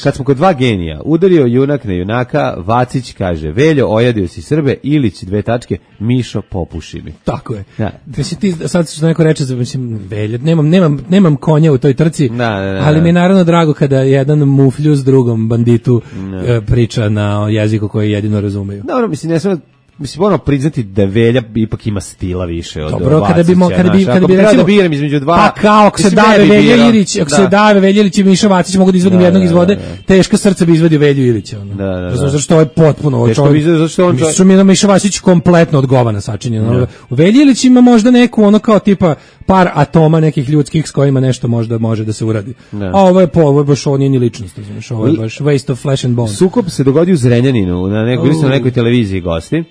Kad smo kod dva genija, udario junak na junaka, Vacić kaže, Veljo, ojadio si Srbe, Ilić, dve tačke, Mišo, popuši mi. Tako je. Da. Mislim, ti, sad što neko reče, mislim, Veljo, nemam, nemam, nemam konja u toj trci, da, da, da, ali mi je naravno drago kada jedan muflju s drugom banditu da. priča na jeziku koji jedino razumeju. Dobro, mislim, ne sam mislim moramo priznati da Velja ipak ima stila više od Dobro, kada bi mo, kada bi kada bi recimo da biram između dva. Pa kao ako se dave Velja Ilić, ako se dave Velja Ilić i Miša Vacić mogu da izvadim jednog iz vode, teško srce bi izvadio Velju Ilića, ono. Zato što je potpuno čovjek. Zato što on što mi na Miša Vacić kompletno odgovana sačinjeno. U Velji Ilić ima možda neku ono kao tipa par atoma nekih ljudskih s kojima nešto možda može da se uradi. A ovo je po, ovo je baš on nije ni ličnost, znači ovo je baš waste of flesh and bone. Sukob se dogodio u Zrenjaninu, na nekoj na nekoj televiziji gosti.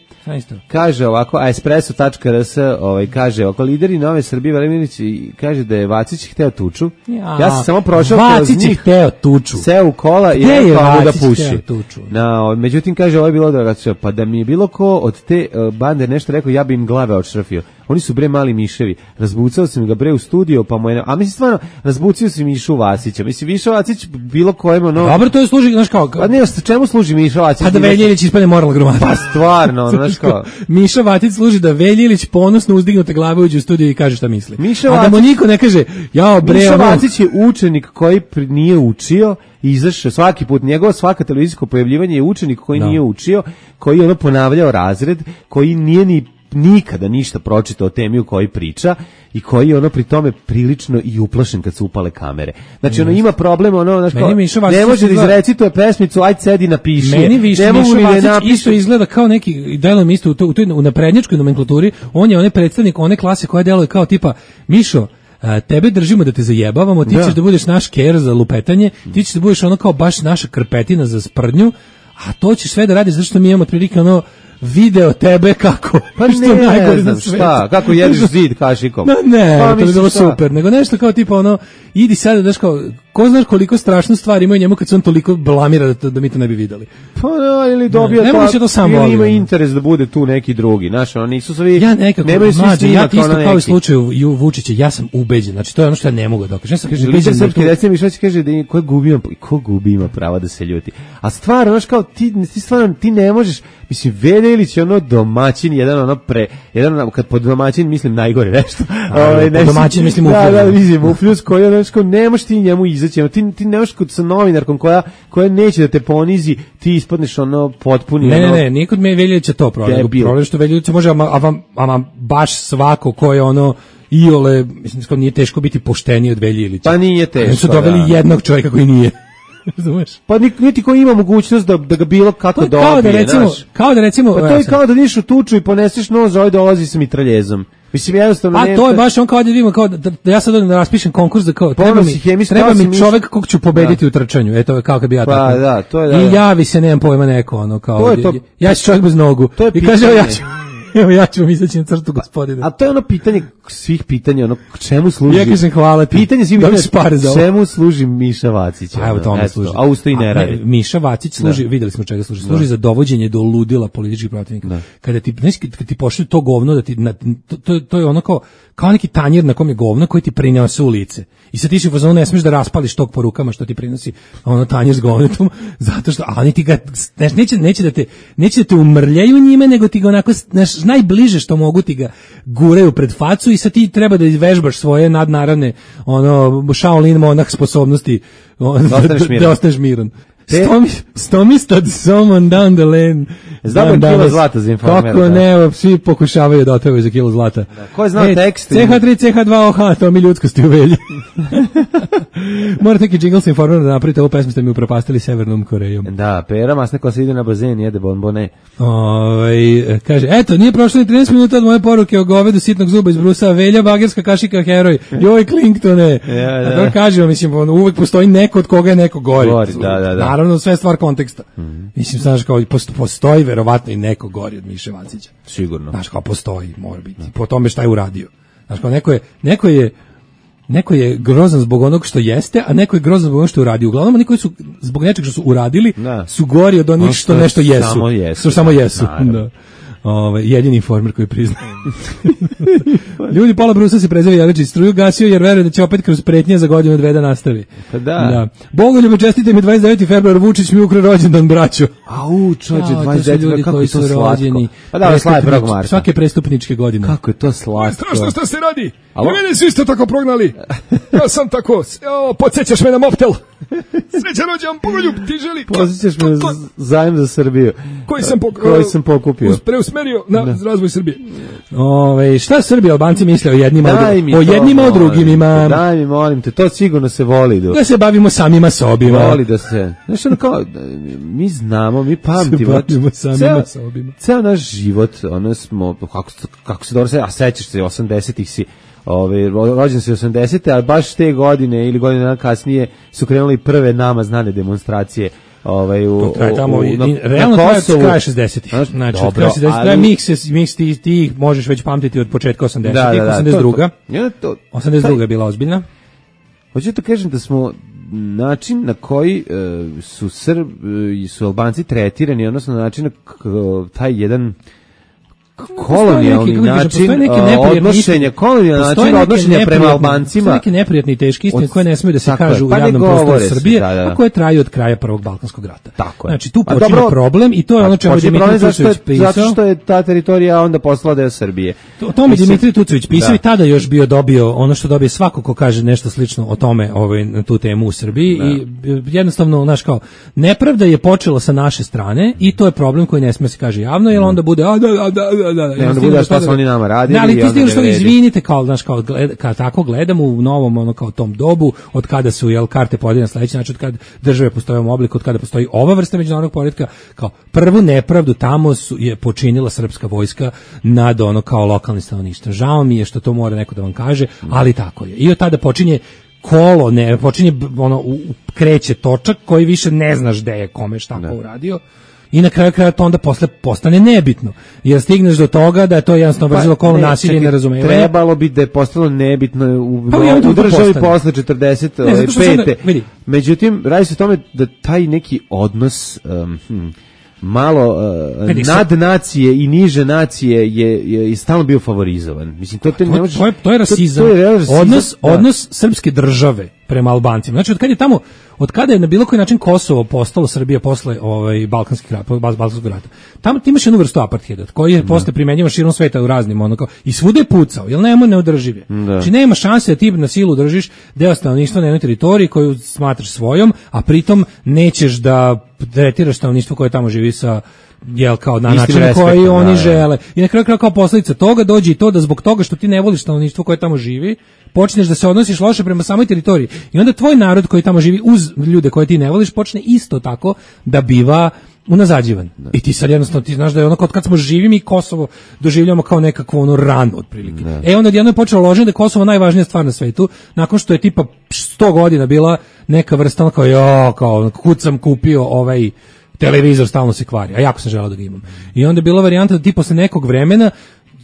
Kaže ovako, a espresso tačka er es ovaj, kaže ovako, lideri Nove Srbije Velimirić kaže da je Vacić hteo tuču. Ja, ja sam samo prošao kroz njih. Vacić je hteo tuču. Seo u kola i rekao da puši. Na, međutim, kaže, ovo je bilo drugačije. Pa da mi je bilo ko od te uh, bande nešto rekao, ja bi im glave odšrafio. Oni su bre mali miševi. Razbucao sam ga bre u studio, pa mu je... A mislim, stvarno, razbucio sam Mišu Vacića. Mislim, Miša Vacić bilo kojem ono... Dobro, to je služi, znaš kao... Pa ne, čemu služi Miša Vacić? Pa da Veljilić ispane moralna gromada. Pa stvarno, znaš kao... Miša Vacić služi da Veljilić ponosno uzdignute glave uđe u studio i kaže šta misli. Miša A da mu niko ne kaže, jao bre... Miša Vacić je učenik koji nije učio i izašao svaki put, njegovo svaka televizijsko pojavljivanje je učenik koji no. nije učio, koji je ono ponavljao razred, koji nije ni nikada ništa pročitao o temi u kojoj priča i koji je ono pri tome prilično i uplašen kad se upale kamere. Znači ono ima problem, ono, znaš kao, ne može da izrecituje pesmicu, ajde sedi napiši. Meni više Miša Vacić isto izgleda kao neki, delom isto u, to, u toj u naprednjačkoj nomenklaturi, on je onaj predstavnik one klase koja deluje kao tipa, Mišo, a, tebe držimo da te zajebavamo, ti da. ćeš da budeš naš ker za lupetanje, ti ćeš da budeš ono kao baš naša krpetina za sprdnju, a to ćeš sve da radiš zato što mi imamo otprilike ono video tebe kako pa što ne najgore znam šta, kako jedeš zid kašikom. No, ne, pa, to je bilo super, nego nešto kao tipa ono, idi sada, daš kao, ko znaš koliko strašnu stvar ima njemu kad se on toliko blamira da, to, da mi to ne bi videli. Pa no, ili dobija ne, ne to sam ili ima interes da bude tu neki drugi, znaš, oni nisu svi, ja nekako, mlađe, ja isto kao u slučaju Vučića, ja sam ubeđen, znači to je ono što ja ne mogu da dokažem. Ja sam kaže, lider srpski recimo Mišać kaže da ko gubi ima, ko gubi ima prava da se ljuti. A stvarno, znaš kao, ti, ti stvarno, ti ne možeš, mislim, Veljilić je ono domaćin, jedan ono pre, jedan, kad pod domaćin mislim najgore nešto. Ovaj pod domaćin mislim u da, da, mislim u plus koji ono što ne možeš ti njemu izaći, ti ti ne možeš kod sa novinarkom koja koja neće da te ponizi, ti ispadneš ono potpuni ne, ono. Ne, ne, nikod me Veljilić to problem, problem što Veljilić može ama ama baš svako ko je ono iole, mislim da nije teško biti pošteniji od Veljilića. Pa nije teško. Oni su doveli da. jednog čovjeka koji nije. Razumeš? Pa niti ko ima mogućnost da da ga bilo kako dobije, kao da recimo, znaš. Kao da recimo, pa to je kao da niš u tuču i poneseš nož, ovaj dolazi sa mitraljezom. Mislim jednostavno ne. A to je baš on kao da vidimo kao da, da ja sad odem da raspišem konkurs da kao treba mi, treba mi čovjek kog ću pobediti da. u trčanju. Eto je kao kad bi ja pa, tako. Da, to je da. I javi se, nemam pojma neko ono kao. To je to, ja ću čovjek bez nogu. I kaže ja ću evo ja ću vam izaći na crtu, gospodine. A to je ono pitanje svih pitanja, ono čemu služi? Ja kažem hvala ti. Pitanje svih pitanja, čemu služi Miša Vacić? A evo tome služi. A usto i ne radi. Ne, Miša Vacić služi, da. videli smo čega služi. Služi da. za dovođenje do ludila političkih protivnika. Da. Kada ti, znaš, kada ti pošalju to govno, da ti, na, to, to, to je ono kao, kao neki tanjir na kom je govno koji ti prinese u lice. I sad ti si u fazonu ne smiješ da raspališ tog po rukama što ti prinosi ono tanjir s govnetom, zato što, a oni ti ga, znaš, neće, neće da te, neće da te umrljaju njime, nego ti ga onako, znaš, najbliže što mogu ti ga guraju pred facu i sad ti treba da izvežbaš svoje nadnaravne, ono, Shaolin monah sposobnosti, on, da, da, da ostaneš miran. Stomi, stomistad someone down the lane. Znamo kilo zlata za informer. Kako ne, svi pokušavaju da otpevaju za kilo zlata. Da, ko je znao e, tekst? C H tri, C H dva O H, to mi ljudskosti u Velji. Morate neki džingl sa informerom da napravite, ovu pesmu ste mi upropastili Severnom Korejom. Da, Pera masna koja se ide na bazen, jede bonbone. Oj, kaže, eto, nije prošlo ni trinaest minuta od moje poruke o govedu sitnog zuba iz Brusa, Velja, bagerska kašika, heroj, joj, Clintone. Ja, da. A to kažemo, mislim, uvek postoji neko od koga je neko gori. Gori, da, da, da. Naravno, sve stvar konteksta. Mm-hmm. Mislim, znaš, kao, postoji verovatno i neko gori od Miše Vacića. Sigurno. Znaš, kao, postoji, mora biti. No. Po tome šta je uradio. Znaš, kao, neko je, neko je neko je grozan zbog onog što jeste, a neko je grozan zbog onog što uradi. Uglavnom, oni koji su zbog nečeg što su uradili, da. su gori od onih što nešto jesu. Samo jesu. Što samo jesu. Da. Ove, jedini informer koji priznaje. Ljudi, pola Brusa se prezeli Jeličić struju gasio jer veruje da će opet kroz pretnje za godinu dve da nastavi. Pa da. da. Bogoljube, čestite mi dvadeset deveti februar, Vučić mi ukro rođendan, braćo. Au, čođe, dvadeset deveti ljudi kako koji je to su slatko. rođeni. Pa da, slaje prvog marta. Svake prestupničke godine. Kako je to slatko. Strašno šta se radi. I mene su isto tako prognali. Ja sam tako, o, podsjećaš me na Moptel. Srećan rođendan, Bogoljub, ti želi. Podsjećaš me zajem za Srbiju. Koji sam, pok koji sam pokupio. Preusmerio na da. razvoj Srbije. Ove, šta Srbi, Albanci misle o jednima, o, o jednima, o drugima? Daj mi, molim te, to sigurno se voli. Do... Da se bavimo samima sobima. Voli da se, znaš, ono kao, mi znamo, mi pamtimo. Se bavimo samima ceo, sobima. Ceo naš život, ono smo, kako, kako se dobro se, a sećaš se, osamdesetih si, Ove, rođen se osamdesete, a baš te godine ili godine dana kasnije su krenuli prve nama znane demonstracije. Ovaj u traje tamo u, na, realno traje kraj šezdesetih. Znači, od kraja šezdesetih traje miks, miks ti, ti možeš već pamtiti od početka osamdesetih, da, da, da, osamdeset druga. Ja, to, osamdeset druga je bila ozbiljna. Hoću da kažem da smo način na koji uh, su Srbi i su Albanci tretirani, odnosno način na k- taj jedan kolonijalni način odnošenja, kolonijalni način odnošenja prema Albancima. Postoje neke neprijatne i teške istine koje ne smiju da se kažu u javnom prostoru Srbije, a koje traju od kraja Prvog Balkanskog rata. Znači, tu počinje problem i to je ono čemu je Dimitrij Tucović pisao. Zato što je ta teritorija onda postala deo Srbije. O tome je Dimitrij Tucović pisao i tada još bio dobio ono što dobije svako ko kaže nešto slično o tome, ovaj, na tu temu u Srbiji i jednostavno, znaš, kao, nepravda je počela sa naše strane i to je problem koji ne smije se kaže javno, jer onda bude a da, da, da, da, ne, onda bude šta su oni nama radili. Ali ti stižeš što izvinite, kao, znaš, kao, gled, kao tako gledamo u novom, ono, kao tom dobu, od kada su, jel, karte podijeljene na sledeći način, od kada države postoje u ovom obliku, od kada postoji ova vrsta međunarodnog poretka, kao, prvu nepravdu tamo su, je počinila srpska vojska nad, ono, kao lokalni stanovništvo. Žao mi je što to mora neko da vam kaže, ali tako je. I od tada počinje kolo, ne, počinje, ono, u, kreće točak koji više ne znaš gde je kome šta ko uradio. I na kraju kraja to onda posle postane nebitno. Jer stigneš do toga da je to jednostavno brzilo pa, kolo nasilje i nerazumevanje. Trebalo bi da je postalo nebitno u, pa, u državi posle četrdeset pete. Međutim, radi se o tome da taj neki odnos um, hm, malo uh, nad nacije i niže nacije je, je, je stalno bio favorizovan. Mislim, to, te to, ne može, to, je, to je rasizam. To, to je rasizam. Odnos, da. odnos srpske države prema Albancima. Znači, od kada je tamo, od kada je na bilo koji način Kosovo postalo Srbija posle ovaj, Balkanskih rata, Balkanskog rata, tamo ti imaš jednu vrstu apartheida, koji je posle primenjivan širom sveta u raznim, onako, i svuda je pucao, jer nema neodržive. Da. Znači, nema šanse da ti na silu držiš deo stanovništva na jednoj teritoriji koju smatraš svojom, a pritom nećeš da tretiraš stanovništvo koje tamo živi sa jel kao na način koji oni da, žele. I na kraju kraja kao posljedica toga dođe i to da zbog toga što ti ne voliš stanovništvo koje tamo živi, počneš da se odnosiš loše prema samoj teritoriji. I onda tvoj narod koji tamo živi uz ljude koje ti ne voliš počne isto tako da biva unazađivan. Da. I ti sad jednostavno ti znaš da je ono kad smo živi mi Kosovo doživljamo kao nekakvu ono ranu otprilike. Da. E onda jedno je počelo loženje da je Kosovo najvažnija stvar na svetu, nakon što je tipa sto godina bila neka vrsta ono kao jo, kao kud sam kupio ovaj televizor stalno se kvari, a jako sam želeo da ga imam. I onda je bila varijanta da ti posle nekog vremena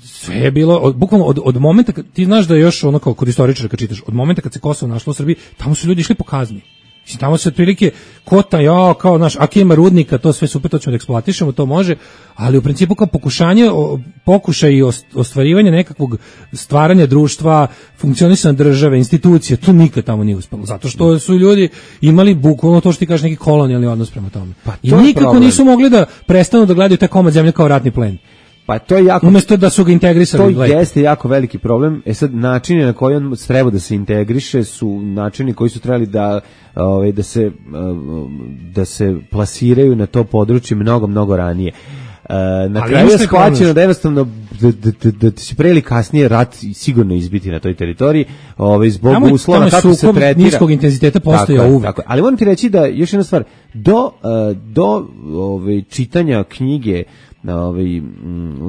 sve je bilo, od, bukvalno od, od momenta, kad, ti znaš da je još ono kao kod istoričara kad čitaš, od momenta kad se Kosovo našlo u Srbiji, tamo su ljudi išli po kazni. Mislim, tamo se otprilike kota, ja, kao, znaš, ako ima rudnika, to sve super, to ćemo da eksploatišemo, to može, ali u principu kao pokušanje, pokušaj i ostvarivanje nekakvog stvaranja društva, funkcionisanja države, institucije, to nikad tamo nije uspelo, zato što su ljudi imali bukvalno to što ti kažeš neki kolonijalni odnos prema tome. Pa to I nikako problem. Nisu mogli da prestanu da gledaju taj komad zemlje kao ratni plen. Pa to je jako, umesto da su ga integrisali. To gledaj. Jeste jako veliki problem. E sad, načini na koji on treba da se integriše su načini koji su trebali da, ovaj, da, se, da se plasiraju na to područje mnogo, mnogo ranije. Na ali kraju je shvaćeno da jednostavno da, da, da, da će pre ili kasnije rat sigurno izbiti na toj teritoriji, ovaj, zbog tamo, uslova tamo kako se tretira. Niskog intenziteta postoje uvek. Tako, ali moram ti reći da, još jedna stvar, do, do ovaj, čitanja knjige ovaj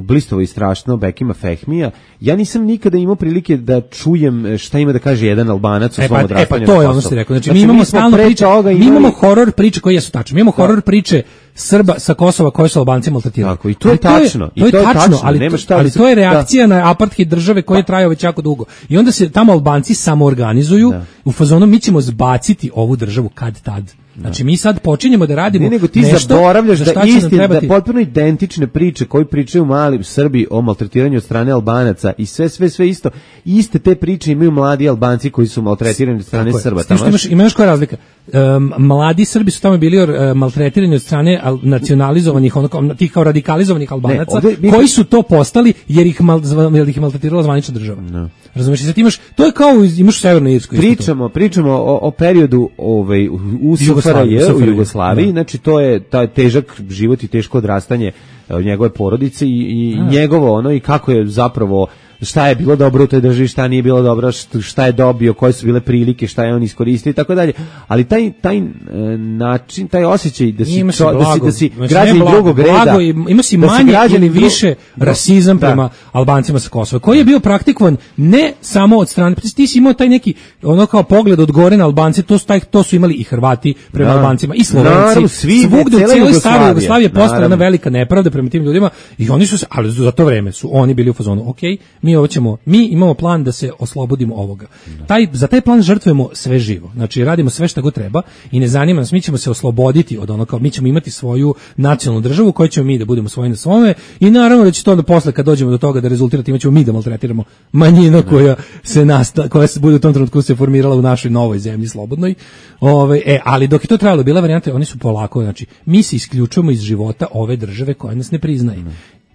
blistovo i strašno Bekima Fehmija. Ja nisam nikada imao prilike da čujem šta ima da kaže jedan Albanac o e, svom pa, odrastanju. E pa to je ono što ste rekao. Znači, znači mi imamo stalno priče, mi imamo horor priče koje jesu tačne. Mi imamo horor priče Srba sa Kosova koji su Albanci maltretirali. Tako, i to je tačno. To je, to je tačno, ali, nema šta, ali to je reakcija da. na apartheid države koja je trajao već jako dugo. I onda se tamo Albanci samoorganizuju da. u fazonu mi ćemo zbaciti ovu državu kad tad. Znači mi sad počinjemo da radimo ne, nego ti nešto, zaboravljaš da isti da trebati... potpuno identične priče koji pričaju mali Srbi o maltretiranju od strane Albanaca i sve sve sve isto iste te priče imaju mladi Albanci koji su maltretirani od strane Srba. Tamo što imaš, imaš koja razlika? Um, mladi Srbi su tamo bili uh, maltretirani od strane al, nacionalizovanih ono tih kao radikalizovanih Albanaca ne, ovdje, koji su to postali jer ih mal, jer ih maltretirala zvanična država. No. Razumeš, sad imaš to je kao imaš u Severnoj Irskoj. Pričamo, pričamo o, o periodu ovaj u Je, u Jugoslaviji, da. Znači to je taj težak život i teško odrastanje njegove porodice i, i njegovo ono i kako je zapravo šta je bilo dobro u toj državi, šta nije bilo dobro, šta je dobio, koje su bile prilike, šta je on iskoristio i tako dalje. Ali taj taj način, taj osjećaj da si to, da si da si znači, građani drugog reda, ima si manje ili više dru... rasizam da. prema Albancima sa Kosova, koji je bio praktikovan ne samo od strane, ti si imao taj neki ono kao pogled od gore na Albance, to su taj to su imali i Hrvati prema da. Albancima i Slovenci, naravno, svi, svugde u cijeloj staroj Jugoslaviji postala jedna velika nepravda prema tim ljudima i oni su se, ali za to vreme su oni bili u fazonu, okej, mi ovo ćemo, mi imamo plan da se oslobodimo ovoga. Taj, za taj plan žrtvujemo sve živo. Znači radimo sve što god treba i ne zanima nas, mi ćemo se osloboditi od ono kao mi ćemo imati svoju nacionalnu državu koju ćemo mi da budemo svoji na svome i naravno da će to da posle kad dođemo do toga da rezultira time ćemo mi da maltretiramo manjinu koja se nasta, koja se bude u tom trenutku se formirala u našoj novoj zemlji slobodnoj. Ove, e, ali dok je to trajalo bila varijanta, oni su polako, znači mi se isključujemo iz života ove države koja nas ne priznaje.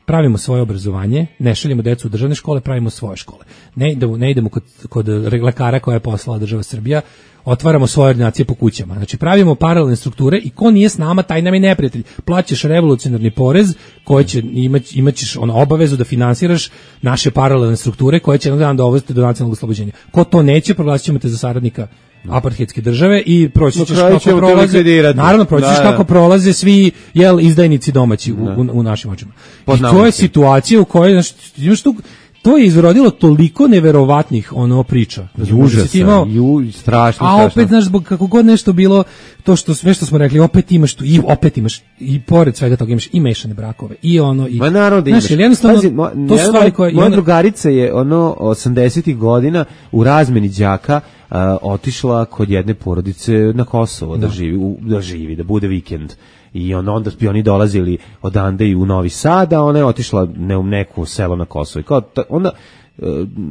Pravimo svoje obrazovanje, ne šaljemo decu u državne škole, pravimo svoje škole. Ne idemo, ne idemo kod, kod lekara koja je poslala država Srbija, otvaramo svoje ordinacije po kućama. Znači pravimo paralelne strukture i ko nije s nama, taj nam je neprijatelj. Plaćaš revolucionarni porez koji će imać, imaćeš ono obavezu da finansiraš naše paralelne strukture koje će jedan dan dovesti do nacionalnog oslobođenja. Ko to neće, proglasit ćemo te za saradnika apartheidske države i proći ćeš kako prolaze, naravno proći ćeš kako prolaze svi jel izdajnici domaći u, u, u našim očima. I to je situacija u kojoj znači, imaš tu to je izrodilo toliko neverovatnih ono priča. Užasa, ju, strašno, a opet, znaš, zbog kako god nešto bilo, to što sve što smo rekli, opet imaš tu, i opet imaš, i pored svega toga imaš i mešane brakove, i ono, i... Ma naravno da imaš. Znaš, jednostavno, Pazi, mo, to su stvari koje... Moja ono... drugarica je, ono, osamdesetih godina u razmeni đaka uh, otišla kod jedne porodice na Kosovo da, da živi, u, da živi, da bude vikend. I on, onda bi oni dolazili odande i u Novi Sad, a ona je otišla ne u neku selo na Kosovo. I kao, ta, onda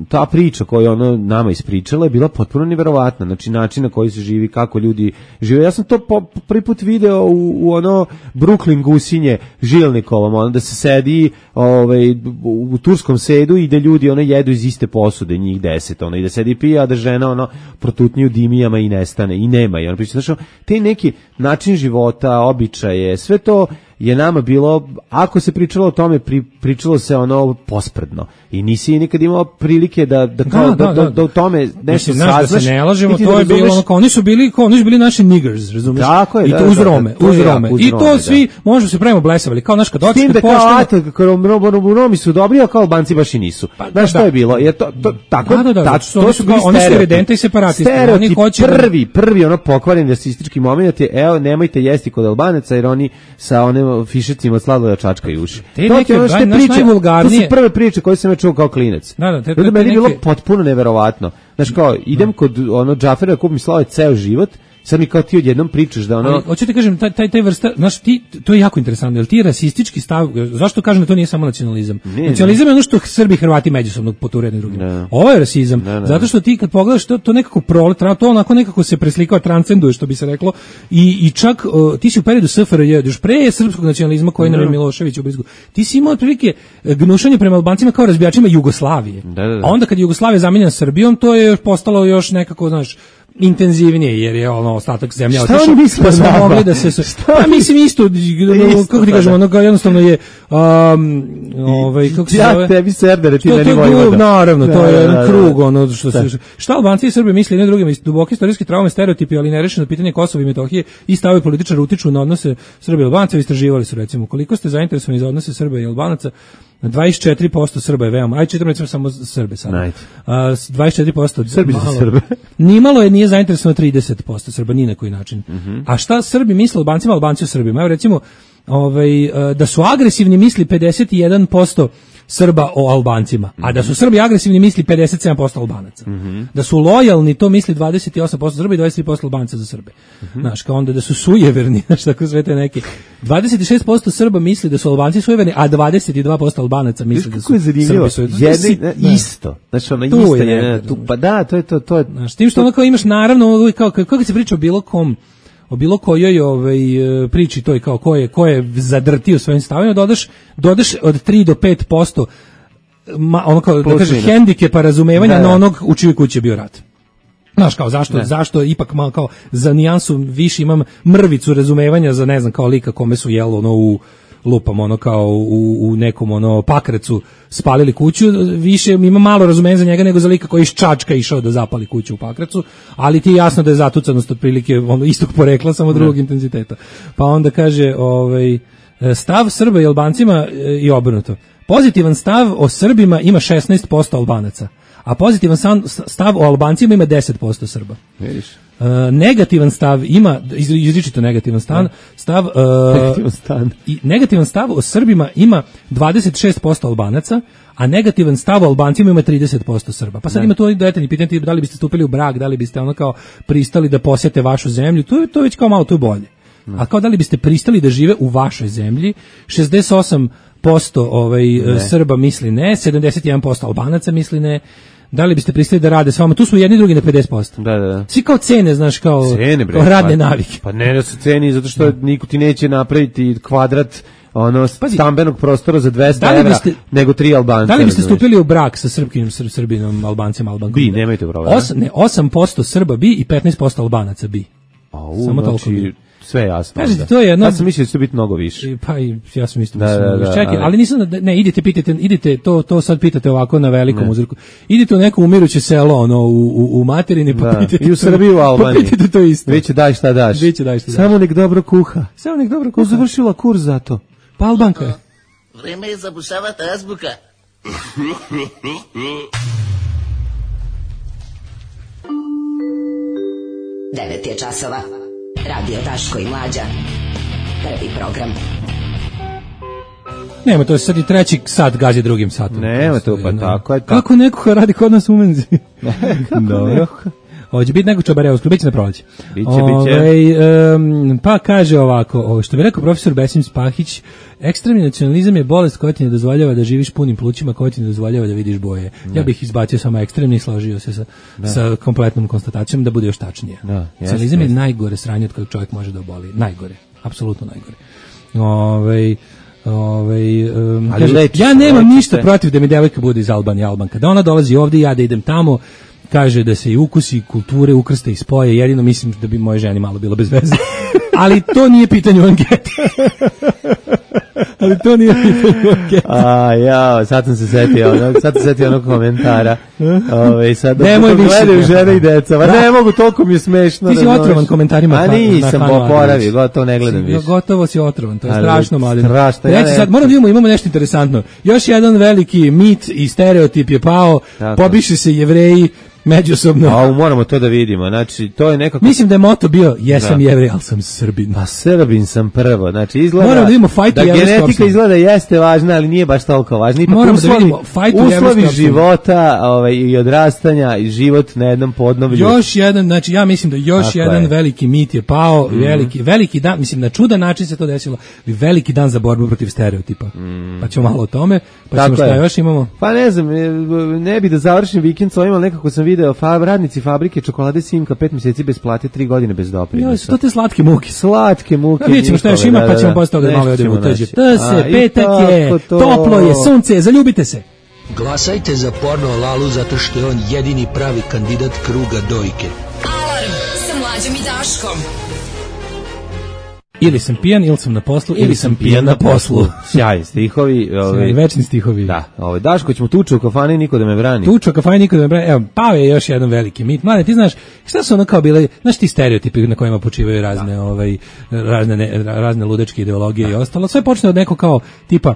ta priča koju ona nama ispričala je bila potpuno neverovatna. Znači način na koji se živi, kako ljudi žive. Ja sam to po, prvi put video u, u ono Brooklyn Gusinje Žilnikovom, ono da se sedi ovaj, u, u turskom sedu i da ljudi ono jedu iz iste posude, njih deset, ono, i da sedi pije, a da žena ono protutnji u dimijama i nestane i nema. I ona priča, znači, te neki način života, običaje, sve to je nama bilo, ako se pričalo o tome, pri, pričalo se ono pospredno. I nisi nikad imao prilike da da kao da, da, da, da u tome nešto saznaš. Da se ne lažemo, to da je bilo ono kao oni su bili kao oni su bili naši niggers, razumiješ? Tako je, i to da, uz Rome, da, uz Rome. I to da. Svi možemo se pravimo blesavali, kao naš kad dođe da pošteno. Kao Romi su dobri, a kao Albanci baš i nisu. Pa, znaš što je bilo? Je to to tako da, da, da, ta, to su kao oni su evidentni separatisti, oni hoće prvi prvi ono pokvareni rasistički momenat je evo nemojte jesti kod Albanaca jer oni sa onim fišicima sladoleda čačkaju uši. Te neke najvulgarnije. To su prve priče koje sam čuo kao klinac. Da, da, te, te, te meni je bilo potpuno neverovatno. Znaš kao, idem kod ono Džafera, kupim slave ceo život, sad mi kao ti odjednom pričaš da ono... Ali, hoću ti kažem, taj, taj, taj vrsta, znaš, ti, to je jako interesantno, jer ti rasistički stav, zašto kažem da to nije samo nacionalizam? Ne, nacionalizam ne. je ono što Srbi i Hrvati međusobno poture jedni drugim. Ovo je rasizam, ne, ne. zato što ti kad pogledaš to, to nekako proletra, to onako nekako se preslikava, transcenduje, što bi se reklo, i, i čak uh, ti si u periodu S F R J, još pre srpskog nacionalizma koji nam je Milošević u Brizgu, ti si imao otprilike gnušanje prema Albancima kao razbijačima Jugoslavije. Da, da, da. A onda kad je Jugoslavija zamijenjena Srbijom, to je još postalo još nekako, znaš, intenzivnije, jer je ono ostatak zemlje otišao. Šta oni misle da smo mogli da se... Pa mislim isto, kako ti kažemo, ono jednostavno je, um, ovaj, kako se zove... Ja tebi serdere, ti meni vojvoda. Naravno, to je jedan krug, ono što se... Šta Albanci i Srbi misle jedne drugima, duboke istorijske traume, stereotipi, ali nerešeno pitanje Kosova i Metohije i stavovi političara utiču na odnose Srba i Albanaca. Istraživali su, recimo, koliko ste zainteresovani za odnose Srba i Albanaca. dvadeset četiri posto Srba je veoma, aj čitam recimo samo Srbe sad. A, dvadeset četiri posto Srbi za Srbe. Nimalo je, nije zainteresovano trideset posto Srba, ni na koji način. Mm-hmm. A šta Srbi misle Albancima, Albanci o Srbima? Evo recimo, ovaj, da su agresivni misli pedeset jedan posto Srba o Albancima, mm-hmm. a da su Srbi agresivni misli pedeset sedam posto Albanaca. Mm-hmm. Da su lojalni, to misli dvadeset osam posto Srba i dvadeset tri posto Albanca za Srbe. Mm-hmm. Znaš, kao onda da su sujeverni, znaš, tako sve te neke. dvadeset šest posto Srba misli da su Albanci sujeverni, a dvadeset dva posto Albanaca misli da su Srbi sujeverni. Jedni, isto. Znači, ono isto je, je tu, pa da, to je to. to je, znaš, tim što ono kao imaš, naravno, kao, kako se priča o bilo kom, o bilo kojoj ovaj, priči toj kao ko je, ko je zadrtio svojim stavima, dodaš, dodaš od tri do pet posto ma, ono kao, da kažeš, hendikepa razumevanja ne, na onog u čijoj kući je bio rat. Znaš, kao, zašto, ne. zašto ipak malo kao za nijansu više imam mrvicu razumevanja za, ne znam, kao lika kome su jelo ono u lupam ono kao u, u nekom ono Pakracu spalili kuću, više ima malo razumevanja za njega nego za lika koji iz Čačka išao da zapali kuću u Pakracu, ali ti je jasno da je zatucanost otprilike ono istog porekla, samo drugog ne. intenziteta. Pa onda kaže, ovaj, stav Srba i Albancima i obrnuto. Pozitivan stav o Srbima ima šesnaest posto Albanaca, a pozitivan stav o Albancima ima deset posto Srba. Vidiš? Uh, negativan stav ima, izričito negativan stav, stav uh, negativan stav. I negativan stav o Srbima ima dvadeset šest posto Albanaca, a negativan stav o Albancima ima trideset posto Srba. Pa sad ne. ima to detaljni pitanje, da li biste stupili u brak, da li biste ono kao pristali da posjete vašu zemlju, to je to već kao malo to je bolje. Ne. A kao da li biste pristali da žive u vašoj zemlji, šezdeset osam posto ovaj ne. Srba misli ne, sedamdeset jedan posto Albanaca misli ne. Da li biste pristali da rade s vama? Tu smo jedni drugi na pedeset posto. Da, da, da. Svi kao cene, znaš, kao, cene, bre, kao radne pa, navike. Pa ne da su ceni, zato što niko ti neće napraviti kvadrat ono Pazi, stambenog prostora za dvesta evra, nego tri Albanca. Da li biste stupili u brak sa srpskim, sr, Srbinom, Albancem, Albankom? Bi, nemojte problema. Os, ne, osam posto Srba bi i petnaest posto Albanaca bi. A, u, Samo znači, toliko bi. Sve jasno. Kažete, to je jedno... Ja sam mislio da će biti mnogo više. Pa i ja sam isto da, mislio. Da, da, Čekaj, ali... ali nisam, ne, idite, pitajte, idite, to, to sad pitate ovako na velikom uzorku. Idite u neko umiruće selo, ono, u, u, u materini, pa da. pitajte. I u Srbiji, u Albaniji. Pa pitajte to isto. Viće daj šta daš. Viće daj šta daš. Samo nek dobro kuha. Samo nek dobro kuha. Završila kurs za to. Pa Albanka je. Vreme je zabušavati azbuka. Devet je časova. Radio Daško i Mlađa. Prvi program. Nema, to je sad i treći sat gazi drugim satom. Nema to, pa tako je. Kako neko radi kod nas u menzi? Dobro. Hoće biti neko čabareo, biće na proleće. Biće, biće. Um, pa kaže ovako, o, što bi rekao profesor Besim Spahić, ekstremni nacionalizam je bolest koja ti ne dozvoljava da živiš punim plućima, koja ti ne dozvoljava da vidiš boje. Ne. Ja bih izbacio samo ekstremni i složio se sa, sa kompletnom konstatacijom da bude još tačnije. Nacionalizam je najgore sranje od kojeg čovjek može da oboli. Najgore, apsolutno najgore. Ove, ove, um, kaže, leči, ja nemam leči ništa se. protiv da mi devojka bude iz Albanije, Albanka. Da ona dolazi ovdje, ja da idem tamo, kaže da se i ukusi, kulture, ukrste i spoje, jedino mislim da bi moje ženi malo bilo bez veze. Ali to nije pitanje u anketi. Ali to nije pitanje u anketi. A, ja, sad sam se setio, sad sam se setio onog komentara. Ove, sad da gledaju žene i deca, ma ne mogu, toliko mi je smešno. Ti si da otrovan komentarima. A nisam oporavio, gotovo ne gledam više. Gotovo si otrovan, to je ali, strašno, mladen. Strašno. Reći sad, moram da imamo, imamo nešto interesantno. Još jedan veliki mit i stereotip je pao, tako. Pobiše se Jevreji međusobno. A moramo to da vidimo. Znači, to je nekako... Mislim da je moto bio, jesam da. Jevrej, ali sam Srbin. Pa Srbin sam prvo. Znači, izgleda... Moramo da vidimo fajt da genetika izgleda jeste važna, ali nije baš toliko važna. Ipak moramo uslovi, da vidimo fajt uslovi života ovaj, i odrastanja i život na jednom podnoblju. Još jedan, znači ja mislim da još tako jedan je. veliki mit je pao, mm. veliki, veliki dan, mislim na čudan način se to desilo, veliki dan za borbu protiv stereotipa. Mm. Pa ćemo malo o tome, pa tako ćemo šta je. još imamo. Pa ne znam, ne bi da završim vikend s ovim, ali nekako sam video fab, radnici fabrike čokolade Simka pet mjeseci bez plate, tri godine bez doprinosa. Jo, su to te slatke muke. Slatke muke. Vidjet ćemo šta još ima, pa ćemo posle toga da malo odemo u tuđe. T se, petak je, to. toplo je, sunce, zaljubite se. Glasajte za Porno Lalu zato što je on jedini pravi kandidat kruga dojke. Alarm sa Mlađom i Daškom. Ili sam pijan, ili sam na poslu, ili, ili sam pijan na poslu. Sjajni stihovi. Sjajni, večni stihovi. Da, ovaj, Daško, ćemo tuču u kafani, niko da me brani. Tuču u kafani, niko da me brani. Evo, pao je još jedan veliki mit. Mlade, ti znaš, šta su ono kao bile, znaš ti stereotipi na kojima počivaju razne, da. ovaj, razne, ne, razne ludečke ideologije da. I ostalo. Sve počne od neko kao, tipa,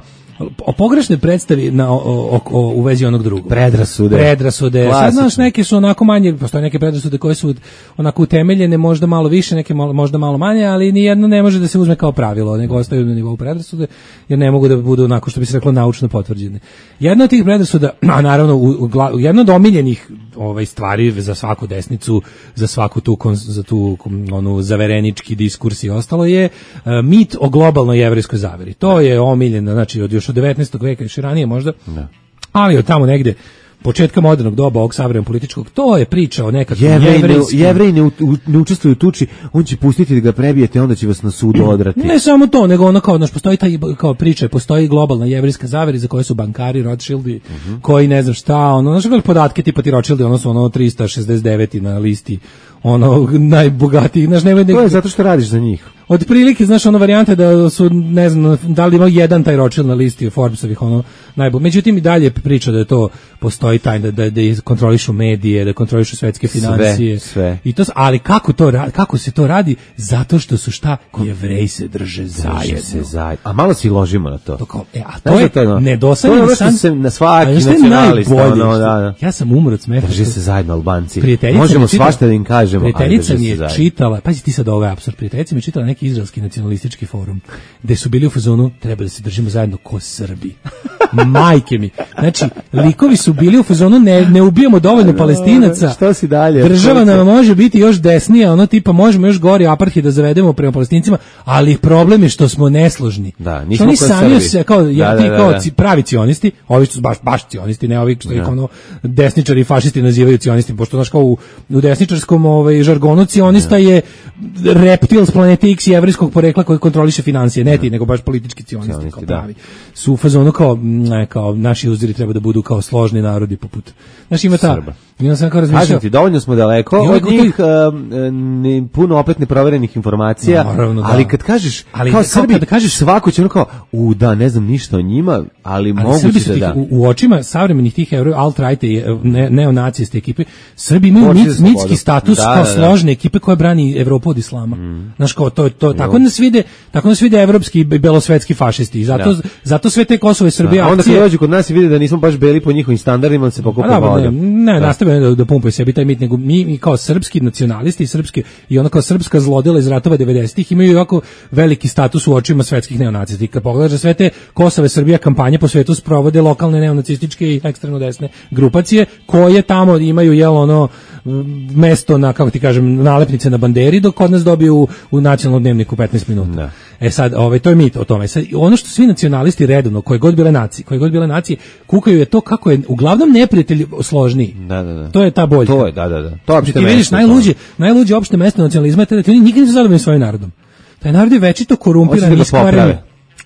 o pogrešne predstavi na o, o, o, u vezi onog drugog. Predrasude. Predrasude. Sad znaš, neke su onako manje, postoje neke predrasude koje su onako utemeljene, možda malo više, neke možda malo manje, ali ni jedno ne može da se uzme kao pravilo, nego ostaju na nivou predrasude, jer ne mogu da budu onako, što bi se reklo, naučno potvrđene. Jedna od tih predrasuda, a naravno, u, u, u, jedna od omiljenih ovaj, stvari za svaku desnicu, za svaku tu, za tu onu zaverenički diskurs i ostalo je uh, mit o globalnoj jevrejskoj zaveri. To je omiljeno, znači od još od devetnaestog veka, još i ranije možda, ne. Ali od tamo negde početka modernog doba ovog savremenog političkog, to je priča o nekakvim jevrejskim... Jevreji ne, ne učestvuju u tuči, on će pustiti da ga prebijete, onda će vas na sudu odrati. Ne samo to, nego ono kao, znaš, postoji taj, kao priča, postoji globalna jevrejska zavera za koje su bankari, Rothschildi, uh-huh. koji ne znam šta, ono, znaš, podatke tipa ti Rothschildi, ono su ono trista šezdeset devet na listi, ono, najbogatiji, znaš, nemoj... To je zato što radiš za njih. Od prilike, znaš, ono varijante da su, ne znam, da li ima jedan taj Rothschild na listi Forbesovih, ono, najbolj. Međutim, i dalje priča da je to, postoji taj, da, da, da kontrolišu medije, da kontrolišu svetske financije. Sve, sve. I to, ali kako to, kako se to radi? Zato što su šta? Jevreji se drže zajedno. Se zajedno. A malo si ložimo na to. To kao, e, a to znaš je to no, nedosanjeni san. To se na svaki nacionalista, ono, da, da. Ja sam umro od smeha. Drže se zajedno Albanci. Možemo svašta da im kažemo. Prijateljica mi je čitala, pazi ti sad ovaj apsurd, prijateljica mi je čitala neki izraelski nacionalistički forum, gde su bili u fazonu, treba da se držimo zajedno ko Srbi. Majke mi. Znači, likovi su bili u fazonu, ne, ne ubijamo dovoljno Palestinaca. Što si dalje? Država nam može biti još desnija, ono tipa, možemo još gori apartheid da zavedemo prema Palestincima, ali problem je što smo nesložni. Da, nismo oni sami se, kao, ja, da, ti da, kao da. pravi cionisti, ovi što su baš, baš cionisti, ne ovi što ih ono desničari i fašisti nazivaju cionistima, pošto znaš kao u, u desničarskom ovaj, žargonu cionista je reptil s planete X i evrijskog porekla koji kontroliše financije, ne ti, nego baš politički cionisti, cionisti kao pravi. Su u fazonu kao, ne, kao naši uzori treba da budu kao složni narodi poput. Znaš, ima ta... Srba. Ja sam kao razmišljao. Ti, dovoljno smo daleko od njih, uh, ne, puno opet neproverenih informacija, naravno, da. Ali kad kažeš, ali kao da, Srbi, kad kažeš svako će ono kao, u da, ne znam ništa o njima, ali, ali moguće da da. U, u očima savremenih tih euro, alt-right i ne, neonacijske ekipe, Srbi imaju mit, mitski status da, kao da, da. složne ekipe koja brani Evropu od islama. Mm. Znaš, kao, to, to, tako nas vide, tako nas vide evropski i belosvetski fašisti. I zato, da. zato sve te Kosovo i Srbije da. Onda kad dođu kod nas i vide da nismo baš beli po njihovim standardima, se pokupa voda. Ne, ne, nastave da, da pumpaju sebi taj mit, nego mi, mi kao srpski nacionalisti i srpski i ona kao srpska zlodela iz ratova devedesetih imaju jako veliki status u očima svetskih neonacista. I kad pogledaš da sve te Kosova i Srbija kampanje po svetu sprovode lokalne neonacističke i ekstremno desne grupacije koje tamo imaju jel ono mesto na, kako ti kažem, nalepnice na banderi, dok kod nas dobiju u, u nacionalnom dnevniku petnaest minuta. Da. E sad, ovaj, to je mit o tome. Sad, ono što svi nacionalisti redovno, koje god bile nacije, koje god bile nacije, kukaju je to kako je uglavnom neprijatelj složniji. Da, da, da. To je ta boljka. To je, da, da, da. To ti vidiš, najluđe, najluđe opšte mesto nacionalizma je da ti oni nikad nisu zadovoljni svojim narodom. Taj narod je večito korumpiran, iskvaren.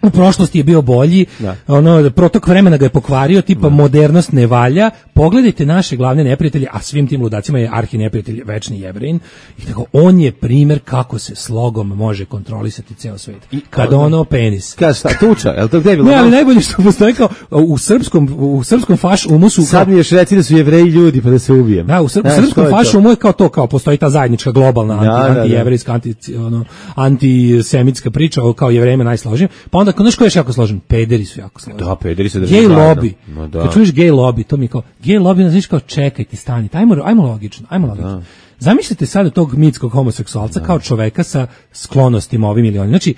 U prošlosti je bio bolji, da. Ono, protok vremena ga je pokvario, tipa da. Modernost ne valja. Pogledajte naše glavne neprijatelje, a svim tim ludacima je arhi neprijatelj večni Jevrejin. I tako, on je primjer kako se slogom može kontrolisati ceo svet. I kad ono penis. Kad šta, tuča, je li to gde je bilo? Ne, ali najbolje što postoji kao u srpskom, u srpskom faš umu su... Sad mi još reci da su Jevreji ljudi pa da se ubijem. Da, u, sr, u srpskom faš umu je kao to, kao postoji ta zajednička globalna da, anti, anti-jevrejska, anti, ono, antisemitska priča o kao Jevrejima najsložnijim. Pa onda, znaš ko je jako složen? Pederi su jako složeni. Da, pederi se drže gay zajedno. Lobby. No, da. Kad čuješ gay lobby, to mi kao, gay lobby, znaš kao, čekajte, stanite, ajmo, ajmo logično, ajmo logično. Da. Zamislite sada tog mitskog homoseksualca da. Kao čoveka sa sklonostima ovim ili onim. Znači,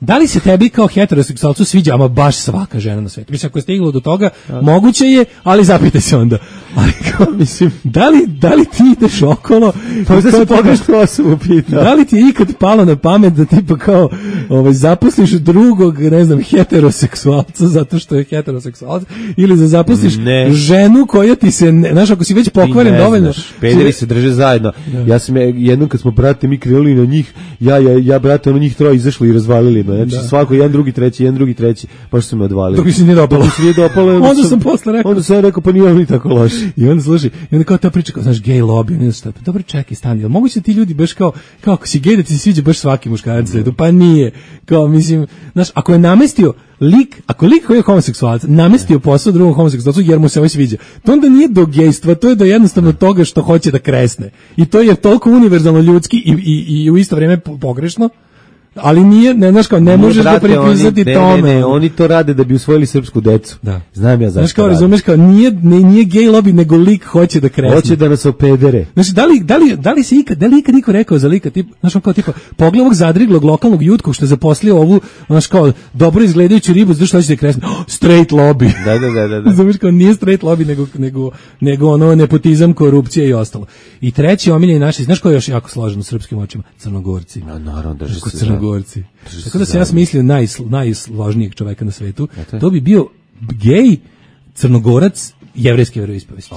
da li se tebi kao heteroseksualcu sviđa ama baš svaka žena na svijetu? Mislim, ako je stiglo do toga, da. Moguće je, ali zapitaj se onda. Ali kao, mislim, da li, da li ti ideš okolo... Pa da se pogrešnu osobu pita. Da li ti je ikad palo na pamet da tipa kao ovaj, zaposliš drugog, ne znam, heteroseksualca zato što je heteroseksualac, ili da zaposliš ne. Ženu koja ti se, ne, znaš, ako si već pokvaren dovoljno... Pederi se drže zajedno. Da. Ja sam jednom kad smo, brate, mi krenuli na njih, ja, ja, ja brate, ono njih troje izašli i razvalili me. Znači, da. Svako, jedan, drugi, treći, jedan, drugi, treći, pa što su me odvalili. Dok mi se nije dopalo. Dok mi se nije dopalo. Onda sam posle rekao. Onda sam rekao, pa nije oni tako loši. I onda slušaj, i onda kao ta priča, kao, znaš, gay lobby, onda šta, pa dobro, čekaj, stani, jel moguće ti ljudi baš kao, kao ako si gej da ti se sviđa baš svaki muškarac na svetu, pa nije, kao, mislim, znaš, ako je namestio lik, ako lik koji je homoseksualac, namestio posao drugom homoseksualcu jer mu se ovaj sviđa, to onda nije do gejstva, to je do jednostavno toga što hoće da kresne. I to je toliko univerzalno ljudski i, i, i u isto vrijeme pogrešno, ali nije, ne znaš kao, ne možeš da pripisati tome. Ne, ne, oni to rade da bi usvojili srpsku decu. Da. Znam ja zašto. Znaš kao, razumeš kao, nije, ne, nije gej lobby, nego lik hoće da kresne. Hoće da nas opedere. Znači, da li, da li, da li se ikad, da li ikad niko rekao za lika, tip, znaš kao, tipa, pogled ovog zadriglog lokalnog jutkog što je zaposlio ovu, znaš kao, dobro izgledajuću ribu, zašto hoće da kresne? Oh, straight lobby. Da, da, da, da. da. Znaš kao, nije straight lobby, nego, nego, nego ono nepotizam, korupcija i ostalo. I treći omiljeni naši, znaš ko je još jako složen u srpskim očima? Crnogorci. No, naravno, drži se. Crnogorci. Tako da sam ja smislio naj, najsložnijeg čoveka na svetu. To bi bio gej, crnogorac, jevrejski veroispovesti.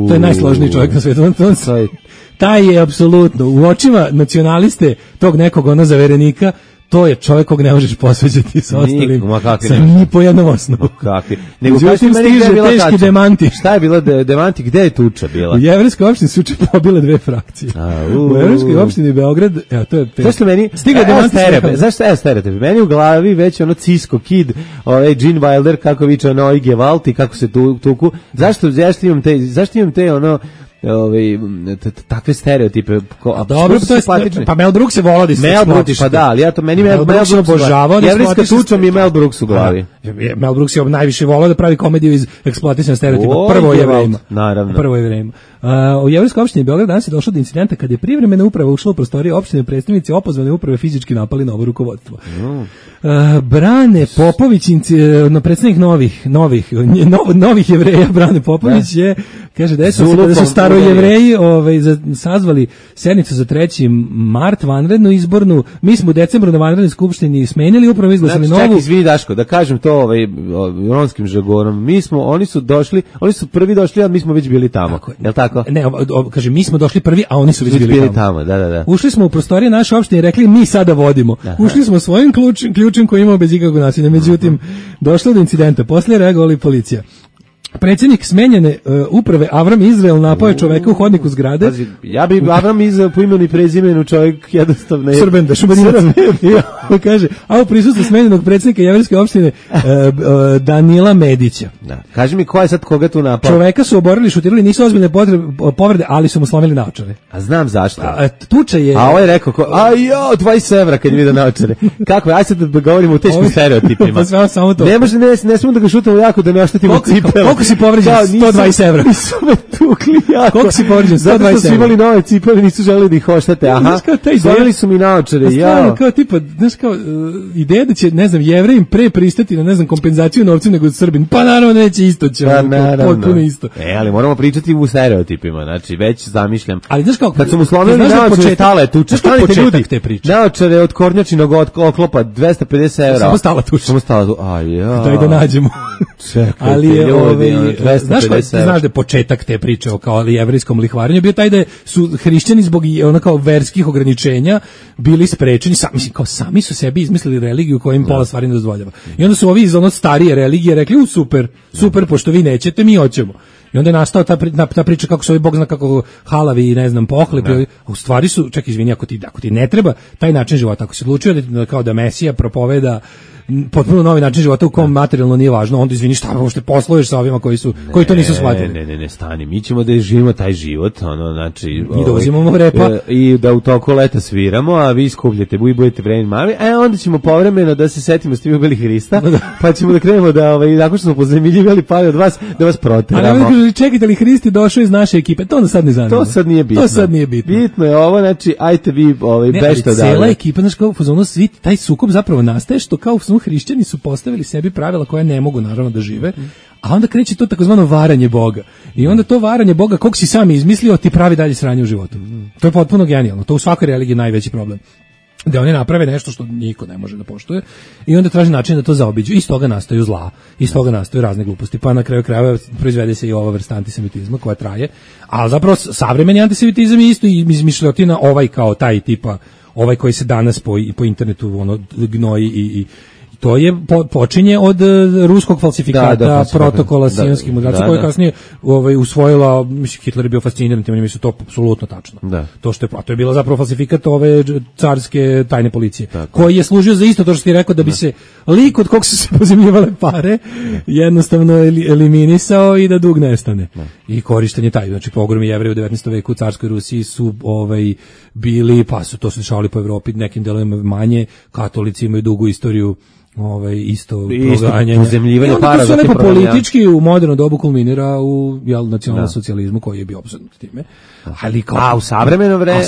To je najsložniji čovjek na svetu. Taj je apsolutno u očima nacionaliste tog nekog ono zaverenika, to je čovjek kog ne možeš posveđati sa ostalim. Sa ni po jednom osnovu. Kakvi. Nego kažem meni stiže teški demanti. Šta je bilo de, demanti? Gde je tuča bila? U jevrejskoj opštini su pobile dve frakcije. A, u, u jevrejskoj opštini Beograd, evo to je. Zašto meni? Stigle demanti. Zašto je stereotip? Meni u glavi već ono Cisco Kid, ovaj Gene Wilder kako viče ono Oige Valti kako se tu tuku. Zašto zašto imam te zašto imam te ono ovaj takve stereotipe. A dobro, to je pa Mel Brooks se volao da se Mel Brooks, pa da, ali ja to meni Mel Brooks obožavao, jevrejska tuča mi Mel Brooks u glavi. Mel Brooks je najviše volao da pravi komediju iz eksploatisanog stereotipa. Prvo je Jevrejima. Naravno. Prvo je Jevrejima. Uh, u jevrejskoj opštini Beograd danas je došlo do incidenta kad je privremena uprava ušla u prostorije opštine, predstavnici opozvane uprave fizički napali novo rukovodstvo. Mm. Uh, Brane Popović, no, predstavnik novih novih no, novih Jevreja, Brane Popović je, kaže da su, da su staro Jevreji ovaj, sazvali sednicu za treći mart vanrednu izbornu. Mi smo u decembru na vanrednoj skupštini smenili upravo, izglasali znači, novu. Čak izvini Daško, da kažem to ovaj, ronskim žargonom. Mi smo, oni su došli, oni su prvi došli, a mi smo već bili tamo. Tako, jel tako? Ne, o, o, kaže, mi smo došli prvi, a oni su već bili, bili tamo. tamo. Da, da, da. Ušli smo u prostorije naše opštine i rekli, mi sada vodimo. Aha. Ušli smo svojim ključem, ključem koji imao bez ikakvog nasilja. Međutim, došlo do incidenta. Poslije reagovala policija. Predsjednik smenjene uh, uprave Avram Izrael napao je čoveka u hodniku zgrade. Pazi, ja bi Avram Izrael po imenu i prezimenu čovjek jednostavno je... Srben, da šubaninac. Ja, kaže, a u prisustvu smenjenog predsjednika jevrejske opštine uh, uh, Danila Medića. Da. Kaži mi ko je sad koga tu napao? Čoveka su oborili, šutirali, nisu ozbiljne potrebe, povrede, ali su mu slomili naočare. A znam zašto. A, tuča je... A ovo je rekao, ko, a jo, dvadeset evra kad je vidio naočare. Kako je, aj sad da govorimo o teškim stereotipima. Pa sve samo to. Ne može, ne, ne smemo da ga šutamo jako da ne oštetimo cipele. Koliko si povređen? sto dvadeset evra. Nisu me tukli jako. Koliko si povređen? sto dvadeset evra. Zato su imali nove cipele, nisu želeli da ih oštete. Aha, slomili su mi naočare. Ja. Kao tipa, znaš kao, uh, ideja da će, ne znam, Jevrejim pre pristati na, ne znam, kompenzaciju novcem nego Srbin. Pa naravno neće isto će. Pa naravno. Potpuno isto. E, ali moramo pričati u stereotipima. Znači, već zamišljam. Ali znaš kao, kad su mu slomili naočare, stala je tuča. Šta je početak te priče? Naočare od kornjačinog oklopa dvesta pedeset evra. Samo stala tuča. Samo stala tuča. Aj, ja. Daj da nađemo. Čekaj, ali je ljudi, ovaj, znaš, znaš da je početak te priče o kao jevrijskom lihvarenju bio taj da su hrišćani zbog ono kao verskih ograničenja bili sprečeni, sami, mislim, kao sami su sebi izmislili religiju koja im pola stvari ne dozvoljava. I onda su ovi iz ono starije religije rekli, u super, super, pošto vi nećete, mi hoćemo. I onda je nastao ta, ta priča kako su ovi bog zna kako halavi i ne znam pohlepi, a u stvari su, čak izvini, ako ti, ako ti ne treba taj način života, ako se odlučio da, kao da Mesija propoveda potpuno novi način života u kom materijalno nije važno, onda izvini šta uopšte posluješ sa ovima koji su ne, koji to nisu shvatili. Ne, ne, ne, stani, mi ćemo da živimo taj život, ono, znači, i da uzimamo repa e, i da u toku leta sviramo, a vi skupljate, vi budete vremeni mali, a onda ćemo povremeno da se setimo ste vi ubili Hrista, pa ćemo da krenemo da ovaj nakon što smo pozemiljivali pali od vas da vas proteramo. Ali onda čekajte li Hrist je došao iz naše ekipe, to onda sad ne zanima. To sad nije bitno. To sad nije bitno. Bitno je ovo, znači, ajte vi ovaj bešte dalje. Cela ekipa, znači kao u fazonu svi taj sukob zapravo nastaje što kao su hrišćani su postavili sebi pravila koja ne mogu naravno da žive, a onda kreće to takozvano varanje Boga. I onda to varanje Boga, kog si sam izmislio, ti pravi dalje sranje u životu. To je potpuno genijalno. To u svakoj religiji je najveći problem. Da oni naprave nešto što niko ne može da poštuje i onda traži način da to zaobiđu. Iz toga nastaju zla, iz toga nastaju razne gluposti, pa na kraju krajeva proizvede se i ova vrsta antisemitizma koja traje, ali zapravo savremeni antisemitizam je isto izmišljotina ovaj kao taj tipa, ovaj koji se danas po, po internetu ono, gnoji i, i to je po, počinje od uh, ruskog falsifikata da, da, protokola Sionskih mudraca, da, koji da. kasnije ovaj, usvojila, mislim, Hitler je bio fasciniran tim, mislim, to apsolutno tačno. Da. To što je, a to je bilo zapravo falsifikat ove carske tajne policije, tako. Koji je služio za isto to što ti rekao, da bi da. se lik od kog su se pozemljivale pare jednostavno eliminisao i da dug nestane. Da. I korištenje taj, znači pogromi Jevreja u devetnaestom veku u carskoj Rusiji su ovaj bili, pa su to se dešavali po Evropi, nekim delovima manje, katolici imaju dugu istoriju ovaj isto proganjanja, pozemljivanje para, za lepo politički u moderno dobu kulminira u jel nacionalnom socijalizmu koji je bio opsednut time. Ali kao a u savremeno vreme,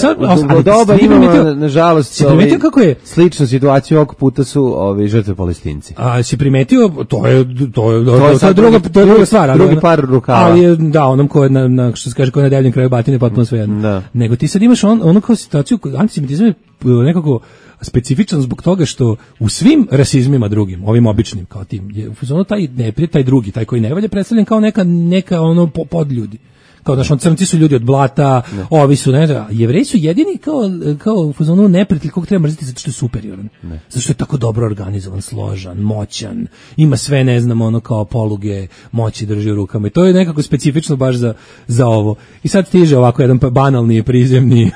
u doba imamo nažalost primetio kako je sličnu situaciju, ovog puta su ovi žrtve Palestinci. A si primetio, to je to je to je, to je druga to je druga stvar, drugi ali, par rukava. Ali je, da, onom ko je na, na što se kaže ko je na debljem kraju batine potpuno svejedno. Nego ti sad imaš on ono kao situaciju, antisemitizam je nekako specifičan zbog toga što u svim rasizmima drugim, ovim običnim kao tim, je ono taj neprijatelj, taj drugi, taj koji ne valja predstavljen kao neka neka ono podljudi. Kao da što crnci su ljudi od blata, ne. Ovi su, ne znam, Jevreji su jedini kao, kao u fazonu neprijatelj kog treba mrziti zato što je superioran. Ne. Zato što je tako dobro organizovan, složan, moćan, ima sve, ne znam, ono kao poluge moći drži u rukama i to je nekako specifično baš za, za ovo. I sad stiže ovako jedan banalni, prizemni,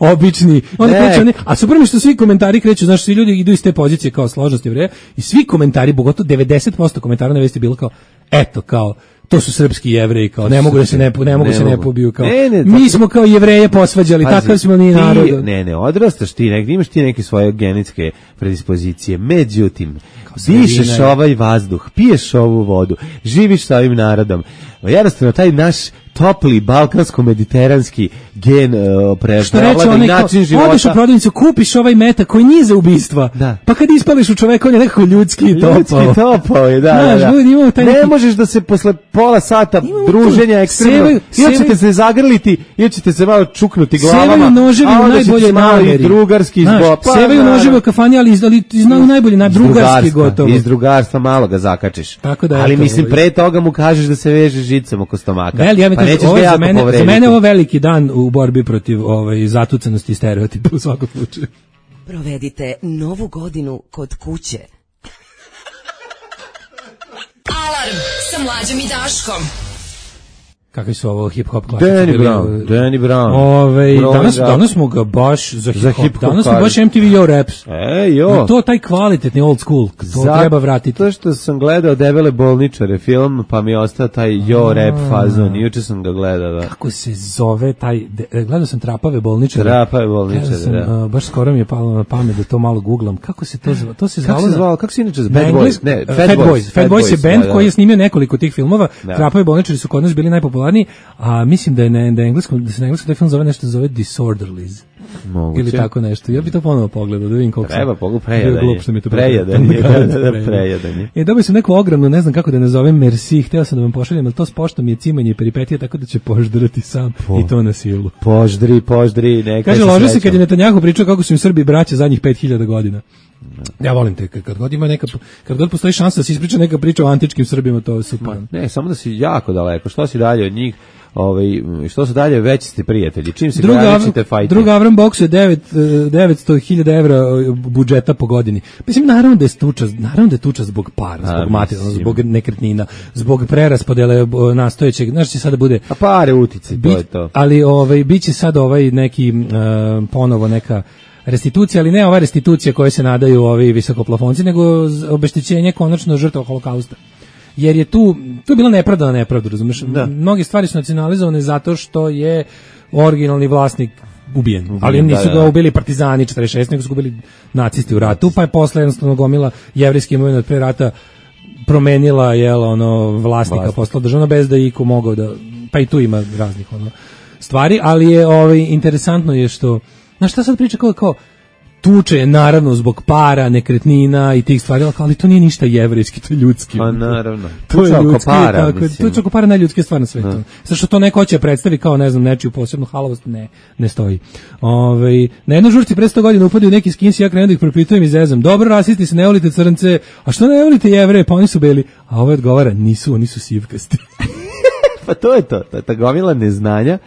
obični, oni kreću, ne, a super mi što svi komentari kreću, znaš, svi ljudi idu iz te pozicije kao složnost Jevreja i svi komentari, pogotovo devedeset posto komentara na vesti bilo kao, eto, kao, to su srpski Jevreji, kao ne mogu da se ne ne mogu ne se ne pobiju, kao ne, ne, mi smo kao Jevreje posvađali, takav smo ni narod. Ne, ne, odrastaš ti, negdje imaš ti neke svoje genetske predispozicije, međutim dišeš ovaj vazduh, piješ ovu vodu, živiš sa ovim narodom. Jednostavno taj naš topli balkansko-mediteranski gen uh, prevlada i način života. Odeš u prodavnicu, kupiš ovaj metak koji nije za ubistva, da. Pa kad ispališ u čoveka, on je nekako ljudski i topao. Ljudski topao je, da, Znaš, da, da. Taj ne neki... možeš da se posle pola sata imamo druženja ekstremno, ili ćete se zagrliti, ili ćete se malo čuknuti glavama, sevaju noževi u najbolje nameri. Drugarski izbog. Pa, sevaju noževi u kafani, ali, ali znaju najbolje, na drugarski gotovo. Iz drugarstva malo ga zakačiš. Tako da, ali mislim, pre toga mu kažeš da se veže žicom oko stomaka. Veli, ja mi kažem, ovo je za mene, za mene ovo veliki dan u borbi protiv ovaj, zatucanosti i stereotipa u svakom slučaju. Provedite novu godinu kod kuće. Alarm sa Mlađom i Daškom. Kakvi su ovo hip-hop klasici? Danny Brown, Danny Brown. Ove, danas, danas smo ga baš za hip-hop. Hip danas smo baš M T V Yo Raps. E, jo. I to taj kvalitetni old school. To Zato treba vratiti. To što sam gledao Debele bolničare film, pa mi je ostao taj Yo Rap fazon. Juče sam ga gledao. Da. Kako se zove taj... De, gledao sam Trapave bolničare. Trapave bolničare, sam, da. Uh, baš skoro mi je palo na pamet da to malo googlam. Kako se to zove? To se zvalo... Kako se zvalo? Kako se inače zove? Bad Boys? Ne, Fat Boys. Fat Boys je band koji je snimio nekoliko tih filmova. Trapave bolničari su kod nas bili najpopularniji, a mislim da je na, da je engleskom, da se na engleskom taj film zove nešto zove Disorderlies. Moguće. Ili tako nešto. Ja bih to ponovo pogledao, da vidim koliko treba sam... Treba prejadanje. To prejadanje. Prejadanje. E, dobio sam neku ogromnu, ne znam kako da nazovem, merci, hteo sam da vam pošaljem, ali to s poštom je cimanje i peripetija, tako da će poždrati sam po, i to na silu. Poždri, poždri, neka kaže, ložio se kad je Netanjahu pričao kako su im Srbi braća zadnjih pet hiljada godina. Ja volim te, kad god ima neka, kad god postoji šansa da se ispriča neka priča o antičkim Srbima, to je super. Ne, samo da si jako daleko, što si dalje od njih, ovaj, što su dalje, veći ste prijatelji, čim se graničite fajte. Druga Avram Box je devetsto hiljada evra budžeta po godini. Mislim, naravno da je tuča, naravno da je tuča zbog para, zbog materijalnog, zbog nekretnina, zbog preraspodele nastojećeg, znaš će sada bude... A pare utice, to je to. Ali ovaj, bit će sad ovaj neki, uh, ponovo neka restitucija, ali ne ova restitucija koje se nadaju ovi visokoplafonci, nego obeštećenje konačno žrtava holokausta. Jer je tu, tu je bila nepravda na nepravdu, razumiješ? Mnoge stvari su nacionalizovane zato što je originalni vlasnik ubijen. ubijen ali nisu da, ga ubili partizani četrdeset šest, nego su ga ubili nacisti u ratu, pa je posle jednostavno gomila jevrijski imovina od pre rata promenila jel, ono, vlasnika, Vlasnik. postala državna bez da iko mogao da, pa i tu ima raznih ono, stvari, ali je ovaj, interesantno je što, znaš šta sad priča kao, kao tuče je naravno zbog para, nekretnina i tih stvari, ali to nije ništa jevrejski, to je ljudski. Pa naravno. To je ljudski, para, tako, to je čako para najljudske stvar na svetu. Zato što to neko hoće predstavi kao, ne znam, nečiju posebnu halavost, ne, ne stoji. Ove, na jednoj žurci pre sto godina upadaju neki skinsi, ja krenem da ih propitujem i zezam. Dobro, rasisti se, ne volite crnce, a što ne volite jevreje, pa oni su beli. A ovo odgovara, nisu, oni su sivkasti. Pa to je to, ta, ta gomila neznanja,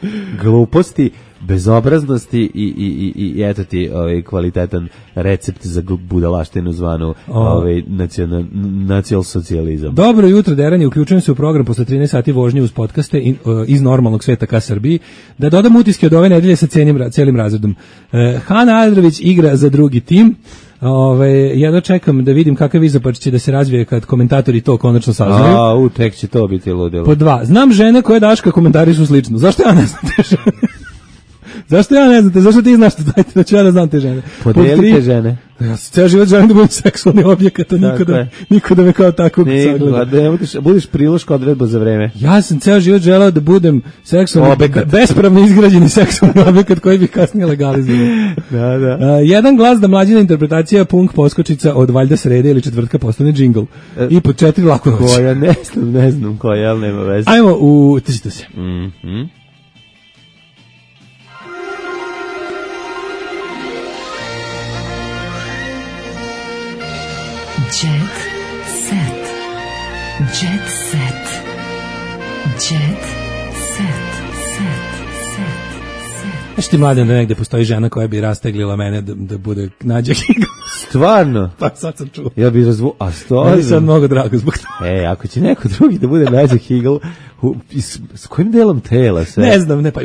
gluposti, bezobraznosti i, i, i, i eto ti ovaj, kvalitetan recept za budalaštinu zvanu ovaj, nacional, nacional socijalizam. Dobro jutro, Derani, uključujem se u program posle trinaest sati vožnje uz podcaste in, uh, iz normalnog sveta ka Srbiji, da dodam utiske od ove nedelje sa celim, celim razredom. Uh, Hana Adrović igra za drugi tim. Ove, jedno čekam da vidim kakav izopač će da se razvije kad komentatori to konačno saznaju. A, u, tek će to biti ludilo. Po dva, znam žene koje Daška komentarišu slično. Zašto ja ne znam te žene? Zašto ja ne znam te? Zašto ti znaš to? Dajte da ću ja da znam te žene. Podelite žene. Ja se ceo život želim da budem seksualni objekat, a niko da, niko da me kao takvog sagleda. Da budeš, budeš priloška odredba za vreme. Ja sam ceo život želeo da budem seksualni objekat. Bespravno izgrađeni seksualni objekat koji bih kasnije legalizovao. Da, da. Uh, jedan glas da mlađina interpretacija punk poskočica od valjda srede ili četvrtka postane džingl. E, I po četiri laku noć. Koja, ne znam, ne znam koja, ali nema veze. Ajmo u tržite se. Mhm. Jet set. Jet set. Jet set. Set. Set. Set. Znaš ti, Mladen, da negde postoji žena koja bi rasteglila mene da, da bude Nađa Higl? Stvarno? Pa sad sam čuo. Ja bih razvu... A stvarno? Meni sad mnogo drago zbog toga. E, ako će neko drugi da bude Nađa Higl, s, s kojim delom tela sve? Ne znam, ne pa...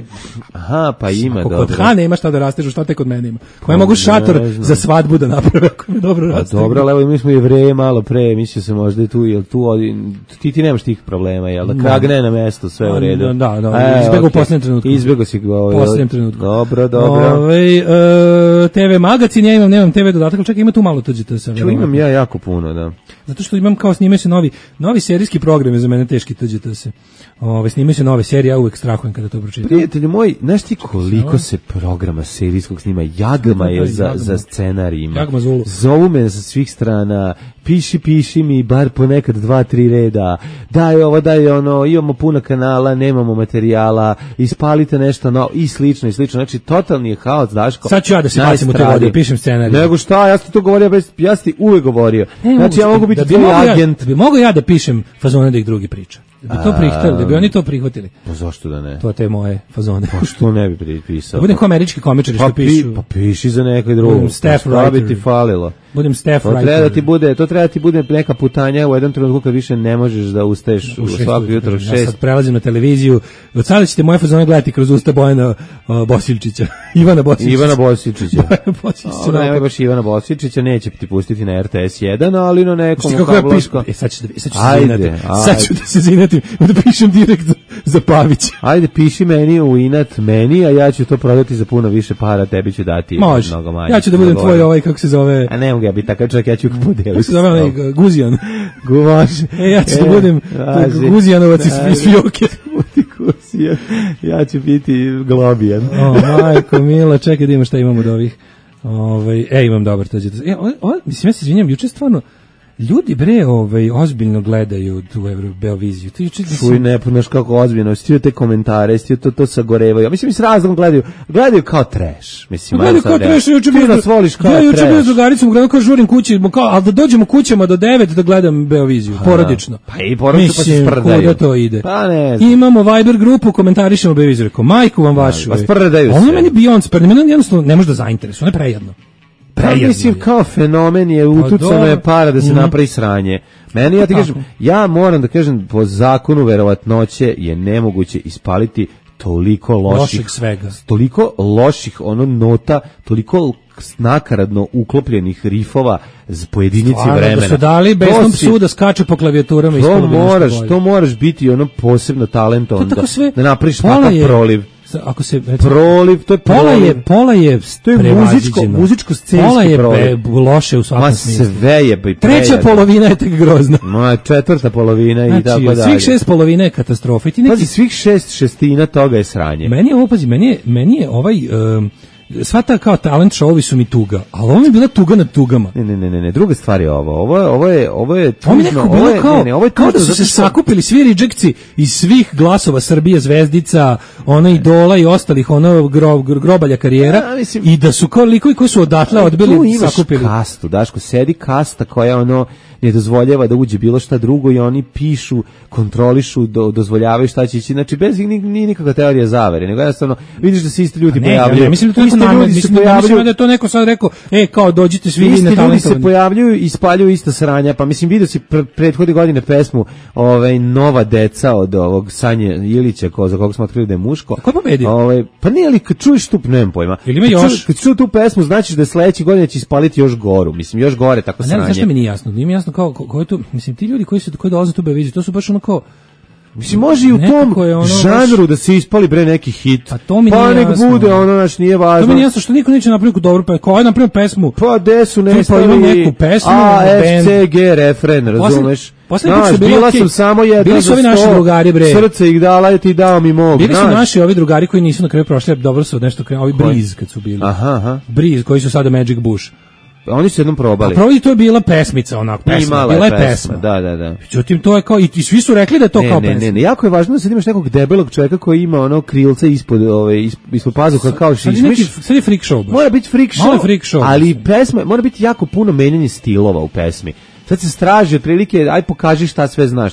Aha, pa ima, ako dobro. Kod Hane ima šta da rastežu, šta te kod mene ima? Koja mogu šator za svadbu da naprave, ako mi dobro rastežu. Dobro, ali evo mi smo Jevreje malo pre, mislio se možda i tu, jel tu, ti ti nemaš tih problema, jel da kragne na mesto, sve u redu. Da, da, e, izbego okay. u posljednjem trenutku. Izbego si ga ovaj. Posljednjem trenutku. Dobro, dobro. Ove, e, te ve magazin, ja imam, nemam te ve dodatak, ali čekaj, ima tu malo tuđite sa. Ču imam ja jako puno, da. Zato što imam kao snimaju se novi, novi serijski program, za mene teški tuđite se. Ove, snimaju se nove serije, ja uvek strahujem kada to pročitam. Prijatelji moji, znaš ti koliko se programa serijskog snima, jagma je za, za scenarijima. Jagma Zulu. Zovu me sa svih strana, piši, piši mi, bar ponekad dva, tri reda, daj ovo, daj ono, imamo puno kanala, nemamo materijala, ispalite nešto no, i slično, i slično. Znači, totalni je haos, Daško. Sad ću ja da se bacim u te vode, pišem scenarij. Nego šta, ja sam to govorio, ja sam ti uvek govorio. Ne, znači, ja mogu biti da tvoj agent. Ja, da bi mogo ja da pišem fazone da ih drugi priča. Da bi to prihvatili, da bi oni to prihvatili. Pa zašto da ne? To te moje fazone. Pa što ne bi pripisao? Da budem kao američki komičari što pa pi, pišu. Pa piši za nekoj drugom. Budem staff writer. Bi ti falilo. Budem staff writer. To treba da ti bude, to treba da ti bude neka putanja u jednom trenutku kad više ne možeš da ustaješ u svako jutro u šest. Ja sad prelazim na televiziju. Od sada ćete moje fazone gledati kroz usta Bojana uh, Bosiljčića. Ivana Bosiljčića. Ivana Bosiljčića. Bojana Bosiljčića. Ona je baš Ivana Bosiljčića, neće ti pustiti na R T S jedan, ali na nekom kablovskom. E sad ću da, sad ću se zinatim. Sad ću da se zinatim. Da pišem direkt za, za Pavića. Ajde, piši meni u inat meni, a ja ću to prodati za puno više para, tebi ću dati Može. mnogo manje. Ja ću da budem tvoj ovaj, kako se zove... A ne mogu ja biti takav čovjek, ja ću podeliti. Kako se zove ovaj Guzijan? Guvaš. E, ja ću e, da budem Guzijanovac iz, iz Fioke. Guzijan. Ja ću biti Globijan. O, majko, mila, čekaj da imam šta imam od ovih. Ovaj, e, imam dobar to. E, o, o, mislim, ja se izvinjam, juče stvarno, ljudi bre, ovaj, ozbiljno gledaju tu Euro Beoviziju. Ti juče Čuj, ne punaš kako ozbiljno, stio te komentare, stio to to sagorevaju. Mislim s razlogom gledaju, gledaju kao trash. Mislim, gledaju kao trash, juče ti nas voliš kao trash. Ja juče bio s drugaricom, gledam kao žurim kući, kao, al da dođemo kućama do devet da gledam Beoviziju, porodično. Pa i porodično pa se sprdaju. Kuda to ide. Pa ne. Imamo Viber grupu, komentarišemo Beoviziju, rekao, majku vam vašu. Pa sprdaju se. Ono meni Beyoncé, pa meni jednostavno ne može da zainteresuje, ono je prejedno. Pa mislim kao fenomen je utucano je para da se mm. napravi sranje. Meni ja ti kažem, ja moram da kažem po zakonu verovatnoće je nemoguće ispaliti toliko loših, loših svega. Toliko loših ono nota, toliko nakaradno uklopljenih rifova z pojedinici Stvarno, vremena. Da su dali besnom psu da skače po klavijaturama. To moraš, to moraš biti ono posebno talentovan da, da napraviš takav proliv. Ako se recimo, proliv, to je pola proliv. je pola je to je muzičko muzičko scenski pola je proliv. Be, loše u svakom smislu. Sve je be, treća polovina je tek grozna. Ma četvrta polovina znači, i tako dalje. Svih šest polovina je katastrofa. I ti neki pazi, svih šest šestina toga je sranje. Meni je ovo pazi, meni je meni je ovaj um, sva ta kao talent showovi su mi tuga, ali ovo mi je bila tuga nad tugama. Ne, ne, ne, ne, druga stvar je ovo. Ovo je, ovo je, ovo je tužno. Ovo mi nekako bilo kao, ne, ne, ovo je kao da su se sakupili svi rejectsi iz svih glasova Srbije, Zvezdica, ona Idola i ostalih, ono gro, grobalja karijera, ja, mislim, i da su kao likovi koji su odatle odbili, tu imaš sakupili. Kastu, Daško, sedi kasta koja ono, ne dozvoljava da uđe bilo šta drugo i oni pišu, kontrolišu, do, dozvoljavaju šta će ići. Znači, bez ni, ni nikakva teorija zavere, nego jednostavno vidiš da se isti ljudi ne, pojavljuju. Ja, mislim da to neko namerno, mislim, pojavljuju, mislim da je to neko sad rekao, e, kao dođite svi isti na ljudi se pojavljuju i spaljuju ista sranja, pa mislim vidio si pr prethodne godine pesmu ovaj, Nova deca od ovog Sanje Ilića, ko, za kog smo otkrili da je muško. Ko je pobedio? Ovaj, pa nije li, kad čuješ tu, nemam pojma. Ili ima još? Kad čuješ tu pesmu, znači da sledeće godine će ispaliti još goru, mislim, još gore, tako ne, sranje. Ne, zašto mi nije jasno? Nije mi jasno kao, ko, ko je tu, mislim, ti ljudi koji se koji dolaze tu Beoviziju, to su baš ono kao, mislim, može i u tom ono žanru baš da se ispali bre neki hit. Pa to mi pa nije nek jasno. bude ono, naš nije važno. To mi nije jasno što niko neće napraviti dobru pesmu. Ko je napravio pesmu? Pa gde su ne stavili? Pa ima neku pesmu. A, F C G refren, razumeš? Poslednji put su bila bila sam samo jedna bili su ovi naši drugari, bre. Srce ih dala i ti dao mi mog. Bili su naši ovi drugari koji nisu na kraju prošli, dobro su nešto krenuli, ovi Breeze kad su bili. Aha, aha. Breeze koji su sada Magic Bush. Oni su jednom probali. A prvo to je bila pesmica, onak, pesma, bila je pesma. pesma. Da, da, da. Međutim, to je kao, i, i svi su rekli da je to ne, kao ne, pesma. Ne, ne, jako je važno da sad imaš nekog debelog čovjeka koji ima ono krilce ispod, ove, ispod pazuha kao šišmiš. Sad je freak show. Baš. Mora biti freak show, freak show ali pesma, mora biti jako puno menjanje stilova u pesmi. Sad se straži otprilike, aj pokaži šta sve znaš.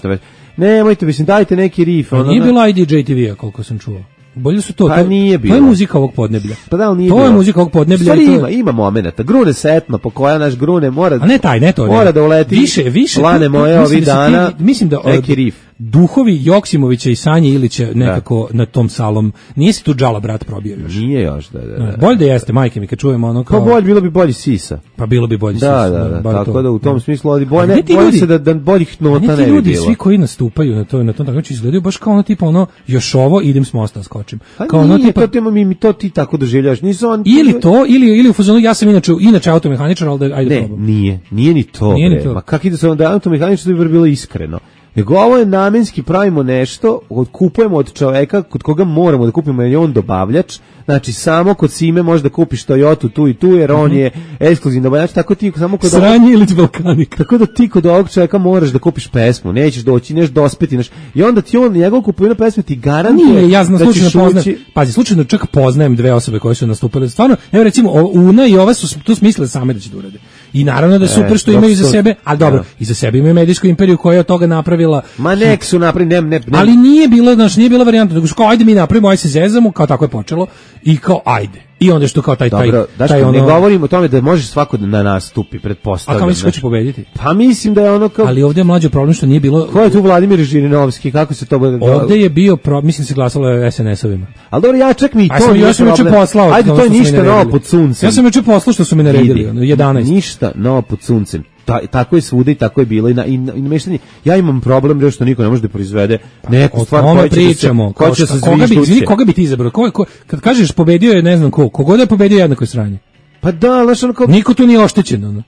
Nemojte, mislim, dajte neki riff. Ono, nije bilo I D J T V-a, koliko sam čuo. Bolje su to, pa to, nije bilo. To je muzika ovog podneblja. Pa da, nije to bilo. je muzika ovog podneblja. Stvari to ima, ima momenata. Grune setno, po koja naš grune mora... A ne taj, ne to. Mora ne. da uleti više, više, lane to, to, moje ovih da dana, ti, mislim da neki riff. Duhovi Joksimovića i Sanje Ilića nekako da. Na tom salom. Nije se tu Džala brat probio još. Nije još, da, da. da. Bolje da jeste, majke mi, kad čujemo ono kao... Pa bolje, bilo bi bolji Sisa. Pa bilo bi bolji da, Sisa. Da, da, da, tako to. Da u tom smislu ovdje bolje, ne, bolje se da, da boljih nota ne bi bilo. Ti ljudi, svi koji nastupaju na to, na tom takmičenju izgledaju baš kao ono tipa ono, još ovo, idem s mosta, skočim. Pa kao nije, ono tipa, to, mi, mi to ti tako doživljaš. Nisu on... Ili to, ili, ili u fazonu, ja sam inače, inače automehaničar, ali da, ajde ne, probam. Nije, nije ni to, nije bre. Ni to. Ma kak ide se onda automehaničar, to bi bilo iskreno. Nego ovo je namenski, pravimo nešto, kupujemo od čoveka kod koga moramo da kupimo jer je on dobavljač, znači samo kod Sime možeš da kupiš Toyota tu i tu jer on je ekskluzivni dobavljač, tako ti samo kod Sranje ili Balkanik. Tako da ti kod ovog čoveka moraš da kupiš pesmu, nećeš doći, neš dospeti, neš, i onda ti on njegov kupovina pesme ti garantuje. Nije, ja znam da slučajno poznajem, ući... pazi, slučajno čak poznajem dve osobe koje su nastupile, stvarno, evo recimo, Una i ova su tu smislile same da će da urade. I naravno da je super što e, imaju iza sebe, ali dobro, ja. Iza sebe imaju medijsku imperiju koja je od toga napravila. Ma nek su napravili, ne, ne, ne. Ali nije bilo, znači nije bila varijanta, nego kao ajde mi napravimo, aj se zezamo, kao tako je počelo i kao ajde. I onda što kao taj taj Dobro, taj, taj ono... ne govorimo o tome da može svako da na nastupi, pretpostavljam. A kao misliš ko će pobediti? Pa mislim da je ono kao... Ali ovdje je mlađo problem što nije bilo... Ko je tu Vladimir Žirinovski, kako se to... Ovdje je bio, pro... mislim se glasalo S N S-ovima. Ali dobro, ja čak mi i to sam, nije ja sam problem. Poslao, ajde, to je ništa novo pod suncem. Ja sam juče poslao što su mi naredili, jedanaest. Ništa novo pod suncem. Ta, tako je svuda i tako je bilo i na i, na, i nameštanje. Ja imam problem jer što niko ne može da proizvede neku stvar koju pričamo. Ko će se koga bi izvini, koga bi ti izabrao? Ko, ko, kad kažeš pobedio je ne znam ko, kogod je pobedio jednako je sranje. Pa da, znaš ono kao niko tu nije oštećen, ono.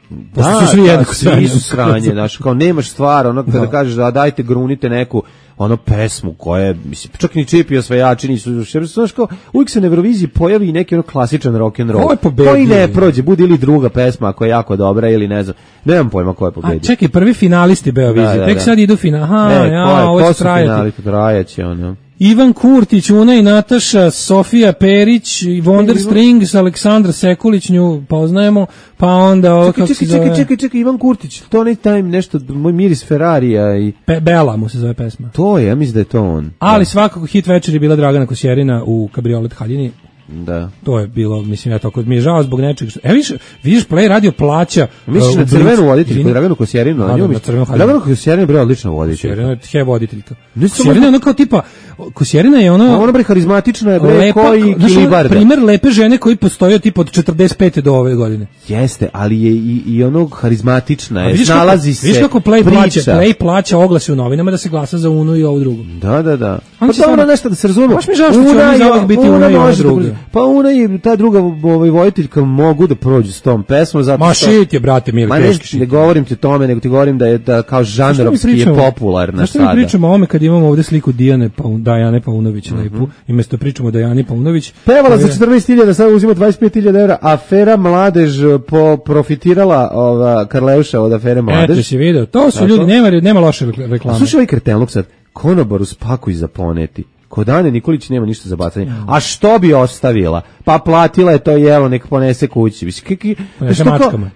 Da, su svi jednako sranje, su sranje, znaš, kao nemaš stvar, ono kada da. kažeš da dajte grunite neku ono pesmu koja je, mislim, čak ni Čipi osvajači nisu, znaš kao, uvijek se na Euroviziji pojavi neki ono klasičan rock and roll, koji ne prođe, bude ili druga pesma koja je jako dobra ili ne znam, nemam pojma ko je pobedio. A čekaj, prvi finalisti Beovizije, da, da, tek da. Sad idu final, aha, e, ja, ovo će trajati. Trajaće, ono. Ivan Kurtić, Una i Nataša, Sofija Perić, Wonder Strings, Aleksandra Sekulić, nju poznajemo, pa onda ovo kako se zove... Čekaj, čekaj, čekaj, Ivan Kurtić, to ne taj nešto, moj miris Ferrarija i... Pe, Bela mu se zove pesma. To je, ja mislim da je to on. Ali da. Svakako hit večer je bila Dragana Kosjerina u Kabriolet Haljini. Da. To je bilo, mislim, ja tako, mi je žao zbog nečeg. E, vidiš, vidiš Play radio plaća... Misliš uh, na crvenu voditeljku, Draganu Kosjerinu? Da, na crvenu Haljinu. Draganu Kosjerinu je bila odlična voditeljka. Kosjerina je he voditeljka. Kosjerina je ono kao tipa, Kosjerina je ono... A ona bre harizmatična je, bre, koji Kilibarda. Primer lepe žene koji postoje tipa od četrdeset pete do ove godine. Jeste, ali je i, i ono harizmatična je, nalazi se, vidiš kako Play plaća, Play plaća oglase u novinama da se glasa za Unu i ovu drugu. Da, da, da. Pa dobro nešto da se razumemo. Baš mi žao što će oni za uvek biti Una i ova druga. Pa Una i ta druga ovaj vojiteljka mogu da prođu s tom pesmom zato što... Ma šit je, brate, mili, ma teški šit. Ne govorim ti o tome, nego ti govorim da je da kao žanrovski je popularna sada. Zašto mi pričamo o ovome kad imamo ovde sliku Dijane pa, Dajane Paunović mm -hmm. lepu, i mesto pričamo o Dajani Paunović. Pevala za četrnaest hiljada, sada uzima dvadeset pet hiljada evra, afera Mladež po profitirala ova Karleuša od afere Mladež. Eto si video, to su ljudi, nema, nema loše reklame. Slušaj ovaj kretenluk sad, konobaru spakuj za poneti. Kod Ane Nikolić nema ništa za bacanje. A što bi ostavila? Pa platila je to jelo, nek ponese kući. Mislim, kaki,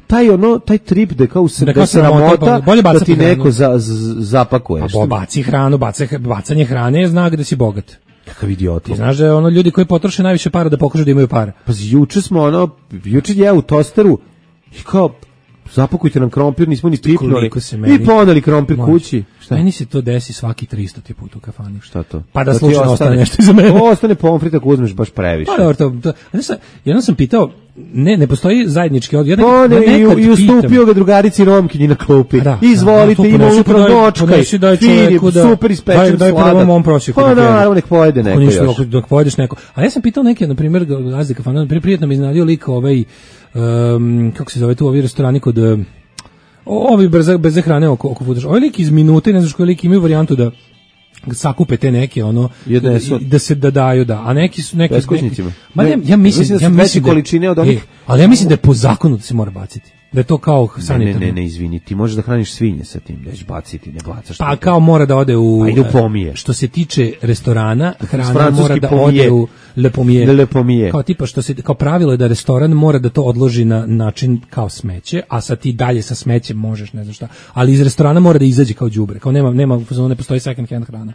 taj, ono, taj trip da kao se da se ramota, da ti neko za, z, zapakuje. A baci hranu, baca, bacanje hrane je znak da si bogat. Kakav idiot. Ti znaš da je ono ljudi koji potroše najviše para da pokažu da imaju para. Pa juče smo ono, juče je u tosteru i kao, zapakujte nam krompir, nismo ni pipnuli. I poneli krompir kući. Šta? Meni se to desi svaki tristo put u kafani. Šta to? Pa da, da slučajno ostane nešto iza mene. To ostane pomfrit ako uzmeš baš previše. Pa dobro, to, to, jednom sam pitao, ne, ne postoji zajednički odgovor. Ja ne, ja i, i ustupio ga drugarici Romkinji na klupi. Da, Izvolite, da, ima upravo dočkaj, finip, super ispečen sladak. Daj prvo mom prosjeku. Pa naravno, nek pojede neko ništa, još. Dok pojedeš neko. A ja sam pitao neke, na primjer, gazde kafana, prijetno mi iznadio lik ovaj, um, kako se zove tu, ovi restorani kod... Ovi brze, bez hrane oko, oko fudaš. Ovaj lik iz minute, ne znaš koji lik imaju varijantu da sakupe te neke, ono, da se da daju, da. A neki su neki... Beskućnicima. Ma ja, ja mislim, mislim da ja mislim da, količine od onih... E, ali ja mislim da je po zakonu da se mora baciti. Da je to kao sanitarno. Ne, ne, ne, izvini, ti možeš da hraniš svinje sa tim, da ćeš baciti, ne bacaš. Pa kao mora da ode u... A ide u pomije. Što se tiče restorana, hrana mora da pomije. Ode u le pomije. Le pomije. Kao tipa što se, kao pravilo je da restoran mora da to odloži na način kao smeće, a sa ti dalje sa smećem možeš, ne znam šta. Ali iz restorana mora da izađe kao đubre. Kao nema, nema, ne postoji second hand hrana.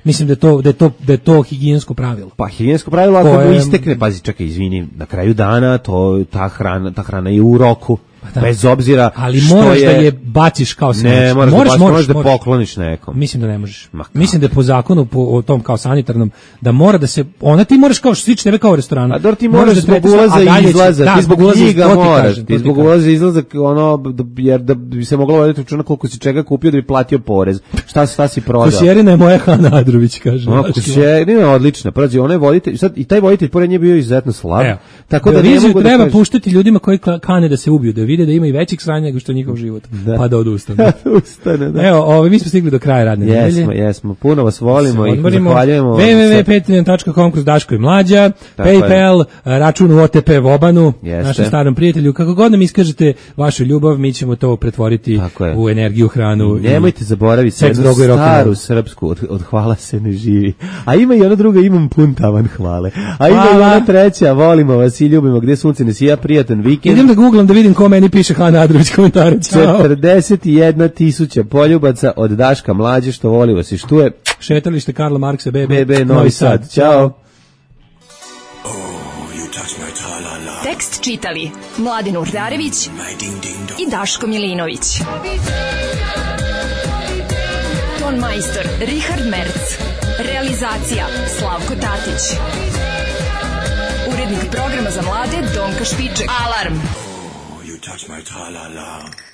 Mislim da je to da je to da je to higijensko pravilo. Pa higijensko pravilo ako mu istekne, pazi, čekaj, izvini, na kraju dana to ta hrana, ta hrana je u roku. Da. Bez obzira ali moraš je... da je baciš kao smeće. Ne, moraš, moraš, da, baš, moraš da pokloniš nekom. Mislim da ne možeš. Mislim da je po zakonu po o tom kao sanitarnom da mora da se ona ti moraš kao sliči tebe kao u restoranu. A dor ti moraš da zbog ulaza i izlaza, da, ti zbog knjiga moraš, ti zbog ulaza i izlaza ono jer da bi se moglo voditi računa koliko si čega kupio da bi platio porez. Šta šta si prodao? Kusjerina je moja Hana Adrović, kaže. No, kusjerina je odlična. Pazi, ona je voditelj, sad i taj voditelj pored nje bio izuzetno slab. Tako da ne mogu da treba puštati ljudima koji kane da se ubiju, da vide da ima i većih sranja nego što je njihov život, da. Pa da odustane. Ustane, da. Evo, ovo, mi smo stigli do kraja radne nedelje. Jesmo, jesmo, puno vas volimo i zahvaljujemo. w w w tačka patreon tačka com kroz Daško i Mlađa, tako PayPal, je. Račun u O T P Vobanu, Jeste. Našem starom prijatelju. Kako god nam iskažete vašu ljubav, mi ćemo to pretvoriti u energiju, hranu. Nemojte zaboraviti jednu staru srpsku, od, od hvala se ne živi. A ima i ona druga, imam pun tavan hvale. A ima i ona treća, volimo vas i ljubimo, gde sunce ne sija, prijatan vikend. Idem da googlam da vidim ko meni piše Hana Adrović komentare. četrdeset jedna tisuća poljubaca od Daška Mlađe što voli vas i štuje. Šetalište Karla Marksa B B, B B Novi Sad. Ćao. Oh, tekst čitali Mladin Urdarević i Daško Milinović. Ton majstor Richard Merc. Realizacija Slavko Tatić. Urednik programa za mlade Donka Špiček. Alarm! Touch my tra-la-la.